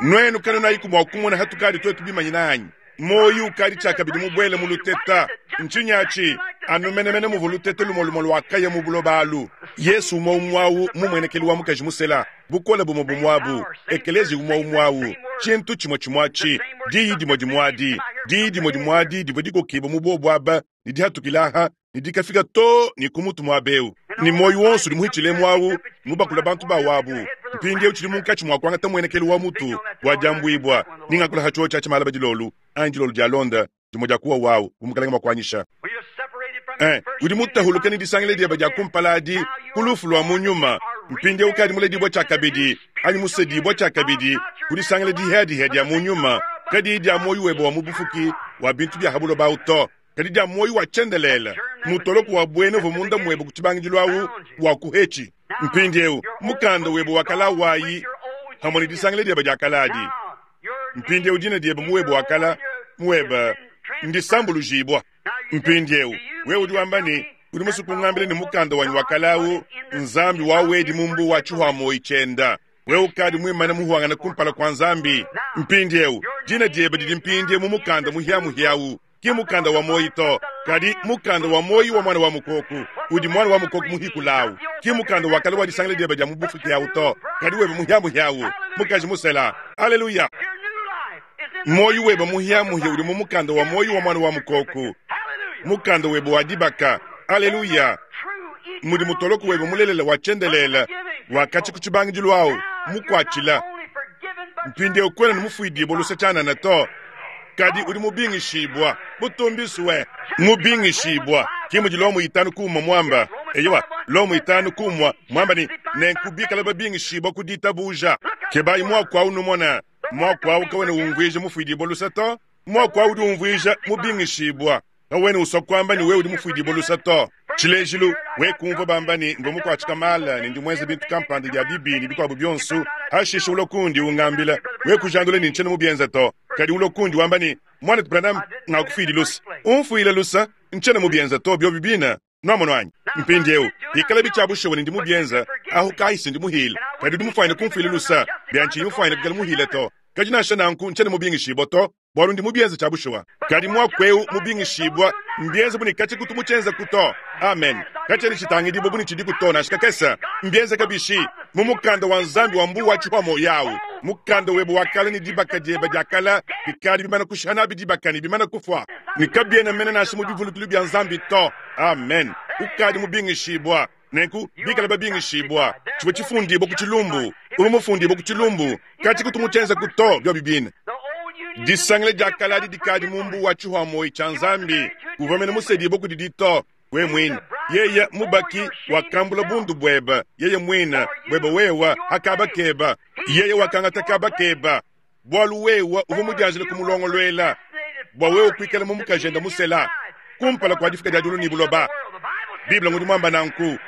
Nuenu kanunayiku mua kumona hatukadi tuetu bimanyina anyi? Muoyo ukadi tshiakabidi mubuele mu luteta. Ntshinyi atshi? Anu menemene muvua luteta lumue lumue luakaya mu buloba alu. Yesu umue umue au mumuenekelu wa mukaji musela, bukole bumue bumue abu, ekeleziya umue umue au, tshintu tshimue tshimue atshi, diyi dimue dimue adi, diyi dimue dimue adi divua dikokibue mu buobu aba ne dihatukila aha ne dikafika to ne ku mutu muaba eu, ne muoyo wonso udi muhitshilemu au mubakula bantu ba wabu. Mpindieu tshidi munkatshi mua kuangata muenekelu wa mutu wa diambuibua, ne ngakula ha tshiotshi atshi malaba dilolo anyi dilolo dialonda, dimue dia kuwa wau bu mukalenge mua kuanyisha. Eh, udi mutahuluke ne disangila diebe dia kumpala adi ku lufu lua mu nyuma, mpindieu ukadi muledibua tshiakabidi anyi musedibua tshiakabidi ku disangila dihia-dihia dia mu nyuma, kadiyi dia muoyo webe wa mu bufuki wa bintu bia ha buloba au to, kadi dia muoyo wa tshiendelele, mutoloko wa buena uvua munda muebe ku tshibangidilu au wa kuhetshi. Mpindieu mukanda webe wa kala wayi hamue ne disangila diebe dia kala adi. Mpindieu dina diebe mu webe wa kala muebe ndisambulujibua. Mpindieu wewe udi wamba ne, udi musue kungambila ne mukanda wanyi wa kala au Nzambi wa wedi mu mbu wa tshihuamoyi tshienda. Wewe ukadi muimane muhuangane kumpala kua Nzambi. Mpindieu dina diebe didi mpindieu mu mukanda muhiamuhia au. Ki mukanda wa muoyi to, kadi mukanda wa muoyi wa Muana wa Mukoku, udi Muana wa Mukoku muhikulawu. Ki mukanda wa kale wa disangila diebe dia mu bufuki awu to, kadi webe muhiamuhia awu, mukaji musela. Aleluya! Muoyi webe muhiamuhia udi mu mukanda wa muoyi wa Muana wa Mukoku, mukanda webe wa dibaka. Aleluya! Mudi mutoloko webe mulelela wa tshiendelele wa katshia ku tshibangidilu awu mukuatshila. Mpindieu kuena ne mufuidibue luse tshianana to, kadi udi mubingishibua. Butumbisue! Mubingishibua! Ki mudi Lomo 5 ku 1 muamba. Eyowa, Lomo 5 ku 1 muamba ne, Nenku bikala babingishibua ku ditabuja. Kebayi muaku au numona. Muaku au kawena umvuija mufuidibua luse to. Muaku au udi umvuija mubingishibua. Kawena usua kuamba ne wewe udi mufuidibue luse to. Tshilejilu, wewe kumvua bamba ne, mvua mukuatshika mala ne ndi muenze bintu kampanda bia bibi ne bikuabu bionso, hashishe ulua kundi ungambila, wewe kujandula ne ntshiena mubienze to. Kadi ulua kundi wamba ne, Muanetu Branham, ngakufuidi luse. Umfuile luse, ntshiena mubienze to, biobi bine. Nuamonu anyi? Mpindieu, bikalabi tshia bushuwa ne ndi mubienze, ahu kayi se ndi muhile. Kadi udi mufuanyine kumfuila luse, bia ntshiyi mufuanyine kuikala muhile to. Kadi nansha nanku ntshiena mubingishibue to. Bwalu ndi mubyenze cya bushuwa. Kadi mwaku ewu mubingishibwa, mbyenze bu ne kacikutu mucyenzeku to. Amen. Kacyena citangidibwa bu ne cidiku to nansha kakese. Mbyenzeka bishi? Mu mukanda wa Nzambi wa mbuwa wa cipwa moyo awu, mukanda webe wa kale ne dibaka dyebe dya kale bikadi bimana kushiha nabi dibaka ne bimana kufwa, ne kabyena mene nansha mu bivulukilu bya Nzambi to. Amen. Ukadi mubingishibwa. Nenku, bikale babingishibwa, civwa cifundibwa ku cilumbu. Uvwa mufundibwe ku cilumbu, kacikutu mucyenzeku to, byobi biine. Disangila dya kale adi dikadi mu mbuwa wa cihwa-moyi cya Nzambi. Uvwa mene musedibwe kudidi to, we mwine. Yeye, Mubaki, wakambula bundu bwebe, yeye mwine, bwebe wewe, ha kaaba keba. Yeye wakangata kaaba keba, bwalu wewe uvwa mudyanjile kumulongolwela, bwa wewe kwikala mu mukajende musela, kumpala kwa difuka dya dyulu ne buloba. Bible ngudi mwamba nanku.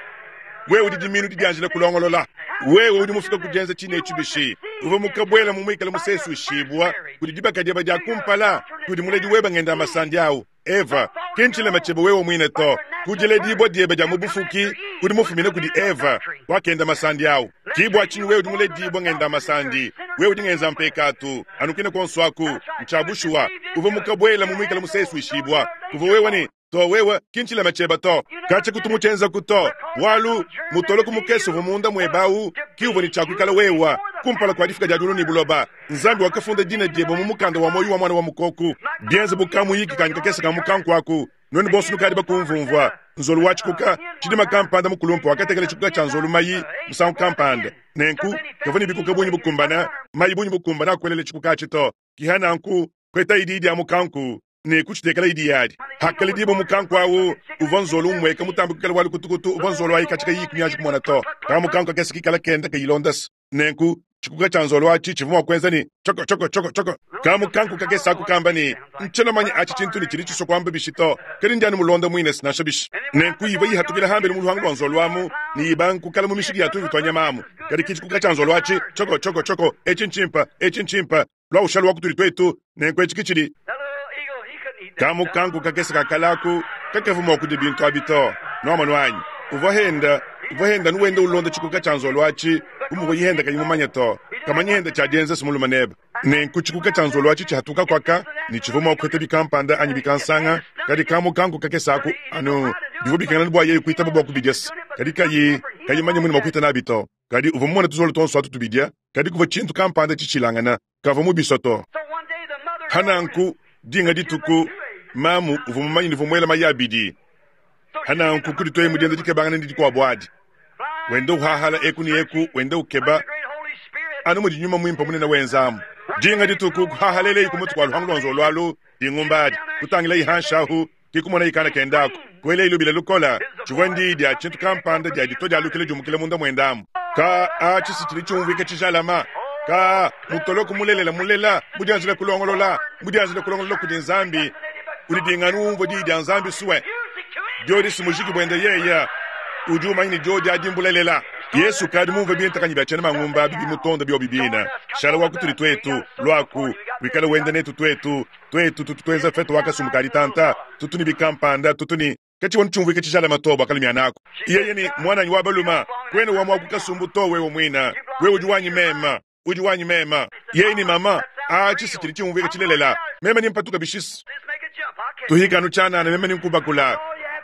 Wewe udi dimiinu didyanjila kulongolola. Wewe udi mufika ku dyenza ciine eci bishi? Uvwa mukabwela mu mwikale museeswishibwa kudi dibaka dyebe dya kumpala, kudi muledi webe ngenda-masandi awu, Eva. Ki ncilema cyebe wewe mwine to. Ku dilediibwa dyebe dya mu bufuki, udi mufumine kudi Eva, wakenda masandi awu. Ki bwa cinyi wewe udi mulediibwe ngenda-masandi. Wewe udi ngenza mpekaatu, anu kwine kwonso aku. Ncya bushuwa. Uvwa mukabwela mu mwikale museeswishibwa. Kuvwa wewe ne To, wewe, ki ncilema cyebe to. Kacya kutu mucyenzaku to. Bwalu, mutoloku mukese uvwa munda mwebe awu ki uvwa ne cya kwikala wewa, kumpala kwa difuka dya dyulu ne buloba. Nzambi wakafunda dina dyebe mu mukanda wa mwoyi wa Mwana wa Mukooku. Byenze bu kamuyiki kanyi kakese ka mukanku aku. Nwenu bonso nukaadi bakumvumvwa. Nzolu wa cikuka, cidima kampanda mukulumpe wakatekela cikuka cya nzolu mayi, musangu kampanda. Nenku, kavwa ne bikuka bungi bukumbana, mayi bungi bukumbana a kwelela cikuka aci to. Kiha nanku, kwetayi diyi dya mukanku ne kucitekela idi yadi. Hakaledibua mukanku awu, uvua nzolu umueka mutambe kuikala wa lukutukutu uvua nzolu ayi katshia kayiyi kunyanji kumona to. Ka mukanku kakese kikala kenda kayilondasa. Nenku, tshikuka tshia nzolu atshi tshivua mua kuenza ne, tshoko, tshoko, tshoko, tshoko. Ka mukanku kakese aku kamba ne, Ntshiena manye atshi tshintu ne tshidi tshisua kuamba bishi to, kadi ndi anu mulonda muines nansha bishi. Nenku ivua yihatukila hambelu mu luhangu lua nzolu amu ne yibanga kukala mu mishiki ya tumvi tua nyama amu. Kadi ki tshikuka tshia nzolu atshi, tshoko, tshoko, tshoko, etshi ntshimpe, etshi ntshimpe, lua ushala wa kutudi tuetu, nenku etshi ke tshidi. Kamukanku kakese ka kale aku kakavua mua kudia bintu abi to. Nwamonu anyi? Uvua henda, uvua henda anu wenda ulonda tshikuka tshia nzolu atshi, bu muvua yihenda kayi mumanye to. Kamanyi henda tshia dienza se mulume nebe. Nenku tshikuka tshia nzolu atshi tshihatuka kuaka, ne tshivua mua kupeta bikampanda anyi bikansanga, kadi kamukanku kakese aku, anu, bivua bikengela bua yeye kuitaba bua kubidia se, kadi kayi, kayi mumanye mudi mua kuita nabi to. Kadi uvua mumone tuzolo tuonso atu tubidia, kadi kuvua tshintu kampanda tshishilangana, kavua mubisua to. Pa nanku, dinga dituku, mamu uvua mumanye ne uvua muela mayi abidi. Pa nanku kudituaye mu dienda dikebangana ne dikuabu adi, wenda uhahala eku ne eku, wenda ukeba, anu mudi Nyuma Muimpe munene wenza amu. Dinga dituku, kuhahaleleyi ku mutu kua luhangu lua nzolo alu, dingumba adi, kutangilayi hanshi ahu, Ke kumonaye kana kende aku, kuelaye lubila lukole. Tshivua ndiyi dia tshintu kampanda dia ditua dia lukila diumukila munda muende amu. Kaa, atshi si tshidi tshiumvuika tshijalama. Kaa, mutoloku mulelela mulela, mudianjila kulongolola, mudianjila kulongolola kudi Nzambi, udi dinganu umvua diyi dia Nzambi sue. Diodi si mujiki buende yeye, udi umanya ne diodi adi mbulelela. Yesu ukadi mumvue bintakanyi bia tshiena mangumba abi bimutonda biobi bine. Shala wa kutudi tuetu, luaku, wikale wenda netu tuetu. Tuetu tutu tuenza fete wa kasumbu ka ditanta, tutu ne bikampanda, tutu ne katshiwanu tshiumvuika tshijalame to bua kalumia naku. Yeye ne, Muananyi wa balume, kuena wa mua ku kasumbu to wewe muine. Wewe udi wanyi meme, udi wanyi meme. Yeye ne, Mama, atshi si tshidi tshiumvuika tshilelela. Meme ne mpatuka bishis. Tuhika anu tshianana meme ne nkubakula.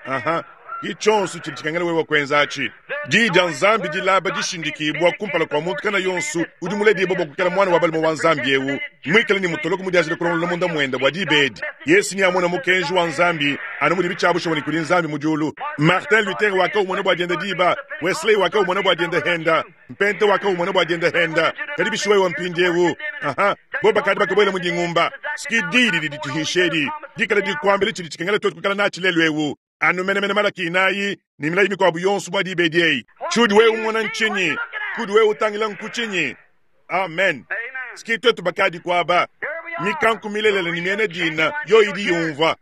Aha. Ki tshionso tshidi tshikengela wewe kuenza atshi. Diyi dia Nzambi dilaba dishindikibua kumpala kua muntu kana yonso udi muledibua bua kuikala muana wa balume wa Nzambi eu, muikale ne mutoloko mudianjila kulongolola munda muende bua diba edi. Yesu neamone mukenji wa Nzambi anu mudibi tshia bushuwa ne kudi Nzambi mu diulu. Martin Luther wakaumona bua dienda diba, Wesley wakaumona bua dienda henda, Mpenta wakaumona bua dienda henda, kadi bishi wewe mpindieu? Aha, bo bakadi bakabuela mu dingumba. Ski diyi didi dituhisha edi dikala dikuambila tshidi tshikengela tuetu kuikala natshi lelu eu. Anu menemene Malaki inayi ne milayi mikuabu yonso bua diba edi eyi. Tshiudi wewe umona ntshinyi? Kudi wewe utangila nku tshinyi? Amen. Ski tuetu bakadi kuaba. Mikanku milelela ne miena dina yoyi idi yumvua.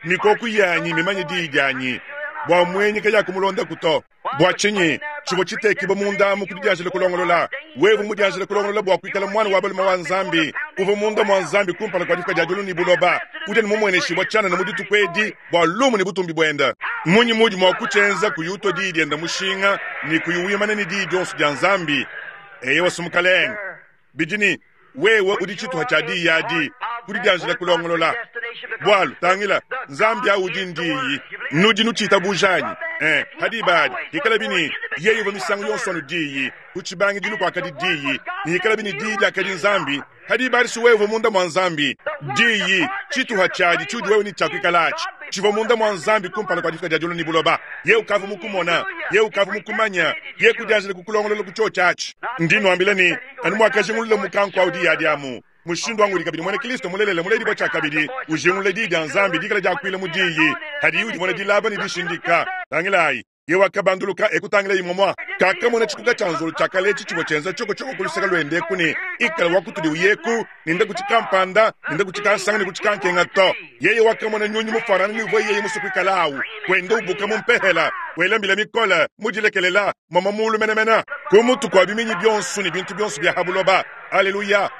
Mikoku yanyi mimanye diyi dianyi, bua muenyi kayakumulondaku to. Bua tshinyi tshivua tshitekibua munda amu ku didianjila kulongolola? Wewe mudianjile kulongolola bua kuikala muana wa balume wa Nzambi, uvua munda mua Nzambi kumpala kua difuka dia diulu ne buloba, udi anu mumueneshibua tshianana mu dituku edi bua lumu ne butumbi buende. Mmunyi muudi mua kutshienza kuyi utua diyi diende mushinga ne kuyi wimana ne diyi dionso dia Nzambi? Eyowa, Mukalenge. Bidi ne, wewe udi tshituha tshia diyi adi. Ku didianjila kulongolola. Bualu, tangila, Nzambi awu udi n'Diyi. Nudi nutshiitabuja anyi? Ee, pa diba adi, hikalabi ne Yeye uvua misangu yonso anu Diyi, ku tshibangidilu kuakadi Diyi, ne hikalabi ne Diyi diakadi Nzambi, pa diba adi si wewe uvua munda mua Nzambi. Diyi, tshituha tshiadi tshiudi wewe ne tshia kuikala atshi, tshivua munda mua Nzambi kumpala kua difuka dia diulu ne buloba. Yeye ukavua mukumona, Yeye ukavua mukumanya, Yeye kudianjila kukulongolola ku tshiotshi atshi. Ndi nnuambila ne, anu muakajingulula mukanku au diyi adi amu, mushindu wangu udi kabidi muena Kristo mulelela muledibua tshiakabidi ujingulula diyi dia Nzambi dikala diakuila mu diyi hadiyi udimona dilaba ne dishindika. Tangilayi, ye wakabanduluka e kutangila imue mua kakamona tshikuka tshia nzolo tshia kale etshi tshivua tshienza tshiokotshoko ku luseke luende eku ne ikala wa kutudi uyeku ne nda ku tshikampanda ne nda ku tshikansanga ne ku tshikankenga to. Yeye wakamona nyunyi mufuanangane ne uvua yeye musue kuikala awu, wenda ubuka mu mpehela, wela mbila mikole, mudilekelela, muamua muulu menemene, ku mutu kua biminyi bionso ne bintu bionso bia ha buloba. Aleluya!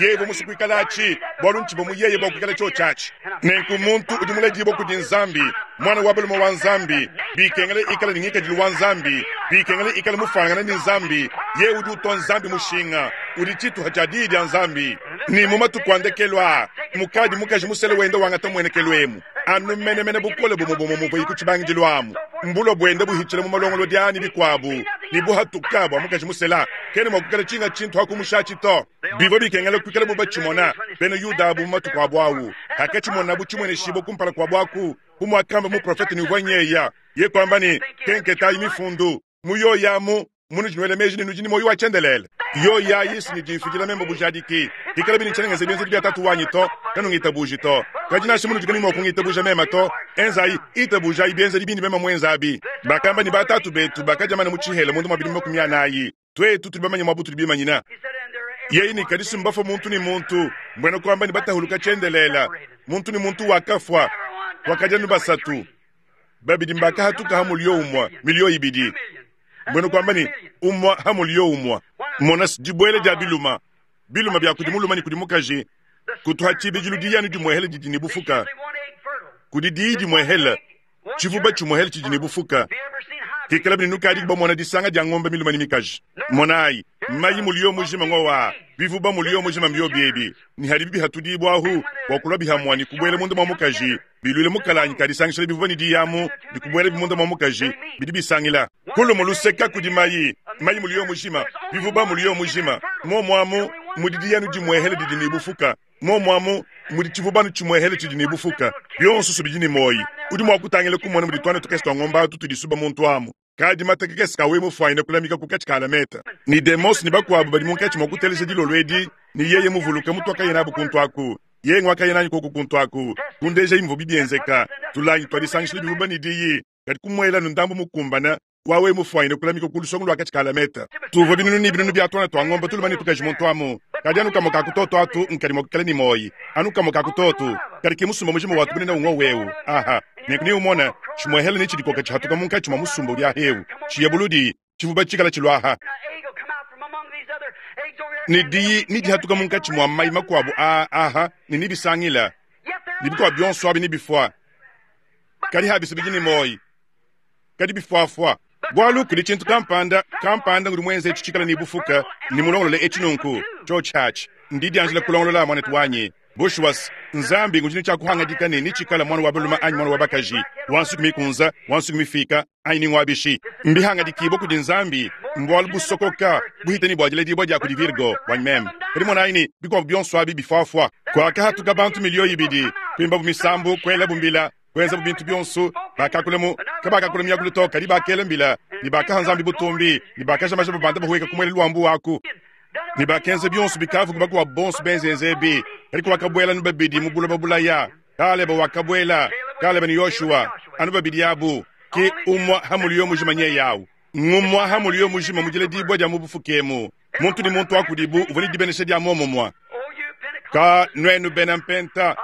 Yeye uvua musue kuikala atshi, bualu ntshivua mu yeye bua kuikala tshiotshi atshi. Nenku muntu udi muledibue kudi Nzambi, muana wa balume wa Nzambi, bikengela ikale ne ngikadilu wa Nzambi, bikengela ikale mufuanangane ne Nzambi. Yeye udi utua Nzambi mushinga, udi tshituha tshia Diyi dia Nzambi. Ne mu matuku a ndekelu aa, mukadi mukaji musele wenda wangata muenekelu emu, anu menemene bukole bumue bumue muvuayi ku tshibangidilu amu, mbulua buenda buhitshila mu malongolodi aa ne bikuabu, ne buhatuka bua mukaji musela kena mua kuikala tshinga tshintu ha kumushatshi to. Bivua bikengela kuikala bu batshimona bena Yuda abu mu matuku abu au, hakatshimonabo tshimueneshibua kumpala kuabu aku, bu muakamba muprofete ne uvua nyeya, ye kuamba ne, Kenketayi mifundu, mu yoyi amu munudi nuela meji ne nudi ne muoyo wa tshiendelele. Yoyi ayi si nyidi imfidila meme bujadiki. Hikalabi ne tshiena ngenza bienzedi bia Tatu wanyi to, kanungitabuji to. Kadi nansha munudi kanuyi mua kungitabuja meme to, enzayi, itabujayi bienzedi bindi meme muenze abi. Bakamba ne, Batatu betu bakadia mana mu tshihela munda mua bidimu 40, tuetu tudi bamanye muaba utudi bimanyina. Yeye ne, Kadi si mbafue muntu ne muntu, mbuena kuamba ne batahuluka tshiendelele, muntu ne muntu wakafua, wakadia anu basatu. Babidi mbakahatuka ha mulio umue, milio ibidi, mbuena kuamba ne umue ha mulio umue. Mona dibuela dia biluma, biluma bia kudi mulume ne kudi mukaji, kutu ha tshibidilu diyi anu dimuehele didi ne bufuka, kudi diyi dimuehele, tshivuba tshimuehele tshidi ne bufuka. Hikalabi ne nukadi bamona disanga dia ngombe milume ne mikaji, monayi mayi mulio mujima ngowa, bivuba mulio mujima mbiobi ebi, ne hadibi bihatudibua ahu bua kulua bihamua ne kubuela munda mua mukaji, biluile mukalanyi ka disangishila bivua ne diyamu ne kubuela munda mua mukaji, bidi bisangila kulu mu luseka kudi mayi, mayi muliyo mujima, bivuba muliyo mujima. Muomu amu mudi diyanu dimuehele didi ne bufuka, muomu amu mudi tshivubanu tshimuehele tshidi ne bufuka, bionso bidi ne muoyi. Udi mua kutangila kumona mudi tuana tukese tua ngombe atu tudisuba muntu amu. Kadi mata kakese kawe mufuanyine kulamika ku katshi ka alameta. Ne Demos ne bakuabu badi munkatshi mua kuteleja dilolo edi, ne yeye muvuluke mutuakaya nabu kuntu aku, yeye nguakaya nanyi koku kuntu aku, kundejayi muvua bienzeka, tulangi tuadisangishila bivuba ne diyi, kadi kumuela nu ndambu mukumbana wawe mufuanyine kulamika ku lusongo lua katshi ka alameta. Tuvua binunu ne binunu bia tuana tua ngombe tulume ne tukaji muntu amu, kadi anu kamue ka ku toto atu nkadi mua kuikala ne muoyi, anu kamue ka ku toto, kadi ke musumba mujima wa tubunene ungo wewu. Aha. Nenku neumone tshimuehele ne tshidikoka tshihatuka munkatshi mua musumba udi ahewu, tshiya buludi, tshivuba tshikala tshiluaha, ne diyi nedihatuka munkatshi mua mai makuabo aa aha, ne nebisangila, ne bikuabo bionso abi nebifua, kadi habisa bidi ne muoyo, kadi bifuafua. Bualu kudi tshintu kampanda, kampanda ngudi muenze etshi tshikala ne bufuka ne mulongolole etshi nunku, tshiotshi atshi ndidianjila kulongolola, muanetu wanyi. Bushuwa, Nzambi ngudi ne tshia kuhangadika ne netshikala muana wa balume anyi muana wa bakaji, wa nsuki mikunza, wa nsuki mifika, anyi ni ngua bishi. Mbihangadikibue kudi Nzambi, mbualu busokoka buhite ne bua diledibua dia kudi Virgo buanyi meme. Kadi monayi ne, bikuabu bionso abi bifuafua. Kuakahatuka bantu miliyo ibidi, kuimbabu misambu, kuelabu mbila, kuenzabu bintu bionso. Bakakula mu kabakakula miakulu to, kadi bakela mbila ne bakaha Nzambi butumbi ne bakaja maja babanda bahueka ku muelelu wa mbuwa aku ne bakenza bionso bikavua bakuabu bonso benzenze ebi. Kadi kuakabuela anu babidi mu buloba bulaya. Kaleba wakabuela, Kaleba ne Yoshua, anu babidi abu. Ke umua ha muliyo mujima nyeyawu ngumua ha muliyo mujima mu diledibua dia mu bufuki emu. Muntu ne muntu wa kudibu uvua ne dibenesha dia muomumue. Ka nuenu bena mpenta,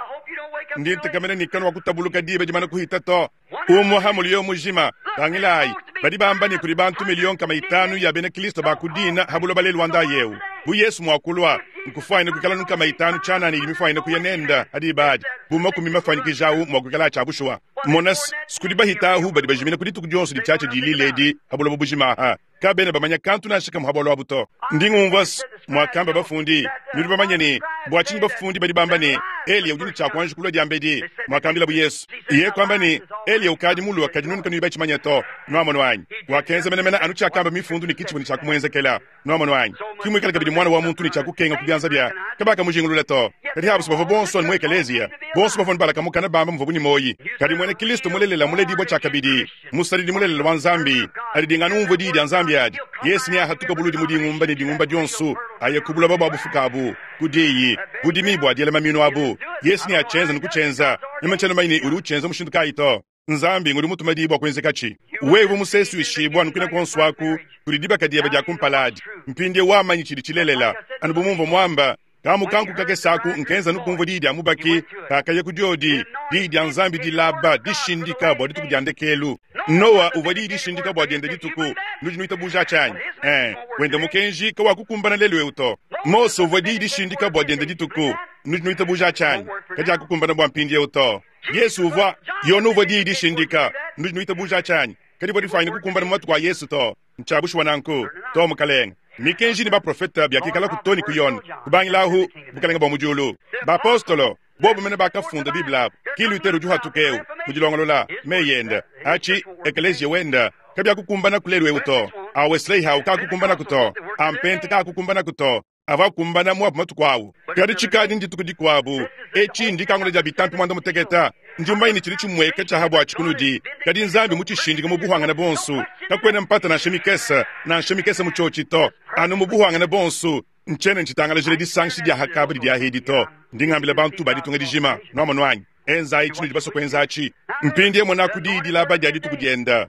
ndi ntekemena ne kanuakutabuluka diba dimana kuhita to. Umue ha muliyo mujima. Tangilayi, badi bamba ne kudi bantu miliyo 500 ya bena Kristo ba ku dina ha buloba lelu wa ndayewu. Bu Yesu mua kulua, nkufuanyine kuikala nu 500 tshianana idi mifuanyine kuya nenda ha diba adi, bu makumi mafuanyikijawu mua kuikala a tshia bushuwa. Mona-s, kudi bahita ahu badi bajimina ku dituku dionso ditshiatshia dilila edi ha buloba bujima aha. Kabena bamanya kantu nansha kamue ha bualu abu to. Ndi ngumvua-s muakamba bafundi. Nudi bamanye ne, bua tshinyi bafundi badi bamba ne, Eliya udi ne tshia kuanji kulua diambedi? Muakambilabu Yesu. Yeye kuamba ne, Eliya ukadi mulue, kadi nuenu kanuyi batshimanye to. Nuamonu anyi? Wakenza menemene anu tshiakamba Mifundu ne ki tshivua ne tshia kumuenzekela. Nuamonu anyi? Ki muikale kabidi Muana wa muntu ne tshia kukenga ku bianza bia. Kabakamujingulula to. Kadi abu bavua bonso anu mu ekeleziya. Bonso bavua anu balaka mukana bamba muvuabu ne muoyi. Kadi muena Kilisto mulelela muledibua tshiakabidi, musadidi mulelela wa Nzambi, adi dinga anu umvua diyi dia Nzambi adi, Yesu neahatuke buludi mu dingumba ne dingumba dionso, aye ku buloba bua bufuka abu, ku diyi, budimi bua diela maminu abu. Yesu neatshienze ne kutshienza. Meme tshiena mumanye ne udi utshienza mushindu kayi to. Nzambi ngudi mutume diyi bua kuenzekatshi. Wewe uvua musesuishibue anu kuine kuonso aku kudi dibaka diebe dia kumpala adi. Mpindieu wamanyi tshidi tshilelela. Anu bu mumvua muamba, kamukanku kakese aku nkenza anu kumvua diyi dia mubaki kakaya ku diodi, diyi dia Nzambi dilaba, dishindika bua dituku dia ndekelu. Noa uvua diyi dishindika bua diende dituku. Nudi nuitabuja atshi anyi? Ee, wende mukenji kawakukumbana lelu eu to. Mose uvua diyi dishindika bua diende dituku. Nudi nuitabuja atshi anyi? Kadiakukumbana bua mpindieu to. Yesu uvua, Yone uvua diyi dishindika. Nudi nuitabuja tshianyi? Kadivua difuanyine kukumbana mu matuku a Yesu to. Ntshia bushuwa nanku? To, mukalenge. Mikenji ne baprofete biakikalaku to ne ku Yone, kubangila ahu, Bukalenge bua mu diulu. Bapostolo, bobu mene bakafunda Bible abu. Ki Luther udi uhatuka eu, mu dilongolola, meyi ende, atshi, ekeleziya wende, kabiakukumbanaku lelu eu to. A Wesley awu kaakukumbanaku to. A Mpente kaakukumbanaku to. Avua akumbana mu abu matuku awu. Kadi tshikadi ndituku dikuabu. Etshi ndikangula dia bitampi muanda muteketa. Ndi mumanye ne tshidi tshimueka tshia ha buatshi kunudi, kadi Nzambi mutshishindike mu buhuangane buonso. Kakuena mpata nansha mikese, nansha mikese mu tshiotshi to, anu mu buhuangane buonso. Ntshiena ntshitangalajila disangisha dia hakaba didi ahedi to. Ndi ngambila bantu ba ditunga dijima, nuamonu anyi? Enzayi tshinudi basue kuenza atshi. Mpindie monaku diyi dilaba dia dituku dienda,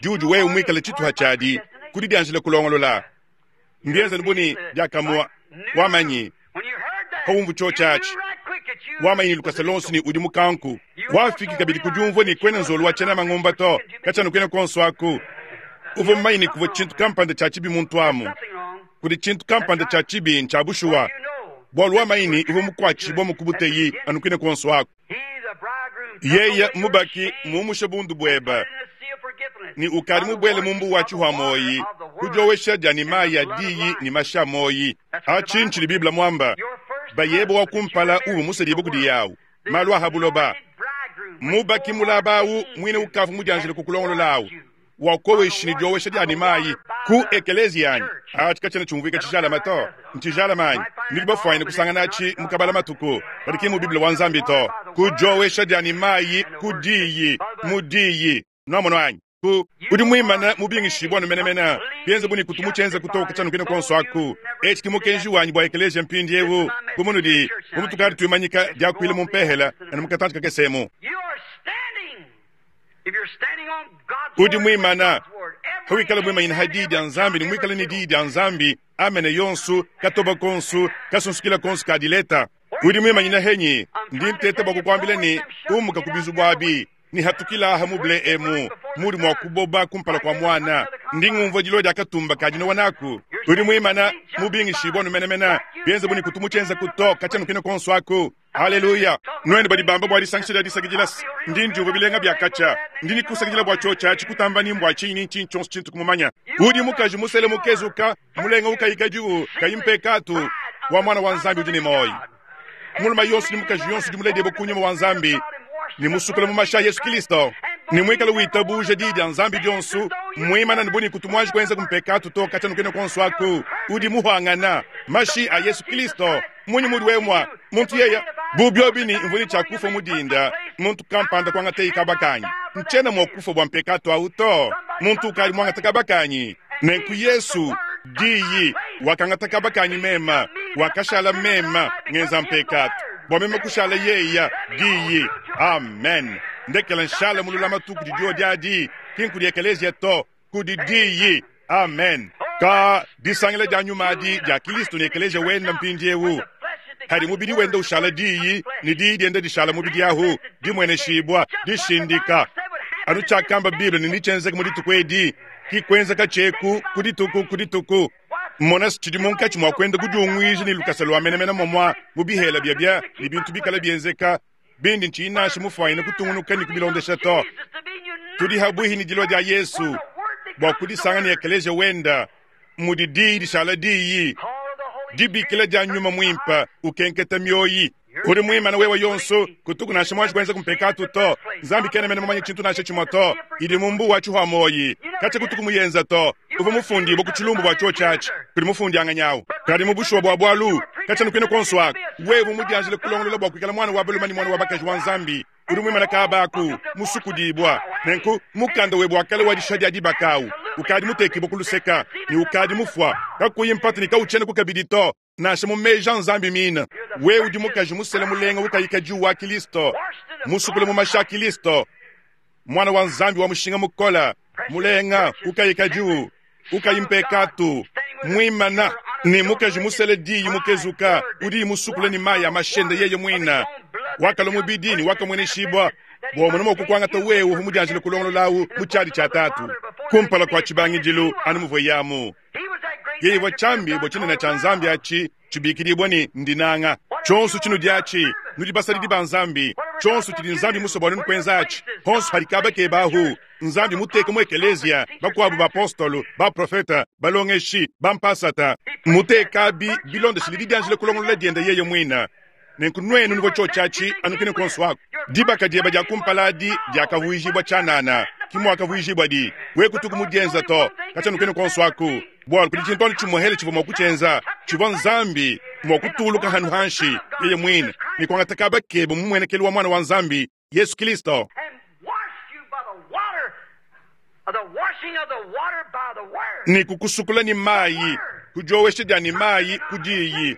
diudi wewe muikale tshituha tshiadi, ku didianjila kulongolola. Mbienze bu ne diakamue wamanyi pawumvu tshiotshi atshi, wamanyi ne lukasa luonso ne udi mukanku. Wafiki kabidi ku diumvua ne kuena nzolu wa tshiena mangumba to, katshia anu kuena kuonso aku. Uvua mumanye ne kuvua tshintu kampanda tshia tshibi muntu amu. Kudi tshintu kampanda tshia tshibi ntshia bushuwa, bualu wamanyi ne uvua mukuatshibua mu kubuteyi anu kuine kuonso aku. Yeye mubaki mumushe bundu buebe ne ukadi mubuele mu mbuwa tshihua muoyi ku diowesha dia ne mayi a diyi ne mashi a muoyi. Atshi ntshidi Bible muamba. Bayebe wa kumpala uvua musedibue kudi yawu malu a ha buloba. Mubaki mulaba awu muine ukavua mudianjile kukulongolola awu wakoweshi ne diowesha dia ne mayi ku ekeleziya anyi? Atshi katshiena tshiumvuika tshijalame to. Ntshijalame anyi? Nudi bafuanyine kusangana atshi mu kabala matuku, kadi ki mu Bible wa Nzambi to. Ku diowesha dia ne mayi ku diyi, mu diyi. Nuamonu anyi? Ku, udi muimane mubingishibue anu menemene, bienze bu ne kutu mutshienze kutoka tshianukina kuonso aku. Etshi ki mukenji wanyi bua ekeleziya mpindiewu, bu munudi, bu mutukadi tuimanyika diakuila mu mpehela anu mu katantshi kakese emu. Udi muimana, hawikala muimanyina ha diyi dia Nzambi ne muikale ne diyi dia Nzambi, amene yonsu, katoba konsu, kasunsukila konsu ka dileta. Udi muimanyina henyi? Ndi nteta bua kukuambila ne, umuka ku bizubu abi ne hatukila aha mu ble emu, mudi mua kuboba kumpala kua muana. Ndi ngumvua dilua dia katumba ka dinowa naku. Udi muimana, mubingishibua anu menemene, bienze bu ne kutu mutshienzaku to, katshia nukina konsu aku. Haleluya! Nuenu badi bamba bua disangisha dia disakidila, ndi ndiumvua bilenga bia katshia. Ndi ne kusakidila bua tshiotshi atshi kutamba ni mbua tshinyi ni ntshinyi tshionso tshintu kumumanya. Udi mukaji musele mukezuka, mulenga ukayikadiwu, kayi mpekatu, wa Muana wa Nzambi udi ne muoyo. Mulume yonso ne mukaji yonso udi muledibue ku nyuma wa Nzambi ne musukula mu mashi a Yesu Kristo ne muikale witabuja diyi dia Nzambi dionso, muimana ne bu ne kutu muanji kuenza ku mpekatu to katshia nukena kuonso aku, udi muhuangana mashi a Yesu Kristo. Mmunyi mudi wewe mua muntu yeya bu biobi ne mvua ne tshia kufua mu dinda, muntu kampanda kuangateye kaba kanyi? Ntshiena mua kufua bua mpekatu au to. Muntu ukadi muangate kaba kanyi. Nenku Yesu, Diyi, wakangata kaba kanyi mema, wakashala mema ngenza mpekatu bua meme kushala yeya, Diyi. Amen. Ndekela nshala mu lulamatu kudi diodi adi, ki nkudi ekeleziya to, kudi Diyi. Amen. Ka disangila dia nyuma adi dia Kilisto ne ekeleziya wenda mpindiewu, hadi mubidi wenda ushala Diyi ne Diyi dienda dishala mubidi ahu, dimueneshibua, dishindika. Anu tshiakamba Bible ne netshienzeke mu dituku edi, ki kuenzeka tshieku ku dituku ku dituku. Mona tshidi munkatshi mua kuenda kudiunguija ne lukasa lua menemene momua mu bihela biabia ne bintu bikala bienzeka. Bindi ntshiyi nansha mufwanyine kutungunuka ne kubilondesha to. Tudi habwihi ne dilwa dya Yesu bwa kudisanga ne ekeleziya wenda, mudi Diyi dishala Diyi, dibikila dya Nyuma Mwimpe ukenketa myoyi. Udi mwimane wewe yonso, kutuku nansha mwanji kwenza kumpekatu to. Nzambi kena mene mumanye tshintu nansha tshimwe to. Idi mu mbuwa wa tshihwa-muoyi. Katshia kutuku muyenza to. Uvua mufundibue ku tshilumbu bua tshiotshi atshi kudi mufundianganyi awu. Kadi mu bushuwa bua bualu, katshia nukuine kuonso aku, wewe mudianjile kulongolola bua kuikala muana wa balume ne muana wa bakaji wa Nzambi, udi muimane kaba aku, musukudibua. Nenku, mukanda webe wa kale wa dishiha dia dibaka awu ukadi mutekibue ku luseka, ne ukadi mufua, kakuyi mpata ne kawutshienaku kabidi to. Nansha mu meji a Nzambi mine, wewe udi mukaji musele mulenga ukayi kadiwu wa Kilisto, musukula mu mashi a Kilisto, muana wa Nzambi wa mushinga mukole, mulenga ukayi kadiwu, ukayi mpekatu, muimana ne mukaji musele diyi mukezuka, udiyi musukula ne mayi a mashi ende yeye muine, wakalua mubidi ne wakamueneshibua bua umone mua kukuangata wewe uvua mudianjile kulongolola awu mu tshiadi tshia Tatu kumpala kua tshibangidilu, anu muvuaye amu. Yeye uvua tshiambi bua tshinene tshia Nzambi atshi tshibikidibua ne ndinanga. Tshionso tshinudi atshi, nudi basadidi ba Nzambi. Tshionso tshidi Nzambi musue bua nuenu kuenza atshi, honso padi kaba keba ahu, Nzambi muteke mu ekeleziya bakuabu bapostolo, baprofete, balongeshi, bampasata. Mutekabi bilondeshile didianjila kulongolola diende yeye muine. Nenku nuenu nuvua tshiotshi atshi anu kine kuonso aku. Dibaka dieba dia kumpala adi diakavuijibua tshianana, ki muakavuijibuadi. We kutuku mudienza to, katshia nukine kuonso aku, bualu kudi tshintu anu tshimuehele tshivua mua kutshienza, tshivua Nzambi mua kutuluka hanu hanshi yeye muine ne kuangata kaba kebe mu muenekelu wa Muana wa Nzambi, Yesu Kristo. Ne kukusukula ne mayi, ku diowesha dia ne mayi ku diyi.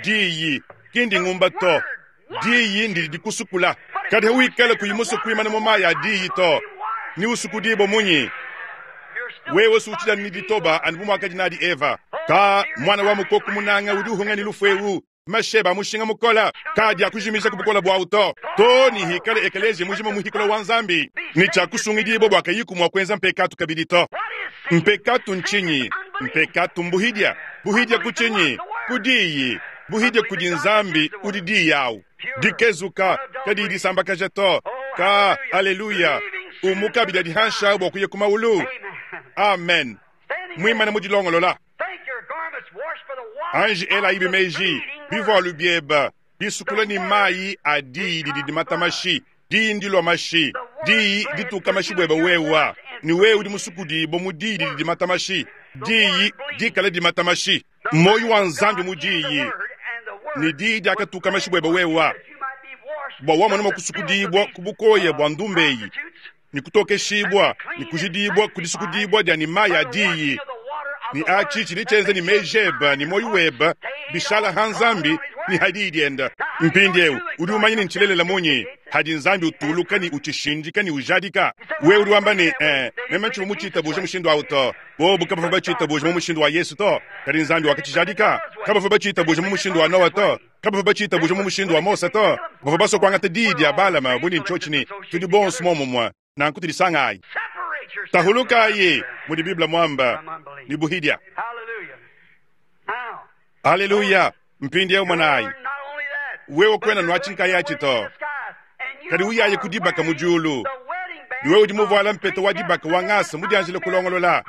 Diyi, ki ndingumba to. Diyi ndidi dikusukula. Kadi hawikala kuyi musue kuimana mu mayi a diyi to, ne usukudibue munyi? Wewe si utshidi anu ne ditoba anu bu muakadi nadi Eva. Ka, muana wa mukoko munanga udi uhunga ne lufu eu, Masheba a mushinga mukole kaadiakujimija ku bukole buawu to, too ne hikale ekeleziya mujima muhikula wa Nzambi ne tshiakusungidibua bua kayiku mua kuenza mpekatu kabidi to. Mpekatu ntshinyi? Mpekatu mbuhidia. Buhidia ku tshinyi? Ku Diyi. Buhidia kudi Nzambi udi Diyi awu. Dikezuka, kadiyi disambakaja to. Ka, aleluya! Umuka bidia dihansha bua kuya ku maulu. Amen. Muimane mu dilongolola. Anji elayibi meji, bivualu biebe bisukula ne mayi a diyi didi dimata mashi, diyi ndilua mashi, diyi dituka mashi buebe wewa, ne wewe udi musukudibue mu diyi didi dimata mashi, diyi dikale dimata mashi, muoyo wa Nzambi mu diyi, ne diyi diakatuka mashi buebe wewa, bua wamona mua kusukudibua ku bukoya bua ndumba eyi ne kutokeshibua ne kujidibua ku disukudibua dia ne mayi a diyi, ne atshi tshidi tshienza ne meji ebe ne muoyo webe bishala ha Nzambi ne ha diyi diende. Mpindieu udi umanya ne ntshilelela munyi hadi Nzambi utuluka ne utshishindika ne ujadika? Wewe udi wamba ne, Eh, meme ntshivua mutshitabuje mushindu au to. Bobu kabavua batshitabuje mu mushindu wa Yesu to, kadi Nzambi wakatshijadika. Kabavua batshitabuje mu mushindu wa Noa to. Kabavua batshitabuje mu mushindu wa Mose to. Bavua basue kuangata diyi dia Balama bu ne ntshiotshi ne, Tudi bonso muomumue, nanku tudisangayi. Tahulukayi, mudi Bible muamba, ne buhidia. Aleluya! Mpindieu monayi, wewe kuena nuatshi nkayatshi to, kadi uyaye ku dibaka mu diulu, ne wewe udi muvuala mpeta wa dibaka wa ngasa mudianjile kulongolola.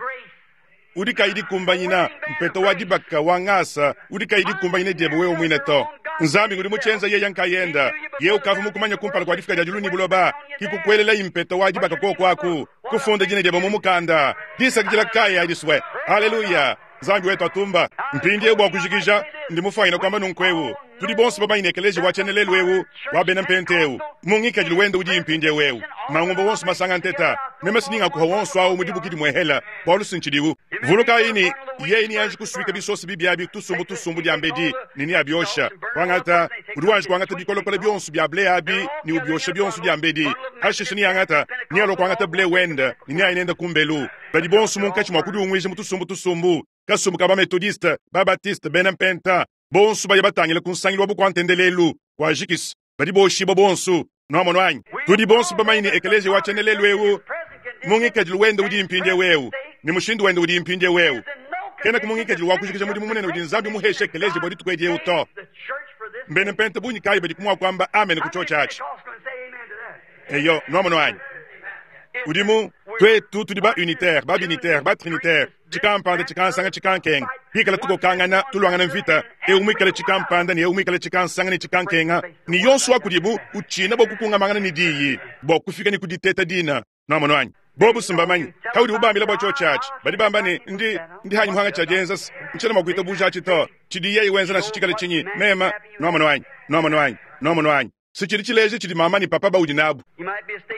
udi kayi dikumbanyina mpeta wa dibaka wa ngasa udi kayi dikumbanyina diebe wewe muine to. Nzambi ngudi mutshienza yeye nkayenda. Yeye ukavua mukumanya kumpala kua difuka dia diulu ne buloba, ki kukuelelayi mpeta wa dibaka kuoku aku, kufunda dina diebe mu mukanda. Disakidila kayi adi swe! Haleluya! Nzambi wetu atumba. Mpindieu bua kujikija, ndi mufuanyine kuamba nunku eu, tudi bonso bamanye ne ekeleziya wa tshiena lelu eu wa bena mpenta eu mu ngikadilu wende udi mpindieu eu, mangumba wonso masanga nteta, meme si ningakuha wonso au mu dibuki dimuehela, bualu si ntshidiwu. Vulukayi ne, yeye neanji kusuika bisosa bibi abi tusumbu tusumbu diambedi ne neabiosha. Kuangata, udi wanji kuangata bikolokolo bionso bia ble abi ne ubiosha bionso diambedi. Pashishe neangata, nealua kuangata ble wende ne neaye nende kumbelu. Badi bonso munkatshi mua kudiunguija mu tusumbu tusumbu, kasumbu ka ba-Metodiste, ba-Batiste, bena Mpenta, bonso baya batangile ku nsangilu wa bukua-ntendelelu wa jikisa, badi boshibua bonso. Nuamonu anyi? Tudi bonso bamanye ne ekeleziya wa tshiena lelu eu mu ngikadilu wende udi mpindieu eu ne mushindu wende udi mpindieu eu kenaku mu ngikadilu wa kujikija mudimu munene udi Nzambi muheshe ekeleziya bua dituku edi eu to. Mbena mpenta bungi kayi badiku mua kuamba amen ku tshiotshi atshi? Eyo, nwamonu anyi? Udi mu, twetu tudi ba-unitaire, ba-binitaire, ba-trinitaire, cikampanda, cikansanga, cikankenga, twikala tukokangana, tulwangana mvita, ewu mwikale cikampanda ne ewu mwikale cikansanga ne cikankenga, ne yonso wa kudibu uciina bwa kukungamangana ne Diyi, bwa kufika ne ku diteta dina. Nwamonu anyi? Bobu simbamanye. Paudi ubambila bua tshiotshi atshi, badi bamba ne, Ndi, ndi hanyi muhanga tshia dienza se ntshiena mua kuitabuja atshi to. Tshidi yeye wenza nansha tshikale tshinyi, mema. Nwamonu anyi? Nwamonu anyi? Nwamonu anyi? Se tshidi tshileja tshidi mama ne papa baudi nabu.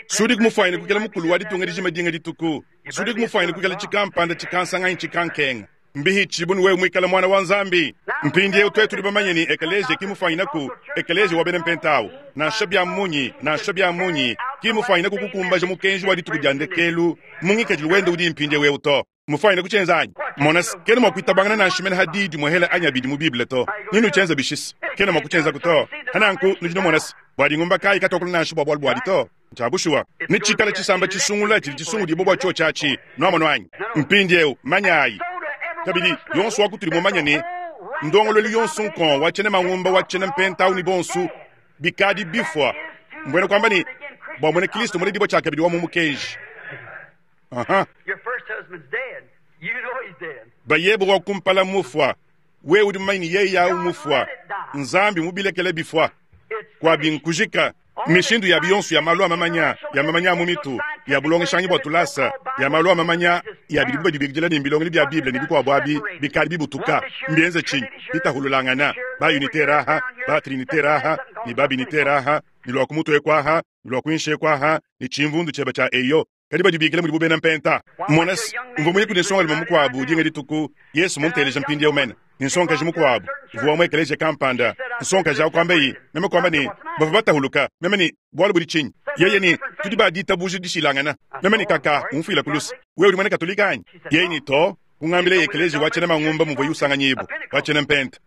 Sudiku mufuanyine kuikala mukulu wa ditunga dijima dinga dituku. Sudiku mufuanyine kuikala tshikampanda tshikansanga anyi tshikankenga. Mbihitshibu ne wewe muikale muana wa Nzambi. Mpindieu tuetu tudi bamanye ne ekeleziya ki mufuanyinaku ekeleziya wa bena Mpenta nansha bia munyi, nansha bia munyi, ki mufuanyinaku kukumbaja mukenji wa dituku dia ndekelu mu ngikadilu wende udi mpindieu eu to. Mmufuanyine kutshienza anyi? Mona se, kena mua kuitabangana nansha mene ha diyi dimuehela anyi abidi mu Bible to. Ne nutshienza bishi? Kena mua kutshienzaku to. Ha nanku nudi numona se, bua dingumba kayi katuakula nansha bua bualu buadi to. Ncya bushuwa. Netshikale tshisamba tshisungula tshidi tshisungudibua bua tshiotshi atshi. Nwamonu anyi? Mpindiewu, manyaayi. Kabidi, yonso wa kutudi mumanye ne, ndongoluelu yonso nkong wa tshiena mangumba wa tshiena mpenta awu ne bonso bikadi bifua, mbuena kuamba ne, bua muena Kilisto muledibua tshiakabidi wa mu mukenji. Aha. Bayebe wa kumpala mufua, wewe udi mumanye ne yeye awu mufua. Nzambi mubilekele bifua. Kuabi nkujika. Mishindu yabi yonso ya malu a mamanya, ya mamanya a mu mitu, ya bulongeshangi bua tulasa, ya malu a mamanya, ya bidibu badibikidila ne mbilongelu bia Bible ne bikuabu abi, bikadi bibutuka. Mbienze tshinyi? Bitahululangana, ba unitaire aha, ba trinitaire aha, ne ba binitaire aha, ne lua ku mutu eku aha, ne lua kuinshi eku aha, ne tshimvundu tshieba tshia eyo. Kadi badibikila mudibu bena mpenta. Mona se, mvua muye kudi nsongalume mukuabu dinga dituku, Yesu munteleja mpindieu mene, ne nsongakaji mukuabu uvua wa mu ekeleziya kampanda. Nsongakaji au kuambaye, meme kuamba ne, bavua batahuluka. Meme ne, bualu budi tshinyi? Yeye ne, tudi ba ditabuja dishilangana. Meme ne, kaka, umfuila ku luse. Wewe udi muena Katolika anyi? Yeye ne, to. Kungambilaye ekeleziya wa tshiena mangumba muvuaye usanganyibua, wa tshiena mpenta.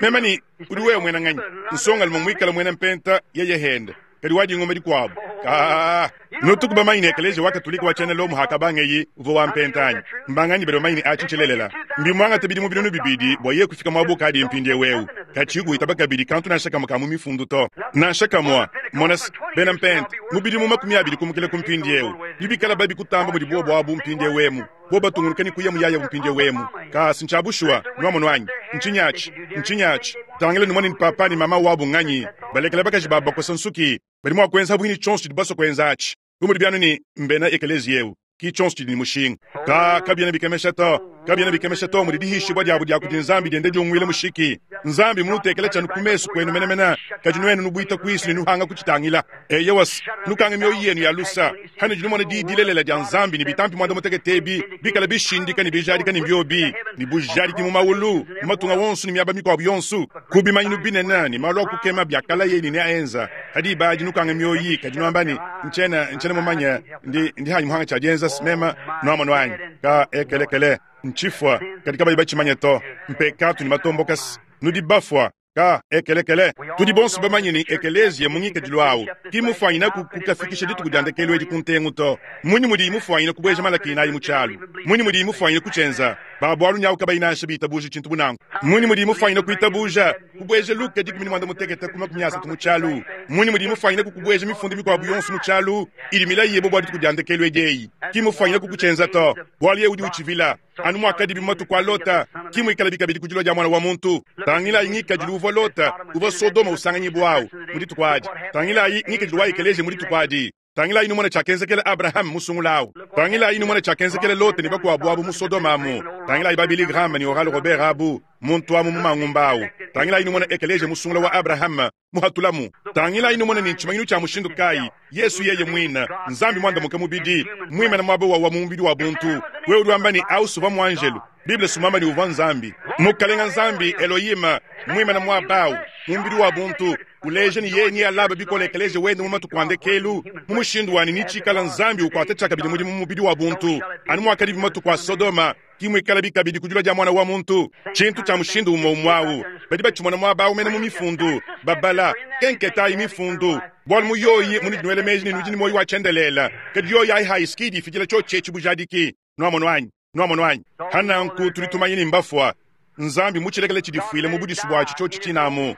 Meme ne, udi wewe muena nganyi? Nsongalume muikale muena mpenta, yeye hende. Kadi wa dingoma dikuabu kaa. Nutuku bamanye ne ekeleziya wa Katolike wa tshiena Lomo hakabangeyi uvua wa mpenta anyi? Mbanganyi badi bamanye ne atshi ntshilelela? Mbimuangate bidimu 2000 bua yeye kufika muaba ukadiye mpindieu eu. Katshiyi kuitaba kabidi kantu nansha kamue ka mu mifundu to. Nansha kamue. Mona se, bena mpenta, mu bidimu 20 kumukila ku mpindieu, nebikale babi kutamba mudi buobu abu mpindieu emu, bobu batungunuka ne kuya muyayabu mpindieu emu. Kaa, si ntshia bushuwa, nuamonu anyi? Ntshinyi atshi? Ntshinyi atshi? Tangila numone ne papa ne mama wabu nganyi. Balekela bakaji babu bakosa nsuki. Badi mua kuenza pabuipi ne tshionso tshidibu basue kuenza atshi. Bu mudi bianu ne mbena ekeleziya eu, ki tshionso tshidi ne mushinga. Ka, kabiena bikemesha to. Kabiena bikemesha to mudi dihishibua diabu dia kudi Nzambi dienda diunguila mushiki. Nzambi mmunutekele tshianu ku mesu kuenu menemene, kadi nuenu nubuita kuisu ne nuhanga kutshitangila. Eyowa, nukanga mioyo yenu ya lusa, hanudi numona diyi dilelela dia Nzambi ne bitampi muanda mutekete ebi bikale bishindika ne bijadika ne mbiobi ne bujadiki mu maulu, mu matunga wonso ne miaba mikuabu yonso, ku bimanyinu binene ne malu a kukema biakalaye ne neaenza. Ha diba adi nukanga mioyi, kadi nuamba ne, Ntshiena, ntshiena mumanye, ndi, ndi hanyi muhanga tshia dienza mema, nuamonu anyi? Ka ekelekele, ntshifua, kadi kabayi batshimanye to. Mpekatu ne matomboka, nudi bafua. Ka ekelekele, tudi bonso bamanye ne ekeleziya mu ngikadilu awu ki mufuanyinaku kukafikisha dituku dia ndekelu edi ku ntengu to. Mmunyi mudiyi mufuanyine kubueja Malaki inayi mu tshialu? Mmunyi mudiyi mufuanyine kutshienza? Ba bualu nyawu kabayi nansha bitabuja tshintu bu nanku. Mmunyi mudiyi mufuanyine kuitabuja kubueja Luka 13 ku 30 mu tshialu? Mmunyi mudiyi mufuanyine kukubueja mifundu mikuabu yonso mu tshialu idi milayi yebe bua dituku dia ndekelu edi eyi? Ki mufuanyine kukutshienza to, bualu yeye udi utshivila. Anu muakadibi mu matuku a Lota, ki muikalabi kabidi ku dilua dia Muana wa muntu. Tangilayi ngikadilu uvua Lota, uvua Sodoma usanganyibua awu mu dituku adi. Tangilayi ngikadilu wa ekeleziya mu dituku adi. Tangilayi numone tshiakenzekela Abrahame musungula awu. Tangilayi numone tshiakenzekela Lota ne bakuabu abu mu Sodoma amu. Tangilayi ba Billy Graham ne Oral Robert abu, muntu amu mu mangumba awu. Tangilayi numone ekeleziya musungula wa Abrahame muhatulamu. Tangilayi numone ne ntshimanyinu tshia mushindu kayi, Yesu yeye muine, Nzambi muandamuke mubidi, muimane muaba wawa mu mubidi wa buntu. Wewe udi wamba ne, Au s'uvua muanjelu. Bible s'muamba ne uvua Nzambi. Mukalenga Nzambi, Elohim, muimane muaba au, mu mubidi wa buntu, uleja ne yeye nealabe bikole ekeleziya wende mu matuku a ndekelu, mu mushindu wa ne netshikala Nzambi ukuata tshiakabidi mudimu mu mubidi wa buntu, anu muakadibi matuku a Sodoma, ki muikalabi kabidi ku dilua dia Muana wa muntu. Tshintu tshia mushindu umue umue au badi batshimona muaba au mene mu Mifundu, babala, kenketayi Mifundu, bualu mu yoyi munudi nuela meji ne nudi ne muoyo wa tshiendelele, kadi yoyi ayi hayi s'ki idi ifidila tshiotshi etshi bujadiki. Nuamonu anyi? Nuamonu anyi? Pa nanku tudi tumanya ne mbafua. Nzambi mutshilekele tshidifuile mu budisu buatshi tshiotshi tshine amu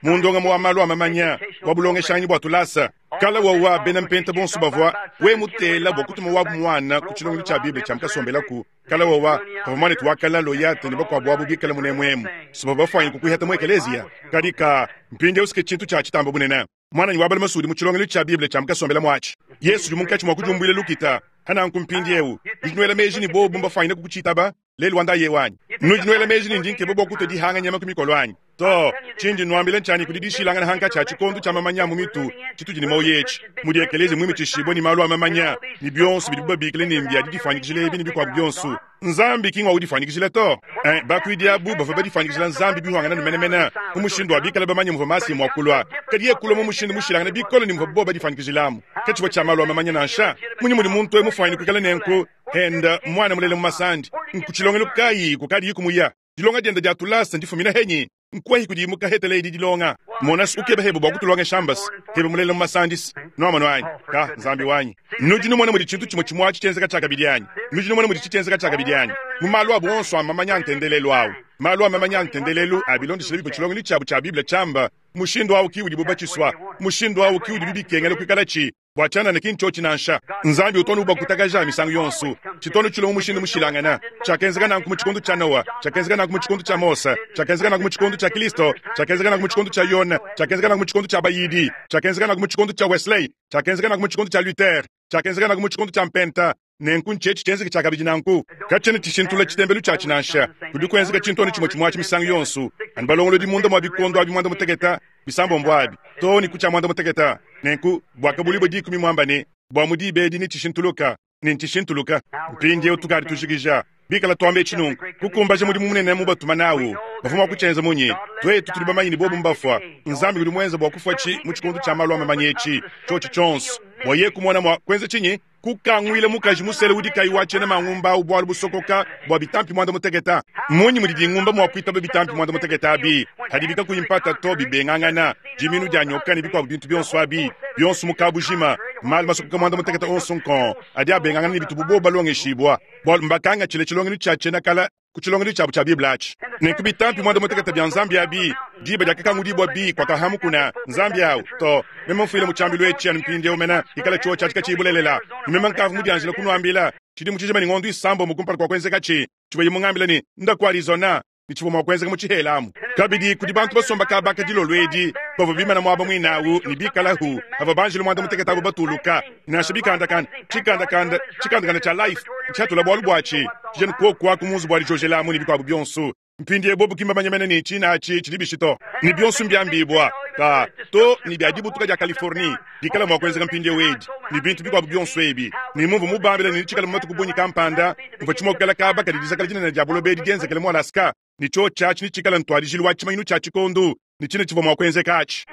mu ndongamu wa malu a mamanya wa bulongeshanganyi bua tulasa. Kala wawa bena mpenta bonso bavua we mutela bua kutuma wabu muana ku tshilongelu tshia Bible tshia mukasombelaku. Kala wawa pavua muanetu wa kala Loyate ne bakuabu abu bikale munemuemu, si bavua bafuanyine kukuihata mu ekeleziya. Kadi ka mpindieu si ke tshintu tshia tshitamba bunene. Muananyi wa balume udi mu tshilongelu tshia Bible tshia mukasombela muatshi. Yesu udi munkatshi mua kudiumbuila lukita. Hananku mpindieu, nudi nuela meji ne bobu mbafuanyine kukutshitaba lelu wa ndaye wanyi? Nudi nuela meji ne ndi nkeba bua kutua dihanga nyama ku mikolo anyi? To, tshindi nnuambila ntshianyi kudi dishilangana hankatshi ha tshikondo tshia mamanya a mu mitu tshitudi ne muoyo etshi, mudi ekeleziya muimitshishibue ne malu a mamanya ne bionso bidibu babikila ne mbia didifuanyikijila ebi ne bikuabu bionso. Nzambi ki ngua udifuanyikijila to. Eh, bakuidi abu bavua badifuanyikijila Nzambi bihuangana ne menemene mu mushindu wa bikale bamanye muvua Masiya mua kulua, kadi yeye kulua mu mushindu mushilangane bikole ne muvua bobu badifuanyikijilamu. Katshivua tshia malu a mamanya nansha. Mmunyi mudi muntu eu mufuanyine kuikala nenku? Henda muana mulela mu masandi. Nku tshilongelu kayi kukadiyi kumuya? Dilonga diende dia tulasa ndifumine henyi? Nkuehi kudi mukahetela edi dilonga? Monas ukeba hebe bua kutulongesha mbas hebe mulela mu masandis. Nuamonu anyi? Ka, Nzambi wanyi. Nudi numona mudi tshintu tshimue tshimue atshi tshienzeka tshiakabidi anyi? Nudi numona mudi tshitshienzeka tshiakabidi anyi? Mu malu abu onso a mamanya a ntendelelu au, malu a mamanya a ntendelelu a bilondeshile bivua tshilongelu tshiabu tshia Bible tshiamba, mushindu au ki udibu batshisua, mushindu au ki udibi bikengela kuikalatshi. Bua tshianana ki ntshiotshi nansha. Nzambi utu anu ubakutakaja misangu yonso. Tshitu anu tshilua mu mushindu mushilangane. Tshiakenzeka nanku mu tshikondo tshia Noa, tshiakenzeka nanku mu tshikondo tshia Mose, tshiakenzeka nanku mu tshikondo tshia Kristo, tshiakenzeka nanku mu tshikondo tshia Yone, tshiakenzeka nanku mu tshikondo tshia bayidi, tshiakenzeka nanku mu tshikondo tshia Wesley, tshiakenzeka nanku mu tshikondo tshia Luther, tshiakenzeka nanku mu tshikondo tshia Mpenta. Nenku ntshietshi tshienzeke tshiakabidi nanku. Katshiena tshishintulula tshitembelu tshiatshi nansha. Kudi kuenzeka tshintu anu tshimue tshimue atshi misangu yonso, anu balongolodi munda mua bikondo abi muanda-mutekete, bisambombo abi, too ne ku tshia muanda-mutekete. Nenku, Buakabuluibua dikumi muamba ne, Bua mu diba edi netshishintuluka, ne ntshishintuluka. Mpindieu tukadi tujikija. Bikala tuamba etshi nunku, kukumbaja mudimu munene mubatuma nawu, bavua mua kutshienza munyi? Tuetu tudi bamanye ne bobu mbafua. Nzambi udi muenze bua kufuatshi mu tshikondo tshia malu a mamanya etshi, tshiotshi tshionso, bua yeye kumona mua kuenza tshinyi? Kukanguila mukaji musele udi kayi wa tshiena mangumba au bualu busokoka bua bitampi muanda mutekete. Mmunyi mudi dingumba mua kuitaba bitampi muanda mutekete abi padibi kakuyi mpata to bibengangana, diminu dia nyoka ne bikuabu bintu bionso abi, bionso mu kabujima, malu masokoka muanda mutekete onso nkong adi abengangana ne bitubu bobu balongeshibua, bualu mbakangatshile tshilongelu tshia tshiena kale ku tshilongelu tshiabu tshia Bible atshi. Nenku bitampi muanda mutekete bia Nzambi abi, diba diakakangudibua bi kuakahamukuna Nzambi au to. Meme mfuile mu tshiambilu etshi anu mpindieu mene, ikala tshiotshi atshi katshiyi bulelela, ne meme nkavua mudianjile kunuambila tshidimu tshijima ne ngondo isambombo kumpala kua kuenzekatshi, tshivuaye mungambile ne, Nda ku Arizona, ne tshivua mua kuenzeka mu tshihela amu. Kabidi, kudi bantu basomba kaba aka dilolo edi bavua bimana muaba muine au ne bikalahu pavua banjelu muanda mutekete abo batuluka. Nansha bikandakanda, tshikandakanda, tshikandakanda tshia Life ntshiatula bualu buatshi, tshidi anu kuoku aku mu nzubu wa dijojelamu ne bikuabu bionso. Mpindieu bobu ki mbamanye mene ne tshina atshi tshidi bishi to, ne bionso mbiambibua ta to ne bia dibutuka dia Californie dikala mua kuenzeka mpindieu edi ne bintu bikuabu bionso ebi, ne mumvua mubambile ne netshikale mu matuku bungi kampanda muvua tshimokela kaba kadi dizakala dinene dia buloba edi dienzekele mu Alaska, ne tshiotshi atshi netshikale ntuadijilu wa tshimanyinu tshia tshikondo ne tshine tshivua mua kuenzeka atshi.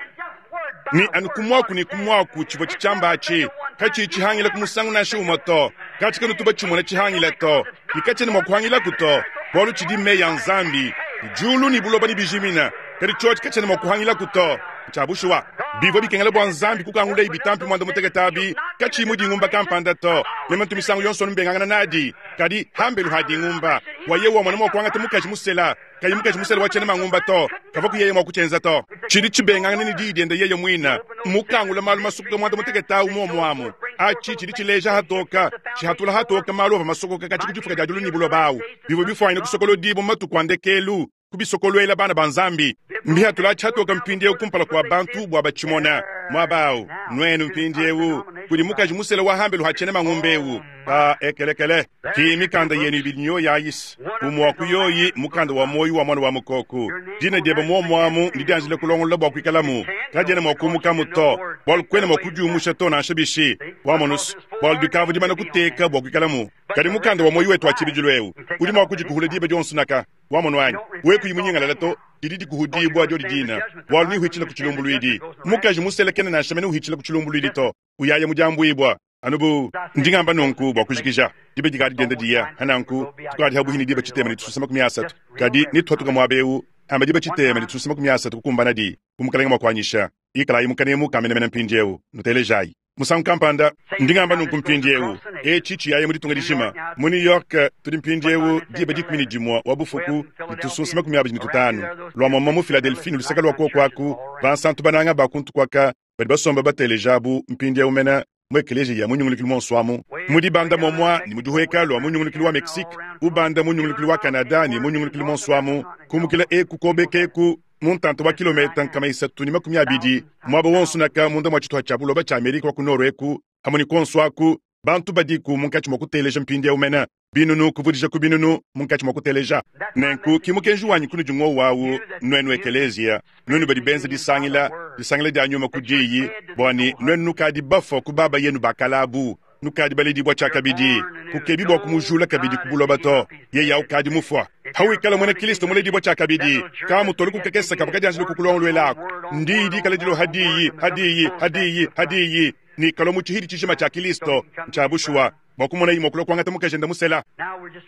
Ne anu ku muaku ne ku muaku tshivua tshitshiamba atshi katshiyi tshihangila ku musangu nansha umue to, katshi kanutu batshimona tshihangila to, ne katshiena mua kuhangilaku to, bualu tshidi meyi a Nzambi. Diulu ne buloba nebijimine, kadi tshiotshi katshiena mua kuhangilaku to. Ntshia bushuwa, bivua bikengela bua Nzambi kukangulaye bitampi muanda-mutekete abi katshiyi mu dingumba kampanda to. Meme ntu misangu yonso anu mbengangana nadi, kadi hambelu ha dingumba, bua yewe wamona mua kuangata mukaji musela kayi mukaji musele wa tshiena mangumba to, kavua ku yeye mua kutshienza to. Tshidi tshibengangana ne diyi diende yeye muine, mmukangula malu masokoka muanda mutekete au muomu amu. Atshi tshidi tshileja hatoka, tshihatula hatoka malu avua masokoka katshia ku difuka dia diulu ne buloba au, bivua bifuanyine kusokolodibua mu matuku a ndekelu, kubisokoluela bana ba Nzambi. Mbihatula atshi hatoka mpindieu kumpala kua bantu bua batshimone. Muaba au, nuenu mpindieu, kudi mukaji musele wa hambelu ha tshiena mangumba eu. Ba ekelekele. Ki mikanda yenu ibidi nyoyi ayisi, umue wa ku yoyi mukanda wa muoyo wa Muana wa Mukoko. Dina diebe muomu amu ndidianjile kulongolola bua kuikalamu, kadiena mua kumukamu to, bualu kuena mua kudiumusha to nansha bishi. Wamonus, bualu dikavua dimana kuteka bua kuikalamu. Kadi mukanda wa muoyo wetu wa tshibidilu eu udi mua kudikuhula diba dionso naka. Wamonu anyi? Wewe kuyi munyingalala to, didi dikuhudibua diodi dina, bualu neuhitshile ku tshilumbuluidi. Mukaji musele kena nansha mene uhitshila ku tshilumbuluidi to, uyaya mu diambuibua. Anu bu ndi ngamba nunku bua kujikija, diba dikadi dienda diya, hananku tukadi habuhi ne diba tshitema ne tususa 30, kadi netuhatuka muaba eu amba diba tshitema ne tususa 30 kukumbanadi, bu Mukelenge mua kuanyisha. Ikalayi mu kanemu ka menemene mpindieu, nutelejayi. Musangu kampanda, ndi ngamba nunku mpindieu, etshi tshiyaya mu ditunga dijima. Mu New York, tudi mpindieu diba 11 wa bufuku ne tusunsa 25. Lua muamua mu Philadelphie ne luseke lua kuoku aku, bansantu bananga ba kuntu kuaka. Badi basomba bateleja abu mpindiewu mena mu ekeleziya ya mu nyungulukilu monso amu, mu dibanda momwa ne mu dihueka lua mu nyungulukilu wa Mexique, ubanda mu nyungulukilu wa Canada ne mu nyungulukilu monso amu, kumukila eku kobeka eku mu ntanta wa kilometa 320, muaba wonso naka munda mua tshituha tshia buloba tshia Amerika wa ku Nord eku, hamue ne kuonso aku, bantu badiku munkatshi mua kuteleja mpindiewu mena. Binunu kuvudija ku binunu munkatshi mua kuteleja. Nenku ki mukenji wanyi kunudi ngowu awu, nuenu ekeleziya, nuenu badi benza disangila, disangila dia nyuma ku diyi, bua ne nuenu nukadi bafua ku baba yenu ba kale abu, nukadi baledibua tshiakabidi, kukebi bua kumujula kabidi ku buloba to, yeye awu kadi mufua. Hawikala muena Kilisto muledibua tshiakabidi, kamutolu ku kakese kavua kadianjila kukulongoluelaku. Ndiyi dikala dilua ha diyi, ha diyi, ha diyi, ha diyi, ne kalua mu tshihidi tshijima tshia Kilisto. Ntshia bushuwa. Bua kumonayi mua kulua kuangata mukajende musela.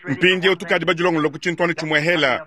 Mpindieu tukadi badilongolola ku tshintu anu tshimue hela,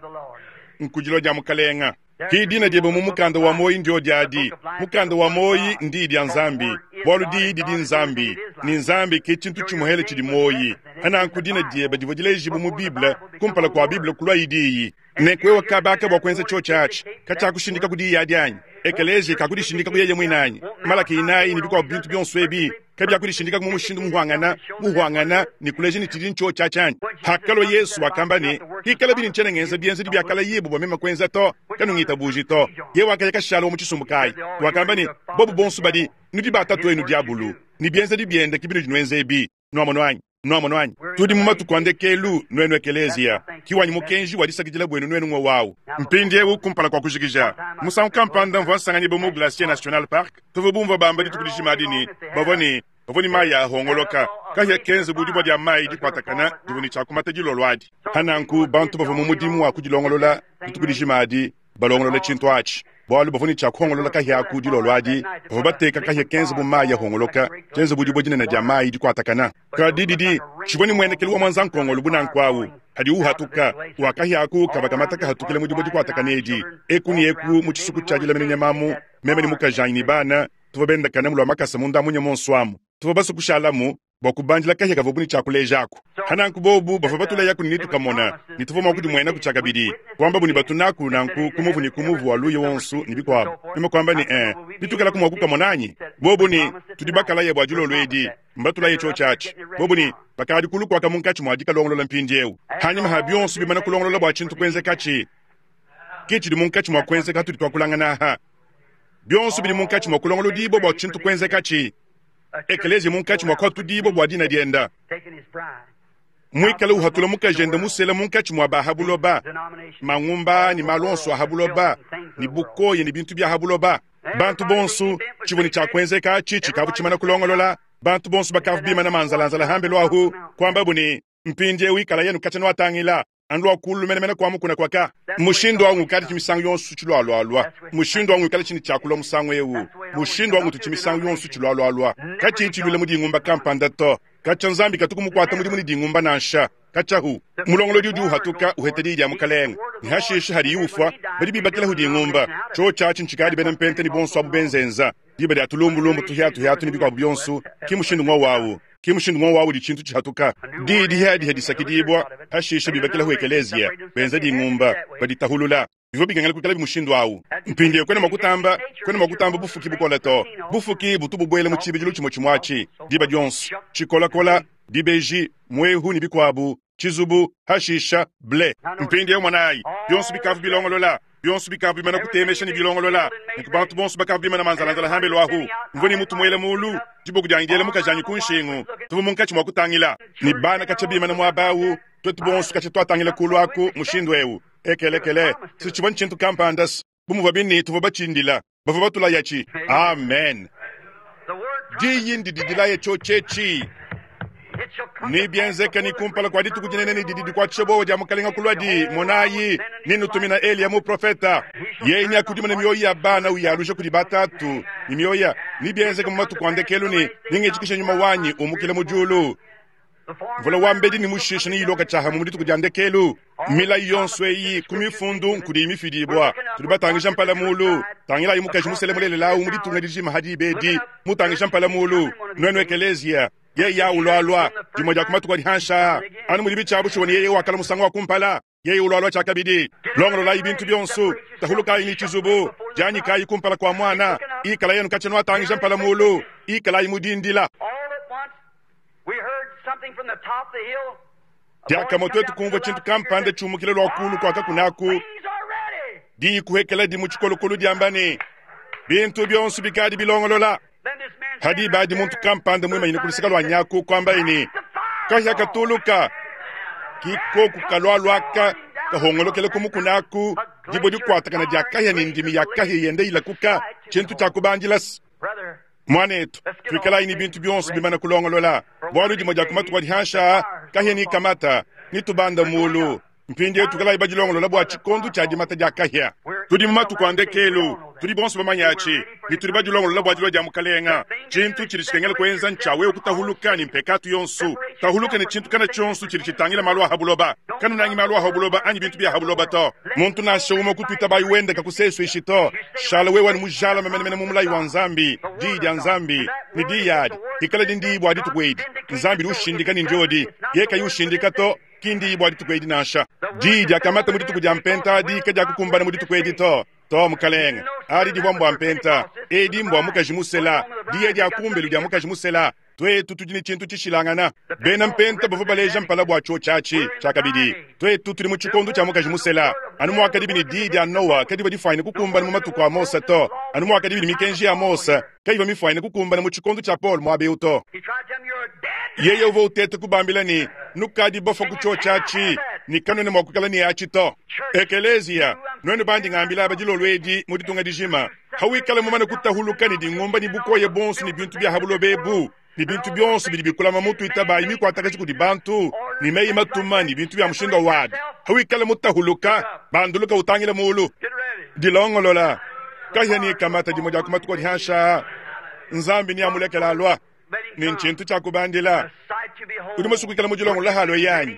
nkudilua dia Mukalenga. Ki dina diebe mu mukanda wa muoyi ndio adi. Mukanda wa muoyi ndiyi dia Nzambi, bualu diyi didi Nzambi, ne Nzambi ke tshintu tshimue hela tshidi muoyi. Pananku dina diebe divua dilejibue mu Bible kumpala kua Bible kuluayi diyi. Nenku wewe kabaka bua kuenza tshiotshi atshi, katshiakushindikaku diyi adi anyi? Ekeleziya kakudishindikaku yeye muine anyi? Malaki inayi ne bikuabu bintu bionso ebi kabiakudishindikaku mu mushindu muhuangana, muhuangana ne kuleja ne tshidi ntshiotshi atshi anyi? Hakalua Yesu wakamba ne, Hikalabi ne ntshiena ngenza bienzedi biakalayibua bua meme kuenza to, kanungitabuji to. Yeye wakaya kashala wa mu tshisumbu kayi? Wakamba ne, Bobu bonso badi, nudi ba tatuenu diabulu, ne bienzedi biende ke binudi nuenza ebi. Nuamonu anyi? Nuamonu anyi? Tudi mu matuku a ndekelu, nuenu ekeleziya. Ki wanyi mukenji wa disakidila buenu nuenu ng'wowu awu. Mpindiewu, kumpala kua kujikija, musangu kampanda mvua nsanganyibua mu Glacier National Park. Tuvua bumvua bamba dituku dijima adi ne, bavua ne, bavua ne mayi ahongoloka, kahia kenze bu dibua dia mayi dikuatakana divua ne tshia kumata dilolo adi. Pa nanku bantu bavua mu mudimu wa kudilongolola dituku dijima adi, balongolola tshintu atshi, bualu bavua ne tshia kuhongolola kahia aku dilolo adi. Bavua bateka kahia kenze bu mayi ahongoloka, kenze bu dibue dinene dia mayi dikuatakana. Kadi didi tshivua ne muenekelu wa muanza-nkongolo bu nanku awu, hadiwu uhatuka, wa kahia aku kavua kamata kahatukila mu dibue dikuatakana edi, eku ne eku mu tshisuku tshia dilamina nyama amu. Meme ne mukajanyi ne bana tuvua bendakana mu lua makasa munda munya muonso amu. Tuvua basue kushalamu bua kubandila kahia kavuabu ne tshia kulejaku. Pananku bobu bavua batulayaku ne netukamona ne tuvua mua kudimuenaku tshiakabidi. Kuambabu ne batunaku nanku ku muvu ne ku muvu wa luya wonso ne bikuabu. Meme kuamba ne, Ee, bituikalaku mua kukamona anyi? Bobu ne, Tudi bakalaya bua dilolo edi. Mbatulaye tshiotshi atshi. Bobu ne, Bakadi kulu kuaka munkatshi mua dikalongolola mpindieu. Panyima ha bionso bimana kulongolola bua tshintu kuenzekatshi, ke tshidi munkatshi mua kuenzeka hatudi tuakulangana aha. Bionso bidi munkatshi mua kulongolodibua bua tshintu kuenzekatshi. Ekeleziya munkatshi mua kuhatudibua bua dina dienda, muikale uhatula mukajende musela munkatshi mua ba ha buloba, mangumba ne malu onso a ha buloba, ne bukoya ne bintu bia ha buloba. Bantu bonso, tshivua ne tshia kuenzeka atshi tshikavua tshimana kulongolola. Bantu bonso bakavua bimana manzalanzala hambelu ahu, kuambabu ne, Mpindieu ikalayi katshia nuatangila, anu lua kulu menemene kua mukuna kuaka. Mushindu au ngukadi misangu yonso tshilualualua. Mushindu au ngikala tshini tshiakulua musangu eu. Mushindu au ngutu misangu yonso tshilualualua. Katshiyi tshiluila mu dingumba kampanda to. Katshia Nzambi katu kumukuata mudimu ne dingumba nansha. Katshiahu mulongolodi udi uhatuka uheta diyi dia Mukalenge, ne hashishe hadiyi ufua, badi bibakilahu dingumba. Tshiotshi atshi ntshikadi bena mpenta ne bonso abu benzenza diba dia tulumbulumbu tuhiatuhiatu ne bikuabu bionso. Ki mushindu ng'wowu au. Ki mushindu ng'wowu au udi tshintu tshihatuka. Diyi dihiadiha disakidibua, hashishe bibakilahu ekeleziya, benza dingumba, baditahulula. Bivua bikengela kuikalabi mushindu au. Mpindieu kuena mua kutamba, kuena mua kutamba bufuki bukole to. Bufuki butu bubuela mu tshibidilu tshimue tshimue atshi diba dionso, tshikolakola, dibeji, muehu ne bikuabu, tshizubu, hashisha, ble. Mpindieu monayi, bionso bikavua bilongolola, bionso bikavua bimana kutemesha ne bilongolola. Nenku bantu bonso bakavua bimana manzalanzala hambelu ahu. Mvua ne mutu muela mulu, diboko dianyi diela mukajanyi ku nshingu. Tuvua munkatshi mua kutangila ne bana katshia bimana muaba au, tuetu bonso katshia tuatangila kulu aku mushindu eu. Ekelekele, si tshivua ntshintu kampanda bu muvuabi ne tuvua batshindila, bavua batulayatshi. Amen. Diyi ndidi dilaya tshiotshi etshi. Nebienzeke ne kumpala kua dituku dinene ne didi dikuatshisha buowa dia Mukalenge kuluadi, monayi, nennutumina Eliya muprofeta. Yeye neakudimune mioyo ya bana uyaluja kudi batatu, ne mioyo ya nebienzeke mu matuku a ndekelu ne nengitshikishe nyuma wanyi umukila mu diulu. Mvula wa mbedi ne mushisha neyiloka tshiahamue mu dituku dia ndekelu. Milayi yonso eyi ku mifundu nkudiyi mifidibua. Tudi batangija mpala mulu. Tangilayi mukaji musele mulelela awu mu ditunga dijima ha diba edi, mutangija mpala mulu. Nuenu ekeleziya, yeye awu ulualua dimue dia ku matuku adi hanshi aa, anu mudibi tshia bushuwa ne yeye wakala musangu wa kumpala. Yeye ulualua tshiakabidi. Longololayi bintu bionso, tahulukayi ne tshizubu, dianyikayi kumpala kua muana, ikalayi anu katshia nuatangija mpala mulu, ikalayi mu dindila. Diakamue tuetu kumvua tshintu kampanda tshiumukila lua kulu kua kakuna aku, diyi kuhekeladi mu tshikolokolo diamba ne, Bintu bionso bikadi bilongolola. Pa diba adi muntu kampanda muimanyine ku luseke lua nyaku kuambaye ne, Kahia katuluka! Ki koku kalualuaka kahongolokela ku mukuna aku, dibue dikuatakana dia kahia ne ndimi ya kahia yenda ilakuka, tshintu tshia kubandila se. Muanetu, tuikalayi ne bintu bionso bimana kulongolola, bualu dimue dia ku matuku adi hanshi aa kahia ne kamata ne tubanda mulu. Mpindieu tuikalayi badilongolola bua tshikondo tshia dimata dia kahia. Tudi mu matuku a ndekelu, tudi bonso bamanye atshi, ne tudi badilongolola bua dilua dia Mukalenge. Tshintu tshidi tshikengela kuenza ntshia wewe kutahuluka ne mpekatu yonso. Tahuluka ne tshintu kana tshionso tshidi tshitangila malu a ha buloba. Kanunangi malu a ha buloba anyi bintu bia ha buloba to. Muntu nansha umue kutuitabayi wende kakusesuishi to. Shala wewe anu mujalame menemene mu mulayi wa Nzambi, Diyi dia Nzambi, ne diyi adi ikala di ndiyi bua dituku edi. Nzambi udi ushindika ne ndiodi, yeye kayi ushindika to. Ki ndiyi bua dituku edi nansha. Diyi diakamata mu dituku dia Mpenta adi kadiakukumbana mu dituku edi to. To, mukalenge. Adi divua mbua Mpenta. Edi mbua mukaji musela. Diya dia kumbelu dia mukaji musela. Tuetu tudi ne tshintu tshishilangana. Bena Mpenta bavua baleja mpala bua tshiotshi atshi. Tshiakabidi, tuetu tudi mu tshikondo tshia mukaji musela. Anu muakadibi ne diyi dia Noa kadivua difuanyine kukumbana mu matuku a Mose to, anu muakadibi ne mikenji ya Mose kayivua mifuanyine kukumbana mu tshikondo tshia Paulo muaba eu to. Yeye uvua uteta kubambila ne, Nukadi bafua ku tshiotshi atshi, ne kanuena mua kuikala ne atshi to. Ekeleziya, nuenu bandi ngambila aba dilolo edi mu ditunga dijima, hawikala mumane kutahuluka ne dingumba ne bukoya buonso ne bintu bia ha buloba ebu, ne bintu bionso bidi bikulama mutu itabayi mikuatakaji kudi bantu, ne meyi matuma ne bintu bia mushindu wabi, hawikala mutahuluka, banduluka utangile mulu. Dilongolola kahia ne kamata dimue dia ku matuku adi hanshi aa, Nzambi neamulekele alua. Ne ntshintu tshia kubandila. Udi musue kuikala mudilongolola halue yanyi?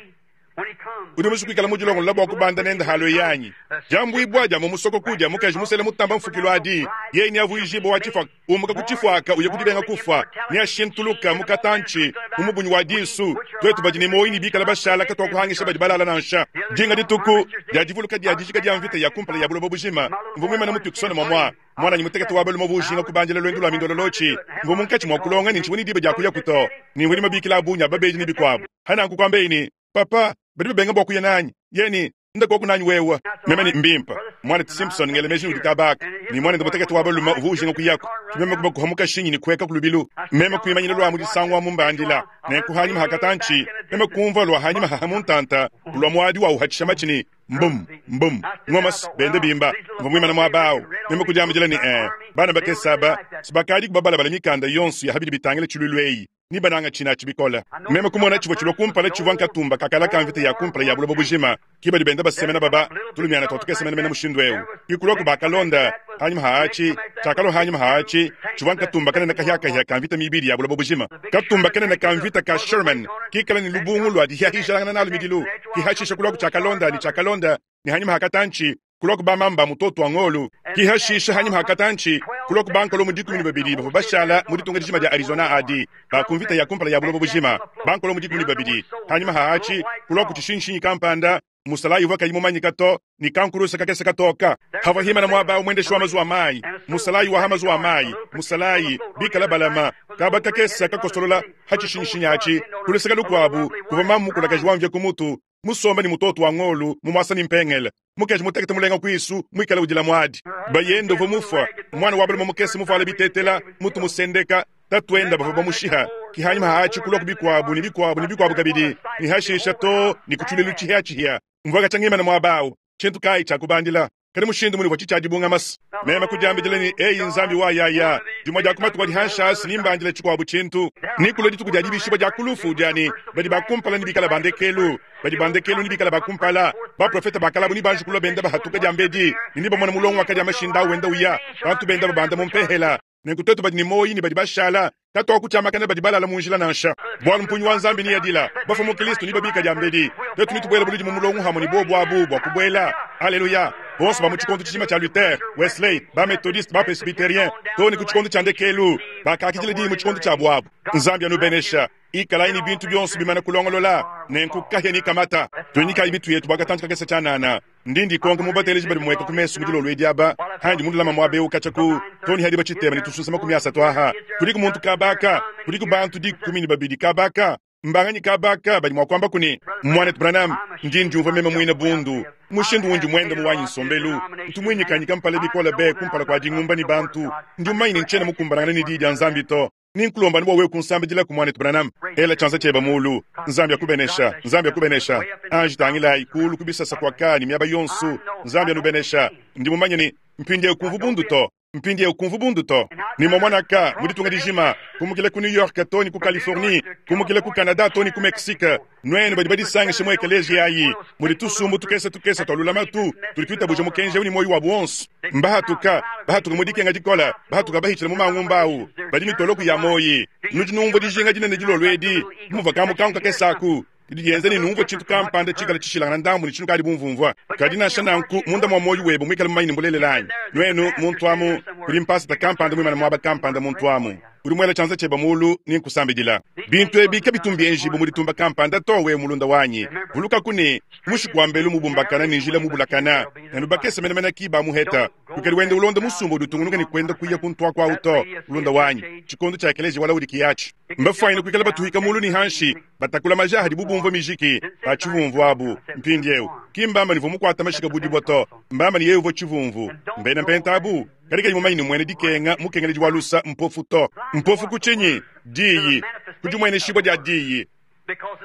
Udi musue kuikala mudilongolola bua kubanda nende halue yanyi? Diambuibua dia mu musokoku dia mukaji musele mutamba mfukilu adi, yeye neavuijibue wa tshifuaka, umuka ku tshifuaka uya ku dibenga kufua, neashintuluka mu katantshi, mu mubunyi wa disu. Tuetu badi ne muoyo ne bikala bashala katuakuhangisha badi balala nansha. Dinga dituku dia divuluka dia dijika dia mvita ya kumpala ya buloba bujima, mvua muimane mu Tucson muamua Muananyi mutekete wa balume uvua ujinga kubandila luendu lua mindololotshi. Mvua munkatshi mua kulonga ne ntshivua ne diba dia kuyaku to, ne mvua ne mabikila a bungi a babedi ne bikuabu. Pananku kuambaye ne, Papa, badi babenga bua kuya nanyi. Yeye ne, Nda koku nanyi wewe. Meme ne, Mbimpe. Muanetu Simpson ngela meji ne udi kaba aka. Ne muanende mutekete wa balume uvua ujinga kuyaku. Ke meme kubakuha mu kashinyi ne kueka ku lubilu. Meme kuimanyina lua mu disangu amu mbandila. Nenku hanyima ha katantshi, meme kumvua lua hanyima haha mu ntanta kulua muadi wa uhatshisha matshi ne, Mbum, mbum, ngomas, benda bimba. Mvua muimane muaba au, meme kudiambidila ne, Ee, bana bakese aba si bakadiku babalabala mikanda yonso ya ha bidi bitangila tshiluilu eyi ne bananga tshina atshi bikole. Meme kumona tshivua tshilua kumpala tshivua nkatumba ka kala ka mvita ya kumpala ya buloba bujima, ke badi benda basemena baba tulumiana tua tukese menemene mushindu eu. Ke kuluaku bakalonda hanyima ha atshi, tshiakalua hanyima ha atshi tshivua nkatumba kanene kahiakahia ka mvita mibidi ya buloba bujima, katumba kanene ka mvita ka Sherman kikala ne lubungu lua dihiahishilangana nalu midilu, kihashisha kuluaku tshiakalonda ne tshiakalonda ne hanyima ha katantshi kuluaku bamamba mutoto wa ngolu, kihashisha hanyima ha katantshi kuluaku bankolomu 12 bavua bashala mu ditunga dijima dia Arizona adi ba ku mvita ya kumpala ya buloba bujima, bankolomu 12 hanyima ha atshi kuluaku tshishinshinyi kampanda Musalayi uvua kayi mumanyika to ne kankuruse kakese katoka havua himana muaba au muendeshi wa mazuwa mayi. Musalayi wa ha mazuwa mayi, musalayi bikala balama kaba kakese kakosolola ha tshishinyishinyi atshi. Ku luseke lukuabu kuvua mamu mukulakaji wa mvia ku mutu musombe ne mutoto wa ngolu mumuasa ne mpengele. Mukaji mutekete mulenga kuisu muikale udila muadi. Bayende uvua mufua, muana wa balume mukese muvuale bitetela, mutu musendeka. Tatuende bavua bamushiha, ki hanyima ha atshi kulua ku bikuabu ne bikuabu ne bikuabu kabidi, ne hashisha to ne ku tshilulu tshihia-tshihia. Mvua katshia ngimana muaba au, tshintu kayi tshia kubandila, kadi mushindu munuvua tshitshia dibungamasa. Meme kudiambidila ne, Eyi Nzambi wa yaya, dimue dia ku matuku adi hanshi asi nimbandile tshikuabu tshintu. Nekulue dituku dia dibishibua dia ku lufu dia ne badi ba kumpala nebikale ba ndekelu, badi ba ndekelu nebikale ba kumpala. Baprofete ba kale abu nebanji kulua benda bahatuka diambedi, ne nebamone mulongo wakadi a mashinda au wenda uya, bantu benda babanda mu mpehela. Nenku tuetu badi ne muoyi ne badi bashala, katuakutshiamakana badi balala mu njila nansha. Bualu mpungi wa Nzambi neadila, bafue mu Kristo nebabika diambedi. Tuetu netubuele buludi mu mulongo hamue ne bobu abu bua kubuela. Aleluya! Bonso ba mu tshikondo tshijima tshia Luther, Wesley, ba Methodiste, ba Presbyterien, too ne ku tshikondo tshia ndekelu, bakakidila diyi mu tshikondo tshiabu abu. Nzambi anubenesha. Ikalayi ne bintu bionso bimana kulongolola, nenku kahia ne kamata. Tuinyikayi mitu yetu bua katantshi kakese tshianana. Ndi ndikonka mu bateleji badi mueka ku mesu mu dilolo edi aba, handi mundulama muaba eu katshia ku too ne hadi batshitema ne tususa 30 aha. Kudiku muntu kabaka? Kudiku bantu 12 kabaka? Mbanganyi kabaka badi mua kuambaku ne, Muanetu Branham, ndi ndiumvua meme muine bundu, mushindu undi muende mu wanyi nsombelu. Ntu muinyikanyika mpala bikole be kumpala kua dingumba ne bantu. Ndi mumanye ne ntshiena mukumbanangane ne Diyi dia Nzambi to. Ni nkulomba anu bua wewe kunsambidilaku, Muanetu Branham. Ela tshianza tshiebe muulu. Nzambi akubenesha. Nzambi akubenesha. Anji tangilayi kuulu ku bisasa kuaka ne miaba yonso. Nzambi anubenesha. Ndi mumanye ne, mpindieu kumvu bundu to. Mpindieu kumvu bundu to. Ne muamuanaka, mu ditunga dijima, kumukila ku New York too ne ku Californie, kumukila ku Canada too ne ku Mexique, nuenu badi badisangishe mu ekeleziya ayi, mudi tusumbu tukese tukese tua lulamatu tudi tuitabuja mukenji eu ne muoyo wabu wonso. Mbahatuka, bahatuka mu dikenga dikole, bahatuka bahitshila mu mangumba au, badi mitoloku ya muoyi. Nudi numvua dijinga dinene dilolo edi, bu muvua kamukanku kakese aku, didi dienza ne numvue tshintu kampanda tshikale tshishilangana ndambu ne tshinukadi bumvumvua. Kadi nansha nanku, munda mua muoyo webe muikale mumanye ne mbulelela anyi? Nuenu, muntu amu, kudi mpasata kampanda muimane muaba kampanda muntu amu, udi muela tshianza tshiebe muulu ne nkusambidila. Bintu ebi kabitu mbienjibue mu ditumba kampanda to, wewe mulunda wanyi. Vulukaku ne, mushiku wa mbelu mubumbakana ne njila mubulakana, nanu bakese menemene ki bamuheta. Kuikadi wenda ulonda musumba udi utungunuka ne kuenda kuya ku ntuaku au to, mulunda wanyi. Tshikondo tshia ekeleziya wa Laodikiya atshi. Mbafuanyine kuikala batuhika mulu ne hanshi, batakula maja hadibu bumvua mijiki ba tshivumvu abu. Mpindieu, ki mbamba ne uvua mukuate mashika bu dibue to, mbamba ne yeye uvua tshivumvu. Mbena mpenta abu, kadi kayi mumanye ne muena dikenga mukengeledi wa lusa mpofu to. Mpofu ku tshinyi? Diyi, ku dimueneshibua dia Diyi.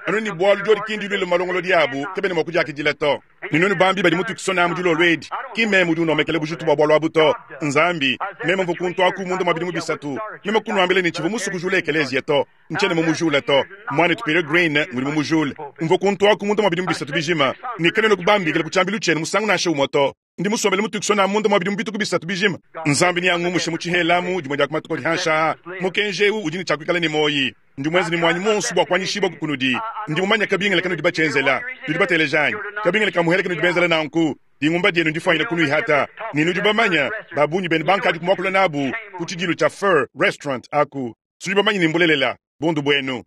Anu ne bualu diodi ki ndiluile mu malongolodi abu, kabena mua kudiakidila to. Ne nuenu bambi badi mu Tucson mu dilolo edi, ki mmeme udi unuomekela bujitu bua bualu abu to, n'Nzambi. Meme mvua kuntu aku munda mua bidimu bisatu, meme kunuambila ne tshivua musue kujula ekeleziya to. Ntshiena mumujule to. Muanetu Peter Green ngudi mumujule. Mvua kuntu aku munda mua bidimu bisatu bijima, ne kanuena kubambikila ku tshiambilu tshienu musangu nansha umue to. Ndi musombele mu Tucson amu munda mua bidimu bituku bisatu bijima. Nzambi neangumushe mu tshihela amu dimue dia ku matuku adi hanshi aa. Mukenji eu udi ne tshia kuikala ne muoyi. Ndi muenze ne muanyi muonso bua kuanyishibua kunudi. Ndi mumanye kabingila kanudi batshienzela. Nudi bateleja anyi? Kabingila ka muhele kanudi benzela nanku. Dingumba dienu ndifuanyine kunuihata. Ne nudi bamanye, ba bungi benu bankadi kumuakula nabu ku tshidilu tshia Fur Restaurant aku. Tudi bamanye ne mbulelela. Bundu buenu.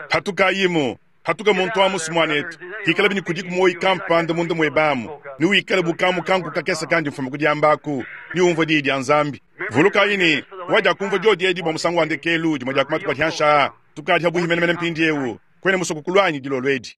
Patukayimu, patuka muntu amu muanetu. Hikalabi ne kudiku muoyi kampanda munda muebe amu, ne wikale bu kamu kanku kakese kandi mfuma ku diamba aku, ne umvua diyi dia Nzambi. Vulukayi ne, wadiakumvua diodi edi bua musangu wa ndekelu dimue dia ku matuku adi hanshi aa. Tukadi pabuipi menemene mpindieu. Kuena musue kukulua anyi dilolo edi?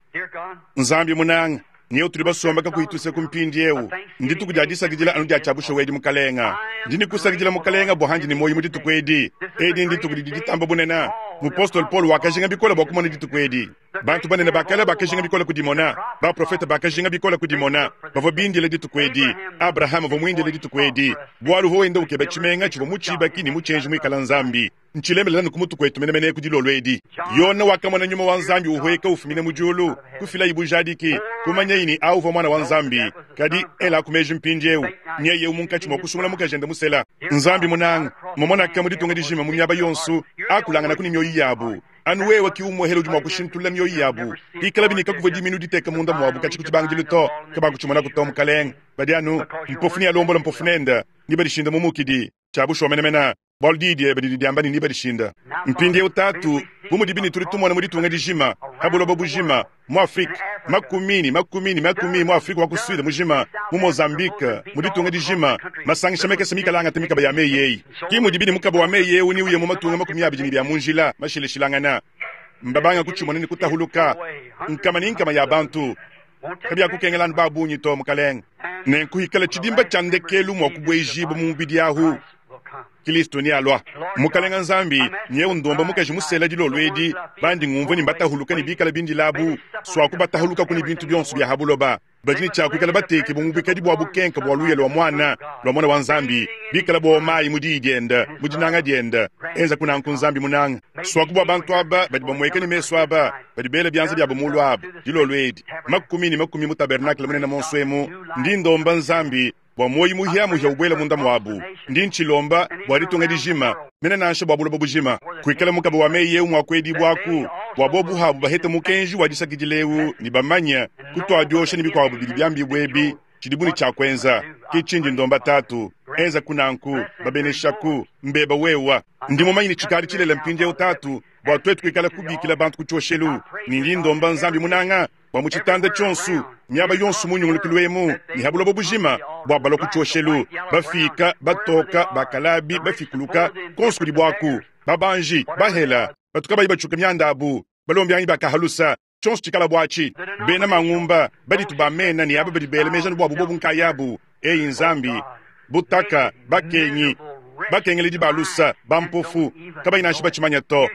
Nzambi munanga, nyeu tudi basombe kakuyi tuseku mpindieu. Ndituku dia disakidila anu dia tshia bushuwa edi, Mukalenga. Ndi ne kusakidila Mukalenga bua handi ne muoyo mu dituku edi. Edi ndituku didi ditamba bunene. Mupostolo Paulo wakajinga bikole bua kumona dituku edi. Bantu banene ba kale bakajinga bikole kudimona. Baprofete bakajinga bikole kudimona. Bavua bindile dituku edi. Abrahama uvua muindile dituku edi bualu uvua wenda ukeba tshimenga tshivua mutshibaki ne mutshienji muikala Nzambi. Ntshilemelela anu ku mutu kuetu menemene ku dilolo edi. Yone wakamona nyuma wa Nzambi uhueka ufumina mu diulu, kufilayi bujadiki, kumanyayi ne au uvua Muana wa Nzambi. Kadi elaku meji mpindieu, nyeye eu munkatshi mua kusungula mukajende musela. Nzambi munanga, mumonaka mu ditunga dijima mu miaba yonso, akulanganaku ne mioyo yabu. Anu wewe ki umuehele udi mua kushintulula mioyo yabu. Pikalabi ne kakuvua diminu diteka munda muabu katshia ku tshibangidilu to, kabakutshimonako to, Mukalenge. Badi anu mpofu nealombola mpofu nende, ne badishinda mu mukidi. Tshia bushuwa menemene, bualu diyi diebe didi diamba ne nebadishinda. Mpindieu Tatu, bu mudibi ne tudi tumona mu ditunga dijima, pa buloba bujima, mu Afrike, makumi ne makumi ne makumi mu Afrike wa ku Sud mujima, mu Mozambique, mu ditunga dijima, masangisha makese mikale angata mikaba ya meyi eyi. Ki mudibi ne mukaba wa meyi eu neuye mu matunga 20 ne bia mu njila mashilashilangana. Mbabanga kutshimona ne kutahuluka nkama ne nkama ya bantu. Kabiakukengela anu ba bungi to, Mukalenge. Nenku hikala tshidimba tshia ndekelu mua kubuejibua mu mubidi ahu, Kilisto nealua. Mukalenga Nzambi, nyeu ndomba mukaji musela dilolo edi, bandi ngumvua ne mbatahuluka ne bikala bindila abu, suaku batahulukaku ne bintu bionso bia ha buloba. Badi ne tshia kuikala batekibue mu buikadi bua bukenka bua luya lua Muana, lua Muana wa Nzambi, bikala bowa mayi mu diyi diende, mu dinanga diende. Enzaku nanku, Nzambi munanga. Suaku bua bantu aba badi bamueka ne mesu aba, badi bela bianza biabo mulu aba, dilolo edi, makumi ne makumi mu tabernakle munene monso emu, ndi ndomba Nzambi bua muoyo muhia-muhia ubuele munda muabu. Ndi ntshilomba bua ditunga dijima, mene nansha bua buloba bujima, kuikala mukaba wa meyi eu mua kuedibuaku, bua bobu habu bahete mukenji wa disakidila eu ne bamanye kutua diosha ne bikuabu bidi biambibue ebi. Tshidibu ne tshia kuenza. Ke tshindi ndomba Tatu. Enzaku nanku. Babeneshaku. Mbeba wewa. Ndi mumanye ne tshikadi tshilela mpindieu, Tatu, bua tuetu kuikala kubikila bantu ku tshioshelu. Ne ndi ndomba Nzambi munanga, bua mu tshitanda tshionso, miaba yonso mu nyungulukilu emu ne ha buloba bujima, bua balua ku tshioshelu, bafika, batoka, bakalabi, bafikuluka, konso kudi buaku, babanji, bahela, batu kabayi batshuka mianda abu, balombiangi ba kahalusa, tshionso tshikala buatshi, bena mangumba, baditu ba mena ne aba badi bela meji anu buabu bobu nkayabu, eyi Nzambi, butaka, bakengi, bakengeledi ba lusa, bampofu, kabayi nansha batshimanya to.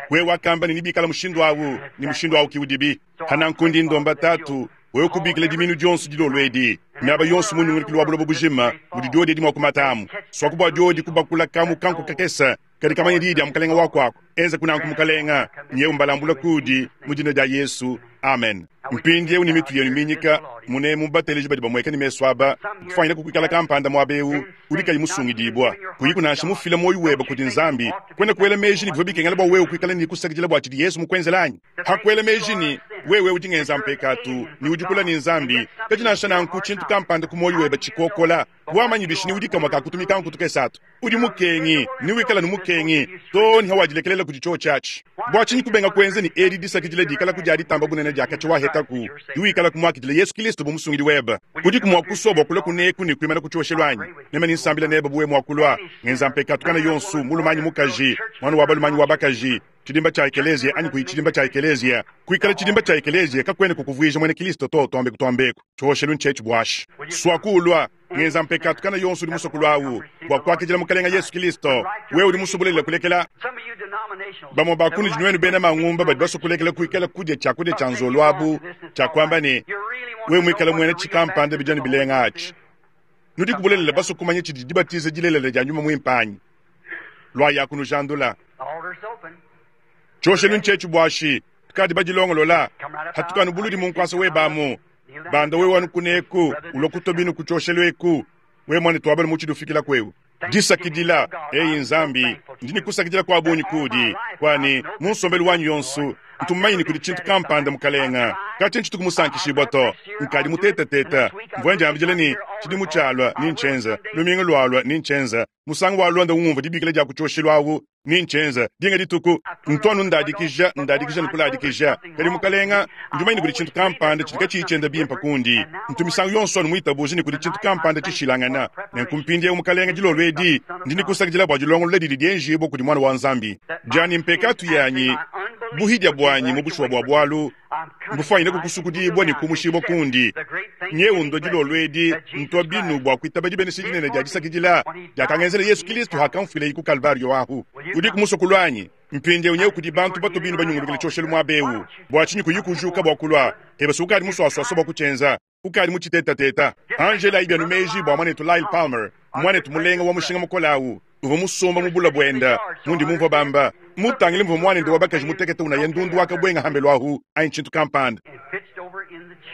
Wewe wakamba ne nebikala mushindu awu, ne mushindu awu ki udibi. Hananku ndi ndomba Tatu, wewe kubikila diminu dionso dilolo edi, miaba yonso mu nyungulukilu wa buloba bujima mudi diodi edi mua kumatamu, suaku bua diodi kubakula kamu kanku kakese kadi kamanya diyi dia Mukalenga wa kuaku. Enza kunanku Mukalenga, nyewu mbalambula kudi mu dina dia Yesu. Amen. Mpindiewu ne mitu yenu minyika, munemu bateleji badi bamueka ne mesu aba, kufuanyina kukuikala kampanda muaba eu udi kayi musungidibua, kuyiku nansha mufila muoyo webe kudi Nzambi, kuena kuela meji ne bivua bikengela bua wewe kuikala ne kusakidila bua tshidi Yesu mukuenzela anyi? Hakuela meji ne wewe udi ngenza mpekatu ne udi kula ne Nzambi, kadi nansha nanku tshintu kampanda ku muoyo webe tshikokola, wamanyi bishi ne udi kamue ka kutumika nkutu kesatu. Udi mukengi, ne wikala ne mukengi too ne hawadilekelela kudi tshiotshi atshi. Bua tshinyi kubenga kuenza ne edi disakidila dikalaku dia ditamba bunene dia katshia wahetaku, diwikalaku muakidile Yesu Kilisto bu Musungidi webe? Udiku mua kusua bua kulua kuneku ne kuimana ku tshioshelu anyi? Meme ne nsambila nebe bu wewe mua kulua. Ngenza mpekatu kana yonso, mulume anyi mukaji, muana wa balume anyi wa bakaji, tshidimba tshia ekeleziya anyi kuyi tshidimba tshia ekeleziya. Kuikala tshidimba tshia ekeleziya kakuena kukuvuija muena Kilisto to, tuambeku tuambeku. Tshioshelu ntshietshi buashi. Suaku ulua. Ngenza mpekatu kana yonso udi musue kulua awu bua kuakidila Mukalenga Yesu Kilisto. Wewe udi musue bulelela kulekela. Bamue ba kunudi nuenu bena mangumba badi basue kulekela kuikala kudia tshiakudia tshia nzolo abu, tshia kuamba ne, wewe muikale muena tshikampanda bidi anu bilenga atshi. Nudiku bulelela basue kumanya tshidi dibatiza dilelela dia Nyuma Muimpe anyi? Luayi kunujandula. Tshioshelu ntshietshi buashi, tukadi badilongolola. Hatukanu buludi mu nkuasa webe amu. Banda wewe anu kuneku, ulua kutua binu ku tshioshelu eku. Wewe muanetu wa balume utshidi ufikila kuewu. Disakidila, eyi Nzambi, ndi ne kusakidila kua bungi kuudi, kua ne mu nsombelu wanyi yonso ntu mumanye ne kudi tshintu kampanda, Mukalenga, katshia ntshituku musankishibua to. Nkadi mutetateta, mvua ndiambidila ne tshidimu tshialua nintshienza, lumingu lualua nintshienza, musangu walonda ungumvua dibikila dia ku tshioshelu awu nintshienza, dinga dituku ntu anu ndadikija, ndadikija ne kuladikija. Kadi Mukalenga, ndi mumanye ne kudi tshintu kampanda tshidi katshiyi tshienda bimpe kundi. Ntu misangu yonso anu muitabuje ne kudi tshintu kampanda tshishilangana. Nenku mpindieu, Mukalenga, dilolo edi ndi ne kusakidila bua dilongolola didi dienjibua kudi Muana wa Nzambi dianyi mpekatu yanyi, buhidia buanyi mu bushuwa bua bualu mbufuanyine kukusukudibua ne kumushibua kundi. Nyeu ndua dilolo edi ntua binu bua kuitaba dibenesha dinene dia disakidila diakangenzela Yesu Kilisto hakamfuilaye ku Kalvario ahu. Udiku musue kulua anyi? Mpindieu nyeu kudi bantu batua binu banyungulukile tshioshelu muaba eu. Bua tshinyi kuyi kujuka bua kulua? Eba si ukadi musuasuasua bua kutshienza. Ukadi mutshitetатeta. Anji elayi bienu meji bua muanetu Lyle Palmer, muanetu mulenga wa mushinga mukole au, uvua musomba mu bula buenda, mundi mumvua bamba, mutangile muvua muanende wa bakaji mutekete unaya ndundu wa kabuenga hambelu ahu anyi tshintu kampanda.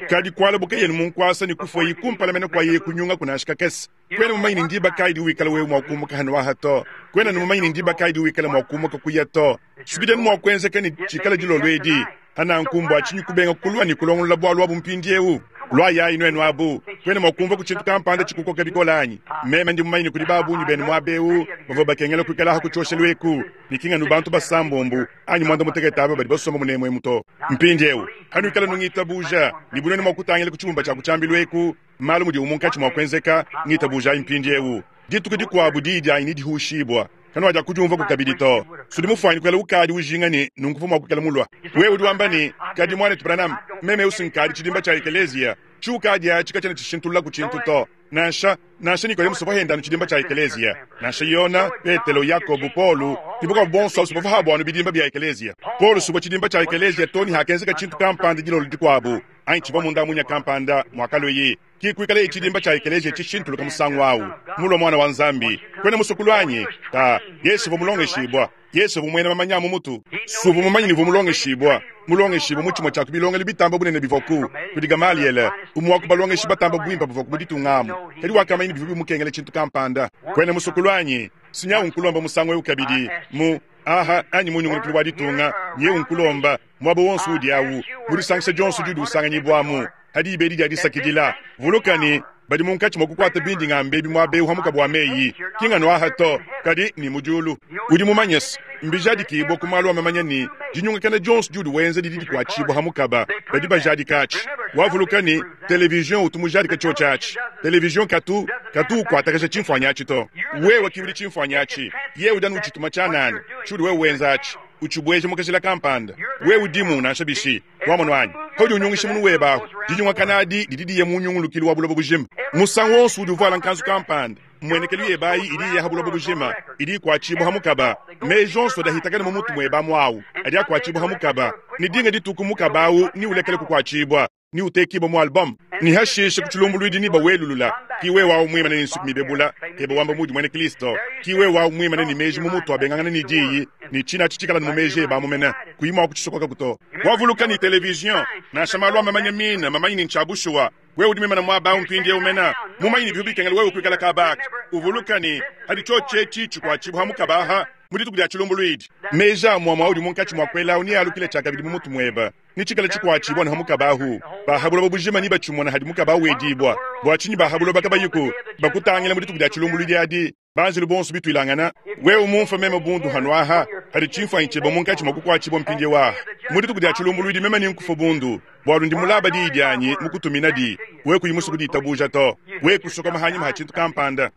Kadi kualabuka yenu mu nkuasa ne kufuayi kumpala mene kua yeye kunyungaku nansha kakese. Kuena mumanye ne ndiba kayi diwikala wewe mua kumuka hanu aha to. Kuena mumanye ne ndiba kayi diwikala mua kumuka kuya to. Subidi anu mua kuenzeka ne tshikala dilolo edi. Hananku mbua tshinyi kubenga kulua ne kulongolola bualu abu mpindieu? Luayayi nuenu abu. Kuena mua kumvua ku tshintu kampanda tshikukoka bikole anyi? Meme ndi mumanye ne kudi ba bungi benu muaba eu bavua bakengela kuikala aha ku tshioshelu eku, ne ki nganu bantu basambombo anyi muanda mutekete aba badi basomba munemu emu to. Mpindieu, hanuikala nungitabuja, ne bu nuenu mua kutangila ku tshibumba tshia ku tshiambilu eku, malu mudiwu munkatshi mua kuenzeka, ngitabujayi mpindieu. Dituku dikuabu diyi dianyi nedihushibua, kanuadiakudiumvuaku kabidi to. Sudi mufuanyine kuikala ukadi ujinga ne nunku uvua mua kuikala mulua. Wewe udi wamba ne, Kadi muanetu Branham, meme eu si nkadi tshidimba tshia ekeleziya. Tshiukadi atshi katshiena tshishintululaku tshintu to. Nansha, nansha Nikodemo suvua henda anu tshidimba tshia ekeleziya. Nansha Yona, Petelo, Yakobo, Paulo, ne bakuabu bonso abu suvua pabu anu bidimba bia ekeleziya. Paulo suvua tshidimba tshia ekeleziya to ne hakenzeka tshintu kampanda dilolo dikuabu, anyi tshivua munda munya kampanda muakalueyi. Ki kuikalaye tshidimba tshia ekeleziya tshishintuluka musangu au, mulua muana wa Nzambi. Kuena musue kulua anyi? Ka, Yesu uvua mulongeshibua. Yesu uvua muena mamanya a mu mutu. Si uvua mumanye ne uvua mulongeshibua, mulongeshibua mu tshimue tshia ku bilongelu bitamba bunene bivuaku, kudi Gamaliele, umue wa ku balongeshi batamba buimpe bavuaku mu ditunga amu. Kadi wakamanya ne bivua bimukengela tshintu kampanda. Kuena musue kulua anyi? Si nyawu nkulomba musangu eu kabidi, mu, aha, anyi mu nyungulukilu wa ditunga, nyewu nkulomba, muaba wonso udi awu, mu disangisha dionso diudi usanganyibuamu. Ha diba edi dia disakidila, vuluka ne, badi munkatshi mua kukuata bindi ngamba ebi muaba eu ha mukaba wa meyi, ki nganu aha to, kadi ne mu diulu. Udi mumanye se, mbijadikibue ku malu a mamanya ne, dinyungakana dionso diudi wenza didi dikuatshibua ha mukaba. Badi bajadika atshi. Wavuluka ne, televizion utu mujadike tshiotshi atshi. Televizion katu, katu ukuatakaja tshimfuanyi atshi to. Wewe ki udi tshimfuanyi atshi. Yeye udi anu utshituma tshianana, tshiudi wewe wenza atshi, utshibueja mu kajila kampanda. Wewe udimu nansha bishi. Wamonu anyi? Paudi unyungisha munu webe ahu, dinyungakana adi didi diya mu nyungulukilu wa buloba bujima. Musangu wonso udi uvuala nkanzu kampanda, mmuenekelu yebe ayi idi iya ha buloba bujima, idi ikuatshibua ha mukaba. Meji onso adi ahitakana mu mutu muebe amu awu adi akuatshibua ha mukaba, ne dinga dituku mukaba awu neulekele kukuatshibua, neutekibue mu album, ne hashishe ku tshilumbuluidi nebawelulula. Ki wewe awu muimane ne nsuki mibebula ebe wamba muudi muena Kristo, ki wewe awu muimane ne meji mu mutu abengangana ne diyi, ne tshina atshi tshikala ne mu meji ebe amu mene, kuyi mua kutshisokokaku to. Wavuluka ne televizion, nansha malu a mamanya mine mamanye ne ntshia bushuwa. Wewe udi muimane muaba awu mpindieu mene, mumanye ne bivua bikengela wewe kuikala kaba aka. Uvuluka ne, padi tshiotshi etshi tshikuatshibua ha mukaba aha mu dituku dia tshilumbuluidi, meji a muamua audi munkatshi mua kuela awu nealukile tshiakabidi mu mutu muebe, ne tshikale tshikuatshibua ne ha mukaba ahu. Ba ha buloba bujima nebatshimone hadi mukaba awu wedibua. Bua tshinyi ba ha buloba kabayiku bakutangila mu dituku dia tshilumbuluidi adi? Banjelu bonso bituilangana, wewe mumfue meme bundu hanuaha, hadi tshimfuanyi tshiebe munkatshi mua kukuatshibua mpindieu aha. Mu dituku dia tshilumbuluidi meme nenkufue bundu, bualu ndi mulaba diyi dianyi mukutuminadi, wewe kuyi musue kuditabuja to, wewe kusokoma hanyima ha tshintu kampanda.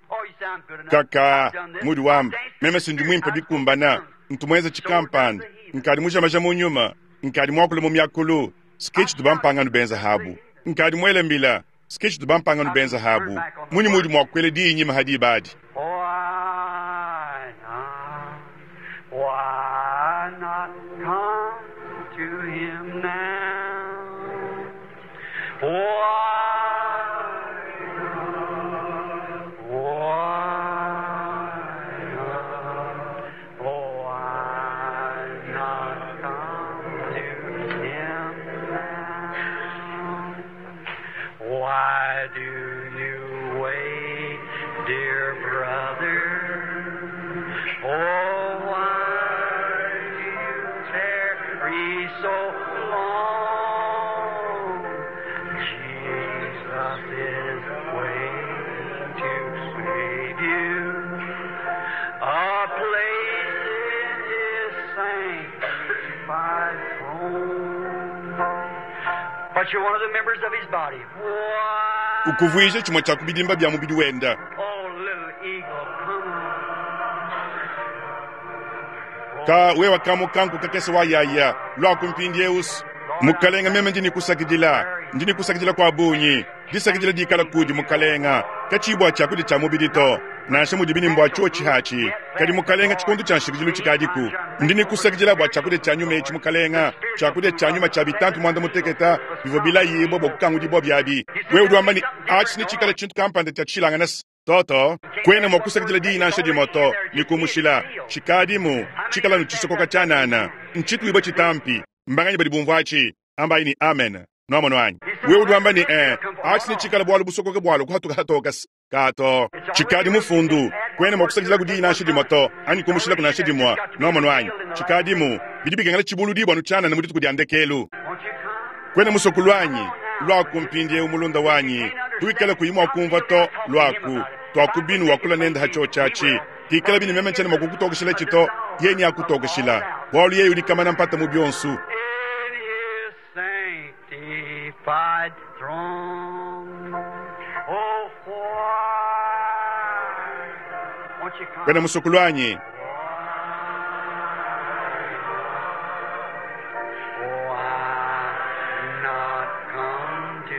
Kaka, mudi wamba, meme si ndi muimpe bikumbana, ntu muenze tshikampanda, nkadi mujamaja mu nyuma, nkadi muakule mu miakulu, ske tshitu bampangano benza habu, nkadi muele mbila, Ke tshitu bampangano benza habu. Munyi muudi mua kuela diyi nyima ha diba adi? Why not? Why not come to him now? Why not? Why not? Why not come to him now? Why do you wait, dear brother? Oh, why do you tarry so long? Jesus is waiting to save you. A place in his sanctified throne. But you're one of the members of his body. Why? Ukuvuija tshimue tshia ku bidimba bia mubidi wenda. Oh, little eagle, come on. Ka wewa ka mukanku kakese wa yaya, luaku mpindieu. Mukalenga, meme ndi ne kusakidila, ndi ne kusakidila kua bungi. Disakidila dikala kudi Mukalenga, katshiyi bua tshiakudia tshia mubidi to, nansha mudibi ne mbua tshiotshi hatshi. Kadi Mukalenga, tshikondo tshia nshikidilu tshikadiku. Ndi ne kusakidila bua tshiakudia tshia nyuma etshi, Mukalenga, tshiakudia tshia nyuma tshia bitampi muanda muteketa bivua bilayibua bua kukangudibua biabi. Wewe udi wamba ne, atshi netshikale tshintu kampanda tshia tshishilangane se. To, to, kuena mua kusakidila diyi nansha dimue to, ne kumushila. Tshikadimu, tshikala nu tshisokoka tshianana, ntshituibua tshitampi. Mbanganyi badi bumvua atshi? Ambayi ne, Amen. Nuamonu anyi? Wewe udi wamba ne, Ee, atshi netshikale bualu busokoka bualua kuhatuka hatoka se. Ka to, tshikadi mufundu. Kuena mua kusakidilaku diyi nansha dimue to, anyi kumushilaku nansha dimue. Nuamonu anyi? Tshikadimu. Bidi bikengela tshibuludibua anu tshianana mu dituku dia ndekelu. Won't you come? Kuena musue kulua anyi? Luaku mpindieu, mulunda wanyi. Tuikale kuyi mua kumvua to, luaku. Tuaku binu wakula nende ha tshiotshi atshi. Pikalabi ne meme ntshiena mua kukutokeshila to, yeye neakutokeshila, bualu yeye udi kamana mpata mu bionso. In his sanctified throne. Oh, why won't you come? Kuena musue kulua anyi? Why not come to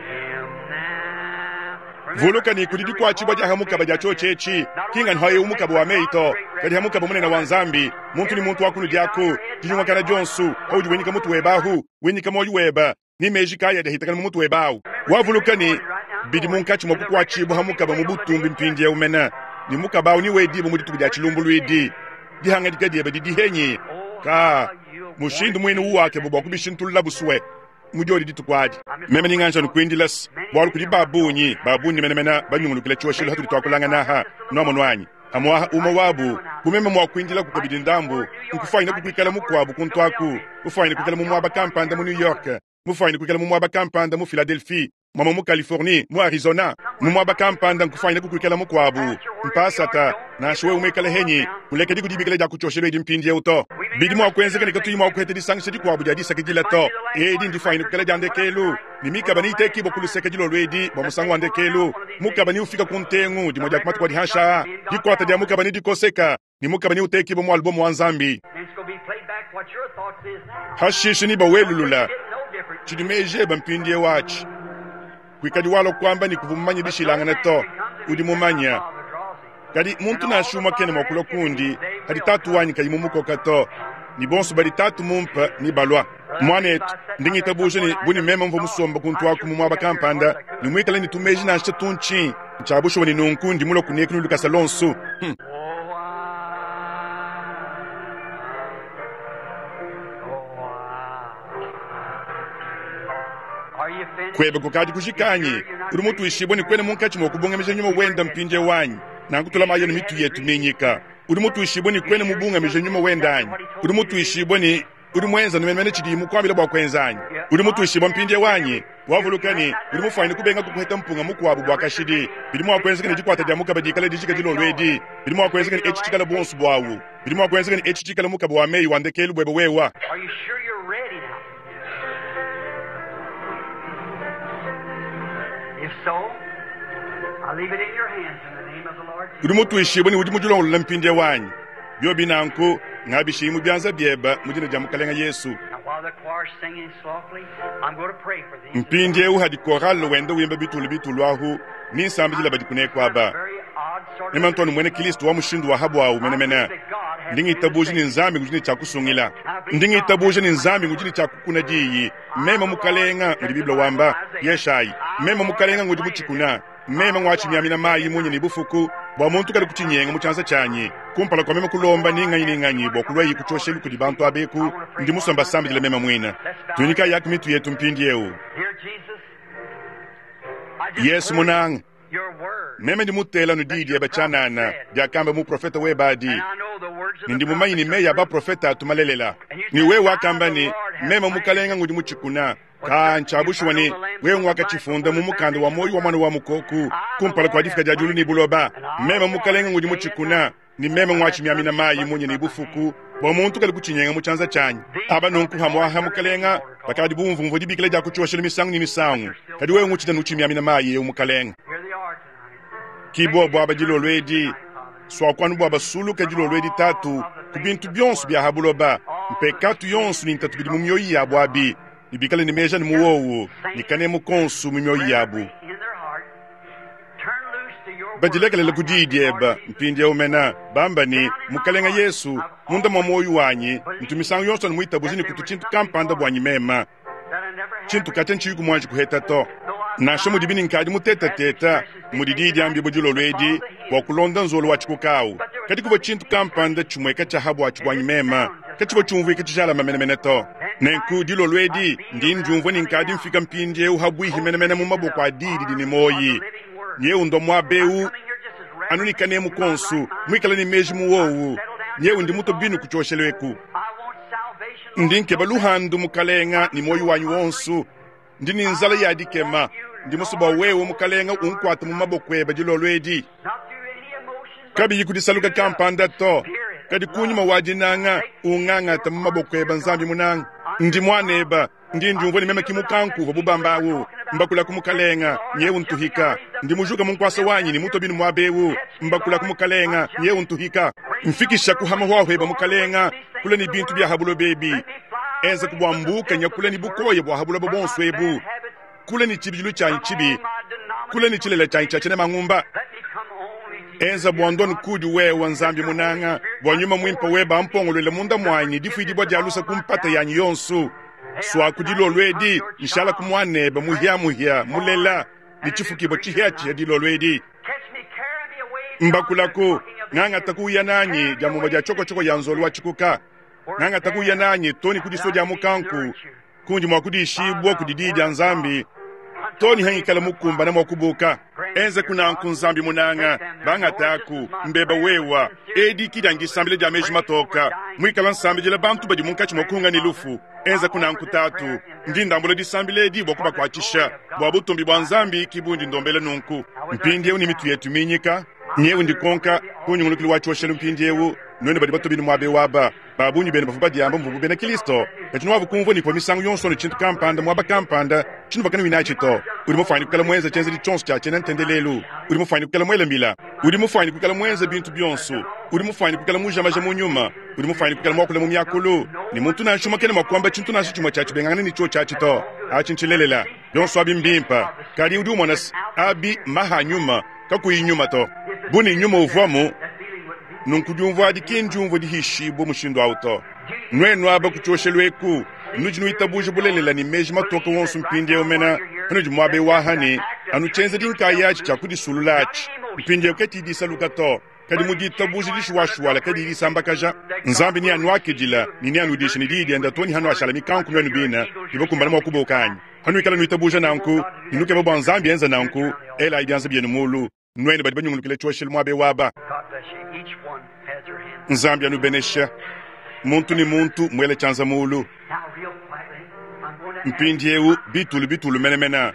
him now? Vuluka ne kudi dikuatshibua dia ha mukaba dia tshiotshi etshi, ki nganu ha eu mukaba wa meyi to, kadi ha mukaba munene wa Nzambi, muntu ne muntu wa kunudi aku, dinyungakana dionso, paudi winyika mutu webe ahu, winyika muoyo webe, ne meji kayi adi ahitakana mu mutu webe awu. Wavuluka ne, bidi munkatshi mua kukuatshibua ha mukaba mu butumbi mpindieu mene, ne mukaba awu newedibue mu dituku dia tshilumbuluidi. Dihangadika diebe didi henyi? Ka mushindu muine uwakeba bua kubishintulula busue mu diodi dituku adi. Meme ni nganja nukuindila se, bualu kudi ba bungi, ba bungi menemene banyungulukila tshioshelu hatudi tuakulangana aha. Nuamonu anyi? Amuaha umue wabu, bu meme mua kuindilaku kabidi ndambu, nkufuanyine kukuikala mukuabu kuntu aku, kufuanyine kuikala mu muaba kampanda mu New York. Mufwanyine kwikala mu mwaba kampanda mu Philadelphie, mwamwe mu Californie, mu Arizona, mu mwaba kampanda nkufwanyine kukwikala mukwabo. Mpaasata, nansha wewe mwikale henyi, kulekedi kudibikila dya ku cyoshelu edi mpindyewu to. Bidi mwa kwenzeka ne katuyi mwa kuheta disangisha dikwabo dya disakidila to. Edi ndifwanyine kwikala dya ndekeelu, ne mikaba neyitekibwe ku luseke dilolo edi bwa musangu wa ndekeelu. Mukaba neufika ku ntengu dimwe dya ku matuku adi hanshi aa. Dikwata dya mukaba nedikoseka, ne mukaba neutekibwe mu alubomu wa Nzambi. Hashishe nebawelulula tshidi meji ebe mpindieu atshi. Kuikadi walua kuamba ne kuvua mumanye bishilangane to. Udi mumanye. Kadi muntu nansha umue kena mua kulua kundi padi Tatu wanyi kayi mumukoka to, ne bonso badi Tatu mumpe nebalua. Muanetu, ndi ngitabuja ne bu ne meme mvua musombe kuntu aku mu muaba kampanda ne muikale ne tumeji nansha tuntshi, ntshia bushuwa ne nunku ndi mulue kuneku ne lukasa luonso. Hmm. Kuebe kukadi kujika anyi? Udi mutuishibue ne kuena munkatshi mua kubungamija nyuma wende mpindieu anyi? Nanku tulamayi anu mitu yetu minyika. Udi mutuishibue ne kuena mubungamije nyuma wende anyi? Udi mutuishibue ne udi muenze anu menemene tshidiye mukuambile bua kuenza anyi? Udi mutuishibue mpindieu anyi? Wavuluka ne, udi mufuanyine kubenga kukuheta mpunga mukuabu bua kashidi. Bidi mua kuenzeka ne dikuata dia mukaba dikale dijika dilolo edi. Bidi mua kuenzeka ne etshi tshikale buonso buawu. Bidi mua kuenzeka ne etshi tshikale mukaba wa meyi wa ndekelu buebe wewe. Are you sure you're ready now? If so, I leave it in your hands in the name of the Lord Udi Jesus. mutuishibue ne udi mudilongolole mpindieu anyi? Biobi nanku, ngabishiyi mu bianza biebe mu dina dia Mukalenge Yesu. Now, while the choir's singing softly, I'm going to pray for these. Mpindieu hadi korale wenda wimba bitulu bitulu ahu, ni nsambidila badi kuneku aba. Very odd sort of Meme ntu muena Kristo wa mushindu wa habuawu menemene. Ndi ngitabuja ne Nzambi ngudi ne tshia kusungila. Ndi ngitabuja ne Nzambi ngudi ne tshia kukuna diyi. Meme mukalenga, mudi Bible wamba, Yeshayi. Meme mukalenga ngudi mutshikuna. Meme ngwatshimiamina mayi munya ne bufuku, bua muntu kalu kutshinyenga mu tshianza tshianyi. Kumpala kua meme kulomba ni nganyi ni nganyi bua kuluayi ku tshioshelu kudi bantu aba eku, ndi musue mbasambidile meme muine. Tunyikayaku mitu yetu mpindieu. Dear Jesus, I just Yesu heard munanga, your word. meme ndi mutela anu diyi diebe tshianana diakamba muprofete webe adi. And I know the words of Ne the ndi mumanye ne prophets meyi are a true. baprofete atu malelela. Ne wewe wakamba ne, meme mukalenga ngudi mutshikuna. Ka ntshia bushuwa ne wewe ngwakatshifunda mu mukanda wa muoyo wa mwana wa mukoku kumpala kua difika dia diulu ne buloba. Meme mukalenga ngudi mutshikuna, ne meme ngwatshimiamina mayi munya ne bufuku, bua muntu kalu kutshinyenga mu tshianza tshianyi. Aba nunku hamuaha mukalenga bakadi bumvumvua dibikila dia kutshioshela misangu ne misangu, kadi wewe ngutshina nutshimiamina mayi eu mukalenga. Here they are tonight. Ki bobo aba dilolo edi, swakuanu bua basuluka dilolo edi tatu ku bintu bionso bia ha buloba, mpekatu yonso ne ntatu bidi mu mioyo yabu abi, ne bikale ne meji anu mu wowu, ne kanemu konso mu mioyo yabu. In their heart, turn loose to your word. Badilekelela ku diyi diebe mpindieu mena, bamba ne, Mukalenga Yesu, munda mua muoyo wanyi, ntu misangu yonso anu muitabuja ne kutu tshintu kampanda buanyi mema. That I never had Tshintu katshia ntshiyi kumuanji kuheta to. Nansha mudibi ne nkadi mutetateta, mudi diyi diambi dilolo edi bua kulonda nzolo wa tshikukawu. Kadi kuvua tshintu kampanda tshimueka tshia habuatshi buanyi mema, katshivua tshiumvuika tshijalama menemene to. Nenku dilolo edi ndi ndiumvua ne nkadi mfika mpindieu habuihi menemene mu maboko a diyi didi ne muoyi. Nyeu ndua muaba eu anu ne kanemu konso, muikale ne meji mu wowu. Nyeu ndi muto binu ku tshioshelu eku. I want salvation, Lord. Ndi nkeba luhandu mukalenga ne muoyo wanyi wonso. Ndi ne nzala ya dikema. Ndi musue bua wewe mukalenga unkuate mu maboko ebe dilolo edi. Not through any emotion, but Kabiyi kudisaluka kampanda to, kadi kunyima wa dinanga ungangata mu maboko ebe Nzambi munanga. Ndi muaneba, ndi ndiumvua ne meme ki mukanku uvua bubamba awu. Mbakula ku mukalenga, nyeu ntuhika. Ndi mujuka mu nkuasa wanyi ne muto binu muaba eu. Mbakula ku mukalenga, nyeu ntuhika. Mfikisha kuhama hwahweba mukalenga, kula ne bintu bia habuloba ebi. Enza kubwambuka nyakula ne bukoya bua habuloba bonso ebu. Kula ne tshibidilu tshianyi tshibi, kula ne tshilela tshianyi tshia tshina mangumba. let me come only to you. Enza bua ndonu kudi wewe Nzambi munanga, bua nyuma muimpe weba ampongolole munda muanyi difuidibua dia lusa ku mpata yanyi yonso. Swaku dilolo edi, nshala ku muanebe muhiamuhia mulela, ne tshifukibua tshihiatshihia dilolo edi. Catch me, carry me away. Mbakulaku, ngangata kuya nanyi dia mumue dia tshokotshoko ya nzolo wa tshikuka. Ngangata kuya nanyi to ne ku diso dia mukanku, kundi mua kudishibua kudi diyi dia Nzambi, Too ne hangikala mukumbane mua kubuuka. Enzaku nanku, Nzambi munanga, bangataku, mbeba wewa. Edi ki dia ngisambila dia meji matoka, muikala nsambidila bantu badi munkatshi mua kuhunga ne lufu. Enzaku nanku, Tatu. Ndi ndambula disambila edi bua kubakuatshisha, bua butumbi bua Nzambi ki bundi ndombela nunku. Mpindieu ne mitu yetu minyika, nyewu ndikonka ku nyungulukilu wa tshioshelu mpindieu, nuenu badi batue binu muaba eu aba, ba bungi benu bavua badiamba muvuabu bena Kristo, kadi nuavu kumvua ne kuvua misangu yonso anu tshintu kampanda muaba kampanda tshinuvua kanuyi natshi to. Udi mufuane kuikala muenze tshienzedi tshionso tshia tshiena ntendelelu. Udi mufuane kuikala muele mbila. Udi mufuane kuikala muenze bintu bionso. Udi mufuane kuikala muja maja mu nyuma. Udi mufuane kuikala muakule mu miakulu. Ne muntu nansha umue kena mua kuamba tshintu nansha tshimue tshia tshibengangane ne tshiotshi atshi to. Atshi ntshilelela. Bionso abi mbimpe. Kadi udi umona se, abi mmaha a nyuma, kakuyi nyuma to. Bu ne nyuma uvuamu, nunku diumvua adi ki ndiumvua dihishibue mushindu au to. Nuenu aba ku tshioshelu eku, nudi nuitabuja bulelela ne meji matoke wonso mpindieu mena panudi muaba eu aha ne, anu tshienzedi nkayatshi tshia kudisulula atshi mpindieu katshiyi disaluka to, kadi mu ditabuja dishuwashuwala kadiyi disambakaja, Nzambi neanuakidile ne neanudishe ne diyi diende too ne hanuashala mikanku nuenu bine ne bakumbane mua kubuka anyi? Hanuikala nuitabuja nanku ne nukeba bua Nzambi enze nanku, elayi bianza bienu mulu. Nuenu badi banyungulukila tshioshelu muaba eu aba, Nzambi anubeneshe, muntu ne muntu muele tshianza mulu. Mpindieu bitulu bitulu menemene,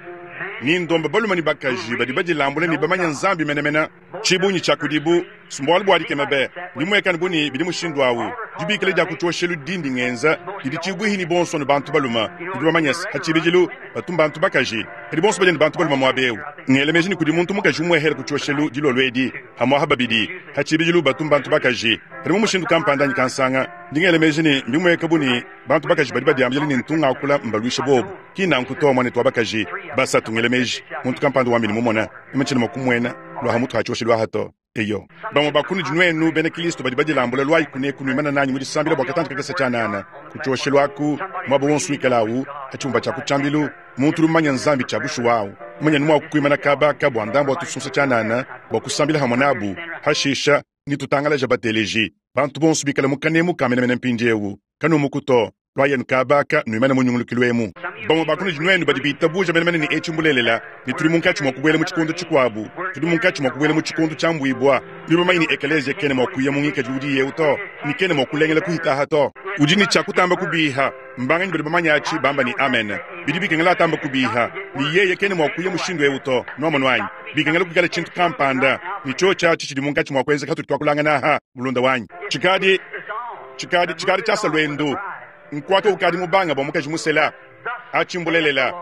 ni ndomba balume ne bakaji badi badilambule ne bamanye Nzambi menemene. Tshibungi tshia kudibu mbualu bua dikema be! Mbimuekane bu ne bidi mushindu au. Dibikila dia ku tshioshelu dindi ngenza didi tshibuihi ne bonso anu bantu balume. Nudi bamanye se, pa tshibidilu batu mbantu bakaji, kadi bonso badi ne bantu balume muaba eu. Ngela meji ne kudi muntu mukaji umuehela ku tshioshelu dilolo edi, pamu'apa babidi. Pa tshibidilu batu mbantu bakaji, kadi mu mushindu kampanda anyi kansanga, ndi ngela meji ne mbimueka bu ne, bantu bakaji badi badiambila ne ntu ngakula mbaluisha bobu. Ki nanku to, muanetu wa bakaji. Basatu, ngela meji, muntu kampanda wambi ne mumona, meme tshiena mua kumuena lua ha mutu ha tshioshelu aha to. Eyo, bamue ba kunudi nuenu bena Kristo badi badilambula, luayi kuneku nuimane nanyi mu disambila bua katantshi kakese tshianana. Ku tshioshelu aku, muaba wonso wikala au, pa tshibumba tshia ku tshiambilu, muntu udi mumanye Nzambi tshia bushuwa au, mumanye anu mua kuimana kaba aka bua ndambu wa tusunsa tshianana bua kusambila hamue nabu. Hashisha, netutangalaje bateleji, bantu bonso bikale mu kanemu ka menemene mpindieu. Kanumuku to. Luayi kaba aka, nuimane mu nyungulukilu emu. Bamue ba kunudi nuenu badi bitabuja menemene ne etshi mbulelela, ne tudi munkatshi mua kubuela mu tshikondo tshikuabu. Tudi munkatshi mua kubuela mu tshikondo tshiambuibua. Nudi bamanye ne ekeleziya kena mua kuya mu ngikadilu udiye eu to, ne kena mua kulengela kuhita aha to. Udi ne tshia kutamba kubiha. Mbanganyi badi bamanye atshi bamba ne amen? Bidi bikengela atamba kubiha, ne yeye kena mua kuya mushindu eu to. Nuamonu anyi? Bikengela kuikala tshintu kampanda, ne tshiotshi atshi tshidi munkatshi mua kuenzeka hatudi tuakulangana aha, mulunda wanyi. Tshikadi. Tshikadi tshikadi tshiasa luendu. Nkuata ukadi mubanga bua mukaji musela. Atshi mbulelela.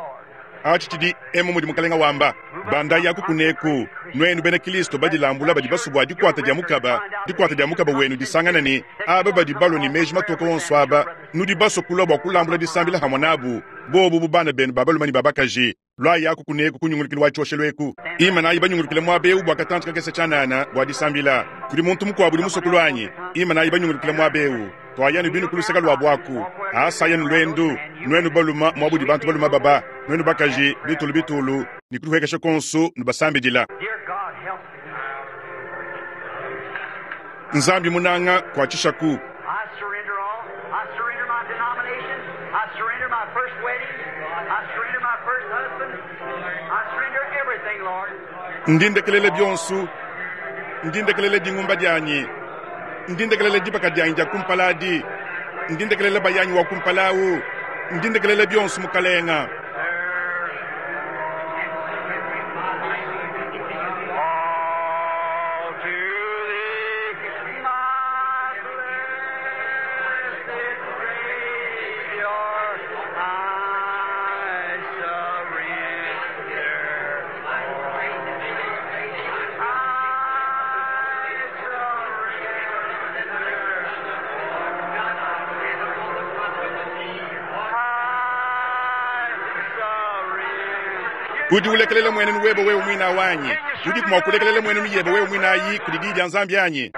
Atshi tshidi emu mudi mukalenga wamba. Bandayi aku kuneku, nuenu bena Kilisto badilambula badi basue bua dikuata dia mukaba, dikuata dia mukaba wenu disangana ne aba badi balua ne meji matoke onso aba, nudi basue kulua bua kulambula disambila hamue nabu, bobu bu bana benu ba balume ne ba bakaji. Luayi aku kuneku ku nyungulukilu wa tshioshelu eku. Imanayi banyungulukile muaba eu bua katantshi kakese tshianana bua disambila. Kudi muntu mukuabu udi musue kulua anyi? Imanayi banyungulukile muaba eu. Tuayanu binu ku luseke luabu aku. Asayanu luendu, nuenu balume muaba udi bantu balume baba, nuenu bakaji, bitulu bitulu, ne kudihuekesha kuonso nubasambidila. Nzambi munanga, kuatshishaku. Ndi ndekelela bionso, ndi ndekelela dingumba dianyi, ndi ndekelela dibaka dianyi dia kumpala adi, ndi ndekelela bayanyi wa kumpala au, ndi ndekelela bionso, Mukalenga. Udi ulekelela muenenu webe wewe muine awu anyi? Udiku mua kulekelela muenenu yebe wewe muine ayi kudi Diyi dia Nzambi anyi?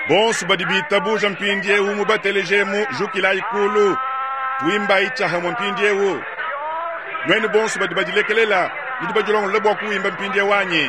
Bonso badi bitabuja mpindieu mubateleje jukilayi kulu. Tuimbayi tshiahamue mpindieu. Nuenu bonso badi badilekelela, nudi badilongolola bua kuimba mpindieu anyi?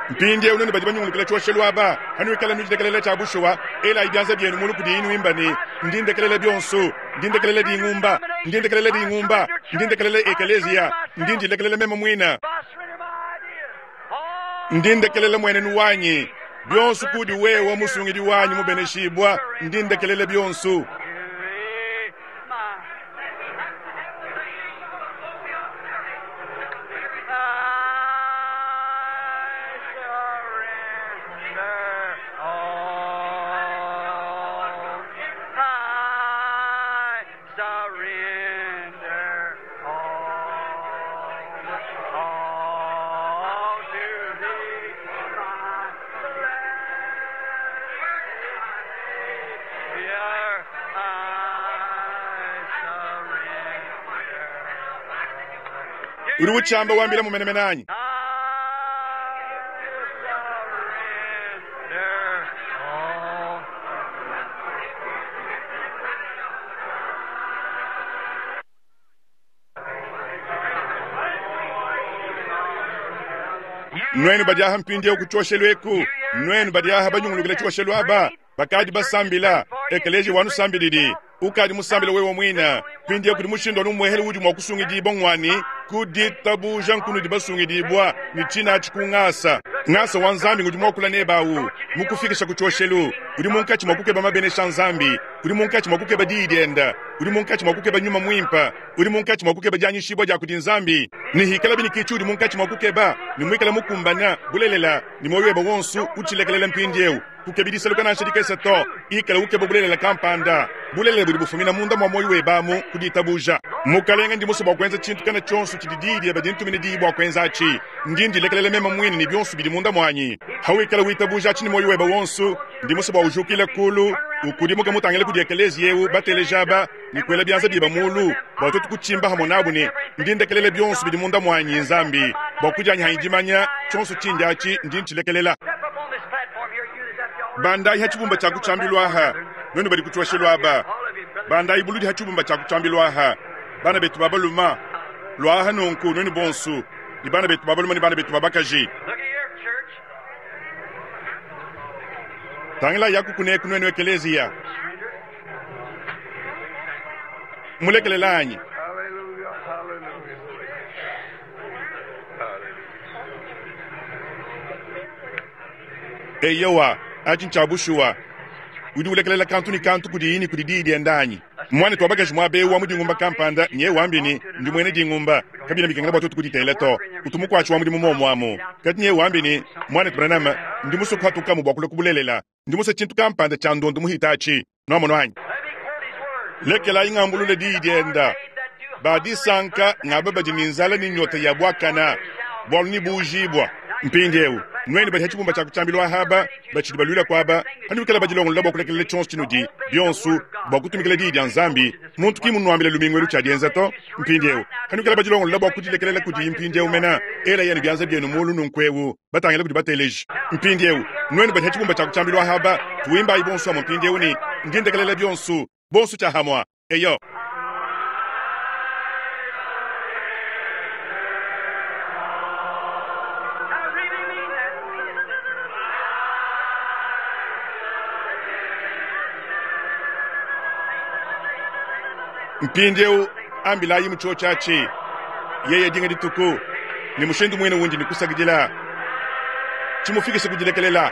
Mpindieu nuenu badi banyungulukila tshioshelu aba, hanuikala nudilekelela tshia bushuwa, elayi bianza bienu mulu kudi inuimba ne, Ndi ndekelela bionso, ndi ndekelela dingumba, ndi ndekelela dingumba, ndi ndekelela ekeleziya, ndi ndilekelela meme muine, ndi ndekelela muenenu wanyi, bionso kudi wewe musungidi wanyi mubeneshibua, ndi ndekelela bionso. I surrender all, all to thee, my blessed Savior. I surrender. Uri uchamba wambila mumenemene anyi? I surrender all. Nuenu badi aha mpindieu ku tshioshelu eku, nuenu badi aha banyungulukila tshioshelu aba, bakadi basambila, ekeleziya wanusambilidi, ukadi musambila wewe muine, mpindieu kudi mushindu anu umuehele udi mua kusungidibua ngwani, ku ditabuja nkunudi basungidibua, ne tshinatshi ku ngasa. Ngasa wa Nzambi ngudi muakula nebawu, mukufikisha ku tshioshelu, udi munkatshi mua kukeba mabenesha a Nzambi, udi munkatshi mua kukeba diyi dienda, udi munkatshi mua kukeba nyuma muimpe, udi munkatshi mua kukeba dianyishibua dia kudi Nzambi, ne hikala binikichi udi munkatshi mua kukeba, ne muikala mukumbana, bulelela, ne muoyo webe wonso utshilekelela mpindieu, kukebi disaluka nansha dikese to, ikala ukeba bulelela kampanda, bulelela budi bufumina munda mua muoyo webe amu ku ditabuja. Mukalenge, ndi musue bua kuenza tshintu kana tshionso tshidi diyi diebe dintumine diyi bua kuenza atshi. Ndi ndilekelela meme muine ne bionso bidi munda muanyi. Hawikala witabuja atshi ne muoyo webe wonso, ndi musue bua ujukile kulu, ukudimuke mutangile kudi ekeleziya eu bateleja aba, ne kuela bianza biebe mulu, bua tuetu kutshimba hamue nabu ne, Ndi ndekelela bionso bidi munda muanyi, Nzambi, bua kudianyi hanyi dimanya, tshionso tshindi atshi ndi ntshilekelela. Step up on this platform here, you that's the already. Bandayi ha tshibumba tshia kutshiambilu aha, nuenu badi ku tshioshelu aba, bandayi buludi ha tshibumba tshia kutshiambilu aha, bana betu ba baluma, luaha nunku nuenu bonso, ne bana betu ba baluma ne bana betu ba bakaji. Look at here, church. Tangila yaku kuneku nuenu ekeleziya. Mulekelela anyi? Hallelujah, hallelujah. Hallelujah. Eyowa, atshi ntshia bushuwa. Udi ulekelela kantu ne kantu kudi ne kudi diyi dienda anyi? Mwana wa bakaji muaba eu wa mu dingumba kampanda nye wambi ne, ndi muena dingumba, kabina bikengela bua tuetu kuditela to, utu mukuatshi wa mudimu muomu amu. Kadi nye wambi ne, mwanetu Branham, ndi musue kuhatukamu bua kulua kubulelela. Ndi musue tshintu kampanda tshia ndondo muhita atshi. Nuamono anyi? Let me quote his words. Lekelayi ngambulule diyi dienda. Badisanka ngaba badi ne nzala ne nyota ya buakana, bualu ne buujibua. Mpindieu nuenu badi ha tshibumba tshia kutshiambilu ahaba, batshidi baluila kuaba, hanuikala badilongolola bua kulekelela tshionso tshinudi bionso bua kutumikila diyi dia Nzambi, muntu ki munuambila lumingu elu tshia dienza to. Mpindieu hanuikala badilongolola bua kudilekelela kudi mpindieu mena, ela yenu bianza bienu mulu nunkueu, batangila kudi bateleji. Mpindieu nuenu badi ha tshibumba tshia kutshiambilu ahaba, tuimbayi bonso amue mpindieu ne, ndi ndekelela bionso, bonso tshia hamua. Eyo. I really mean that. Mpindieu ambilayi mu tshiotshiatshi, yeye dinga dituku, ne mushindu muine wundi ne kusakidila, tshimufikishe kudilekelela.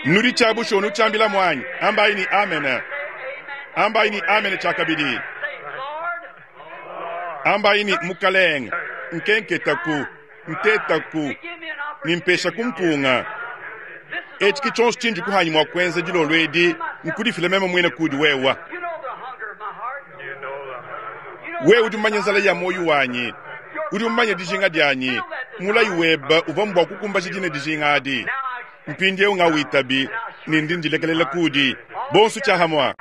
Nudi tshia bushuwa nutshiambila muanyi, ambayi ni amene, ambayi ni amene tshiakabidi, Say, Lord, ambayi ni mukalenge, nkenketaku, ntetaku, give me an opportunity. nimpesha kumpunga. This is Etshi ki tshionso tshindi kuhanyi mua kuenza dilolo edi, Nkudifila meme muine kuudi wewe. Wewe udi mumanye nzala ya muoyo wanyi, udi mumanye dijinga dianyi. Mulayi webe uvua mbua kukumbaja dine dijinga adi. Mpindieu ngawitabi ne ndi ndilekelela kuudi. Bonso tshiahamua.